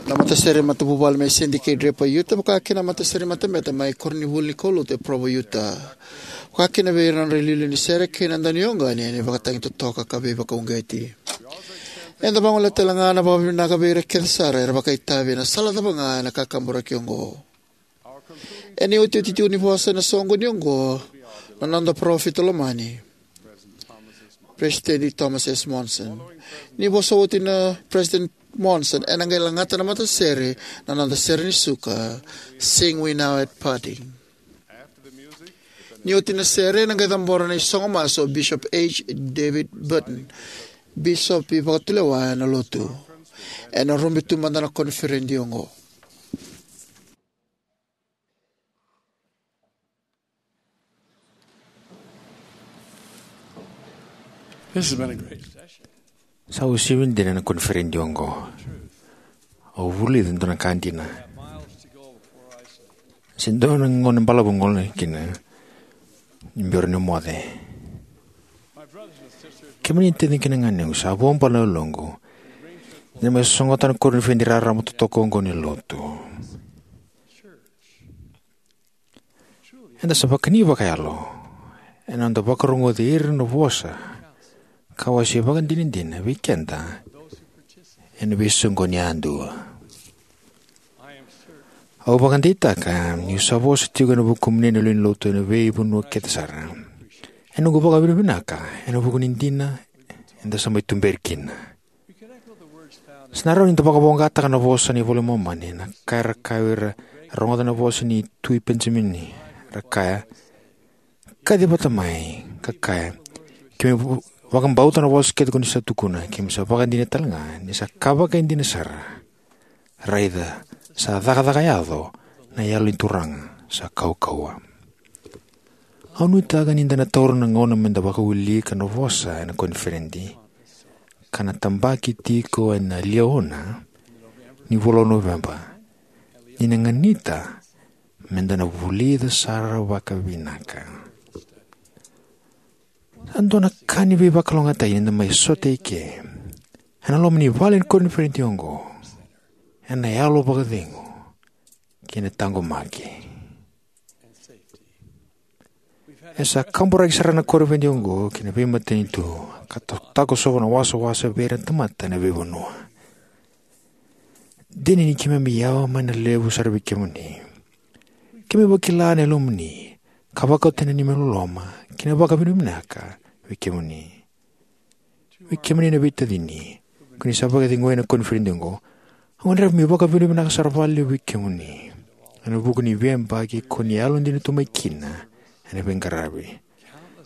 na matasere matavuvale mai Sandy K Draper Utah, vaka kina na matasere matabete mai koronivuli ni kaulotu e Provo Utah, vaka kina vei ira na nodra iliuliu ni sere kei na daunioqani ena ivakatagi totoka ka veivakauqeti. Eda vagolea tale ga na vakavinavinaka vei ira kece sara era vakaitavi ena sala cava ga ena kakaburaki oqo. Ena iotioti tiko ni vosa ena soqoni oqo na noda parofita lomani, President Thomas S. Monson. Ni vosa oti na President Monson, ena qai lagata na matasere na noda sere ni suka, Sing We Now at Parting. Ni oti na sere, ena qai cabora na isogo masu o Bishop H. David Burton, Bishop ivakatulewa ena Lotu. Ena rubi tu mada na koniferedi oqo. This has been a great session. Sa uasivi dina na koniferedi oqo. Au vulica e dua na ka dina. Se dua na gauna balavu gole kina ni bera ni moce. Kemuni taciqu kei na ganequ, sa vuabale na yaloqu ni mai sogota na koniferedi raraba totoka oqo ni Lotu. Eda sa vakani vakayalo ena noda vakarogoci ira na vosa ka wasea vakadinadina vei keda ena veisoqoni yadua. Au vakadeitaka niu sa vosa tiko ena vukumuni na lewe ni Lotu ena veivanua kece sara. Ena noqu vakavinavinaka ena vuku ni dina eda sa mai tuberi kina. Sa na rawa ni da vakavoqataka na vosa ni iVola i Momani, na ka era kaya o ira era rogoca na vosa ni Tui Penijamini, era kaya, kaci vata mai ka kaya, keimami vakabauta na vosa kece ko ni sa tukuna, keimami sa vakadinata tale ga ni sa ka vakaidina sara. Raica, sa cakacaka yaco na Yalo ni Turaga sa kaukauwa. Au nuitaka ni da na taura na gauna me da vakawilika na vosa ena koniferedi ka na tabaki tiko ena Liahona ni vula o Noveba, ni na ganita me da na vulica sara vakavinaka. Sa dua na ka ni veivakalougatataki ni da mai sota eke ena loma ni vale ni koniferedi oqo, ena yalo vakacegu kei na taqomaki. E sa kaburaki sara na koniferedi oqo ki na veimatanitu ka ta-, takosova na wasawasa vei ira na tamata ena veivanua. Dina ni keimami yawa mai na levu sara vei kemuni. Keimami vakila na yalomuni ka vakauta na neimami loloma kei na vakavinavinaka vei kemuni. Vei kemuni na veitacini ko ni sa vakacegui ena koniferedi oqo, au gadreva meu vakavinavinaka sara vakalevu vei kemuni ena vuku ni veiyabaki ko ni yalodina tu mai kina ena veiqaravi.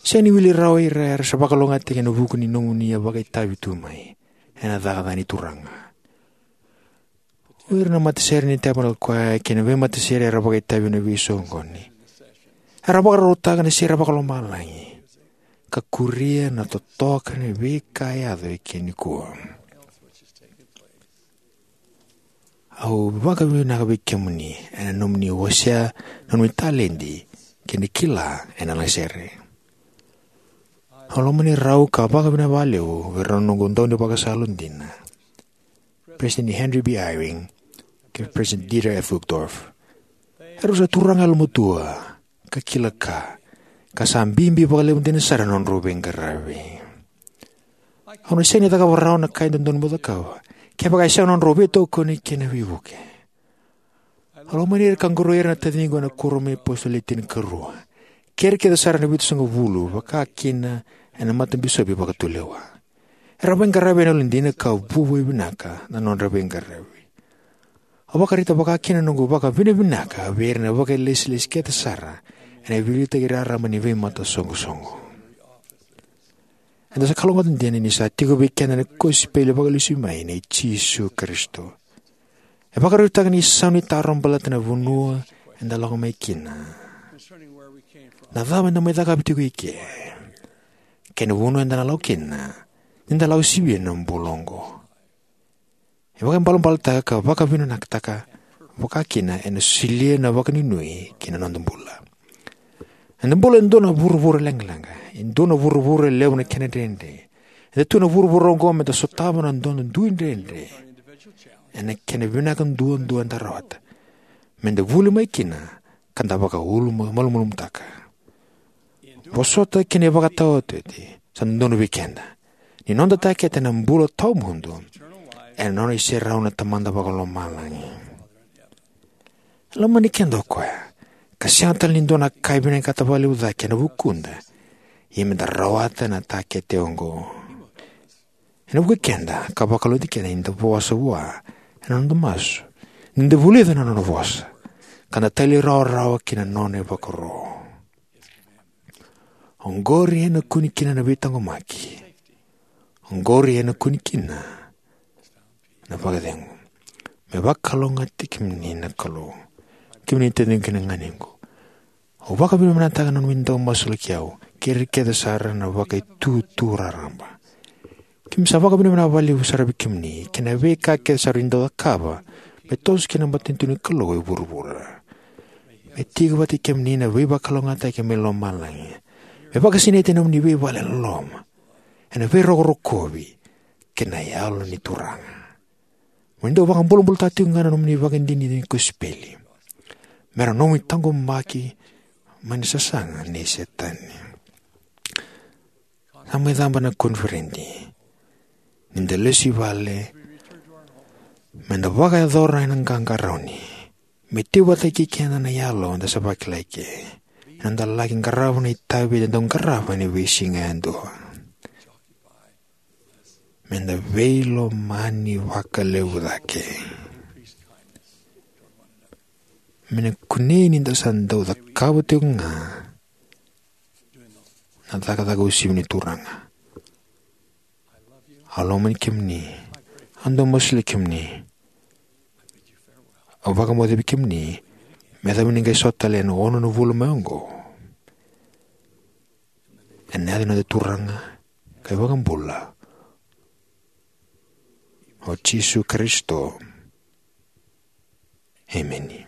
Sega ni wili rawa ira era sa vakalougatataki ena vuku ni nomuni a vakaitavi tu mai ena cakacaka ni Turaga. O ira na matasere ni Tabernacle Choir kei na veimatasere era vakaitavi ena veisoqoni, era vakarautaka na sere vakalomalagi. ka kuria na totoka ni veika e yaco eke nikua. Au vakavinavinaka vei kemuni ena nomuni wasea na nomuni taledi kei na kila ena lagasere. Au lomani rau ka vakavinavinaka vakalevu vei rau na noqu daunivakasala dina, President Henry B. Eyring kei President Dieter F. Uchtdorf. Erau sa turaga yalomatua ka kila ka, ka sa bibi vakalevu dina sara na nodrau veiqaravi. Au na sega ni cakava rawa na ka e dodonu meu cakava kevaka e sega na nodrau veitokoni kei na veivuke. Au lomani ira ka qoroi ira na taciqu ena kuoramu ni iApositolo Le Tinikarua, kei ira kece sara na Vitusagavulu, vaka kina ena matabisopi vakatulewa. Era veiqaravi ena yalodina ka vuavuai vinaka na nodra veiqaravi. Au vakaraitaka vaka kina na noqu vakavinavinaka vei ira na vakailesilesi kece sara ena veiliutaki raraba ni veimatasoqosoqo. Eda sa kalougata dina ni sa tiko vei keda na kosipeli vakalesui mai nei Jisu Karisito. E vakarautaka na isau ni taro baleta na vanua eda lako mai kina, na cava eda mai cakava tiko i ke, kei na vanua eda na lako kina ni da lako sivia na bula oqo. E vakaibalebaletaka ka vakavinavinakataka vaka kina ena solia na vakanuinui ki na noda bula. Eda bula e dua na vuravura leqaleqa, e dua na vuravura e levu na kena dredre. Eda tu ena vuravura oqo meda sotava na noda dui dredre ena kena vinaka duadua eda rawata, meda vuli mai kina ka da vakauluma malumalumutaka. Vosota kei na ivakataotioti sa dodonu vei keda ni noda takete na bula tawamudu ena nona iserau na Tamada Vakalomalagi. E lomani keda o koya, ka sega tale ni dua na ka e vinakata vakalevu cake ena vukuda, ia meda rawata na takete oqo. Ena vukei keda ka vakalougatataki keda ni da vosa vua ena noda masu, ni da vulica na nona vosa, ka da talairawarawa ki na nona ivakaro. Oqori ena kune kina na veitaqomaki. Oqori ena kune kina na vakacegu. Me vakalougatataki kemuni na Kalou, kemuni taciqu kei na ganequ. Au vakavinavinakataka na nomuni dau masulaki au kei ira kece sara na Vakaitutu Raraba. Keimami sa vakavinavinaka vakalevu sara vei kemuni kei na veika kece sara ni dau cakava me toso kina na matanitu ni Kalou e vuravura. Me tiko vata kei kemuni na veivakalougatataki mai lomalagi. Me vakasinaiti ena nomuni veivale e loloma, ena veirokorokovi kei na Yalo ni Turaga. Mo ni dau vakabulabulataka tiko ga na nomuni vakadinadina ni kosipeli me ra nomu itaqomaki mai na sasaga nei Setani. Sa mai caba na koniferedi. Ni da lesu i vale, me da vakayacora ena qaqarauni. Me tiko vata kei keda na Yalo da sa vakila eke. Ena da laki qarava na itavi eda dau qarava ena veisiga yadua. Me da veilomani vakalevu cake. Me na kunei ni da sa dau cakava tiko ga na cakacaka uasivi ni Turaga. Au lomani kemuni. Au dau masulaki kemuni. Au vakamoce vei kemuni me yacova ni qai sota tale ena ono na vula mai oqo. Ena yaca ni noda Turaga ka iVakabula o Jisu Karisito. Emeni.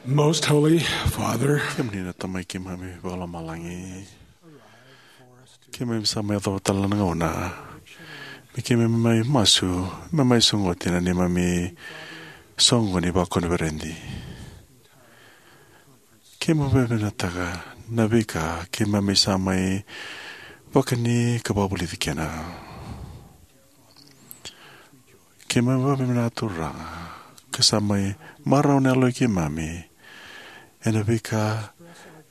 Most Holy Father, kemuni na Tamai keimami vakalomalagi, keimami sa mai yacova tale na gauna me keimami mai masu, me mai sogoti na neimami soqo ni vakoniferedi. Keimami vakavinavinakataka na veika keimami sa mai vakani ka vakavulici kina. Keimami vakavinavinaka, Turaga, ka sa mai marau na yalo i keimami ena veika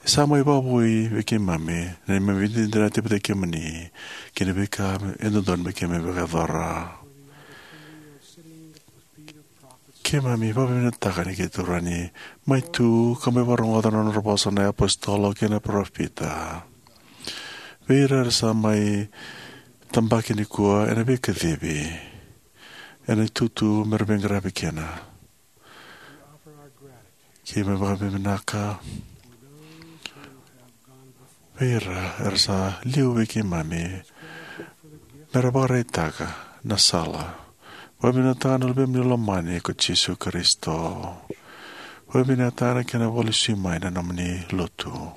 sa mai vakavoui vei keimami na neimami veidinadinati vata kei kemuni kei na veika e dodonu me keimami vakayacora. Keimami vakavinavinakataka ni keitou rawa ni mai tu ka mai vakarogoca na nodra vosa na iapositolo kei na parofita. Vei ira era sa mai tabaki nikua ena veikacivi, ena itutu me ra veiqaravi kina. Keimami vakavinavinaka vei ira era sa liu vei keimami me ra vakaraitaka na sala. Vakavinavinakataka na Luvemuni lomani ko Jisu Karisito. Vakavinavinakataka na kena vakalesui mai na nomuni lotu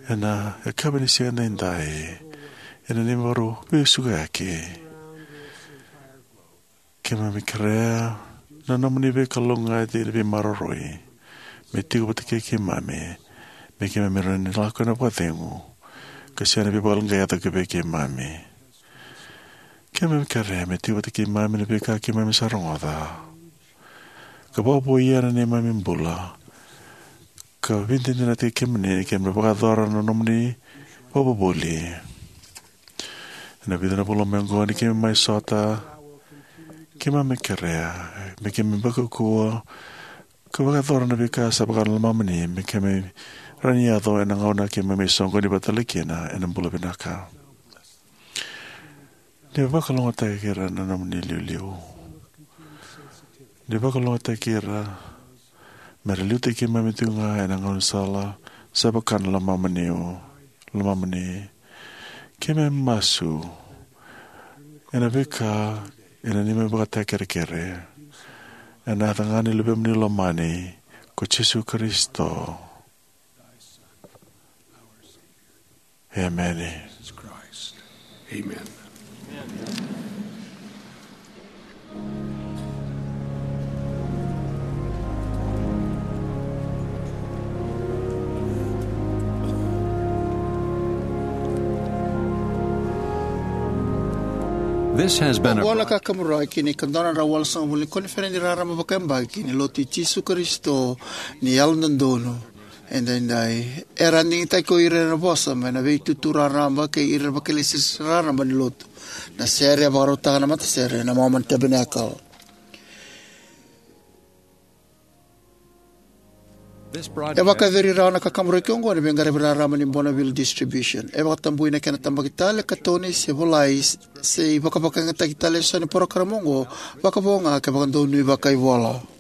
ena yakavi ni siga edaidai, ena neimami veisukayaki. Keimami kerea na nomuni veikalougata ni veimaroroi me tiko vata kei keimami, me keimami rawa ni lako ena vakacegu ka sega ni veivakaleqai yaco ki vei keimami. Keimami kerea me tiko vata kei keimami na veika keimami sa rogoca, ka vakavouya na neimami bula, ka veidinadinataki kemuni ni keimami vakayacora na nomuni vakavuvuli. Ena vica na vula mai oqo ni keimami mai sota, keimami kerea me keimami vakaukauwa ka vakayacora na veika sa vaka na lomamuni me keimami rawa ni yaco ena gauna keimami soqoni vata tale kina ena bula vinaka. Ni vakalougatataki ira na nomuni iliuliu. Ni vakalougatataki ira me ra liutaki keimami tiko ga ena gaunisala sa vaka na lomamuni. Lomamuni. Keimami masu ena veika ena neimami ivakatakakerekere, ena yaca ga ni Luvemuni lomani ko Jisu Karisito. Emeni. Amen. This has been a Oqo na Kakamuraki ni ka dua na drau walusagavulu ni koniferedi raraba vakayabaki ni Lotu i Jisu Karisito ni Yalododonu Edaidai. Era a digitaki ko ira era vosa mai na veitutu raraba kei ira na vakailesilesi raraba ni lotu. Na sere e vakarautaka na matasere na Mormon Tabernacle. E vakayacori rawa na Kakamuraki oqo ena veiqaravi raraba ni Bonneville Distribution. E vakatabui na kena tabaki tale, katoni se volai, se ivakavakayagataki tale eso ni porokaramu oqo, vakavo ga ke vakadonui vakaivola.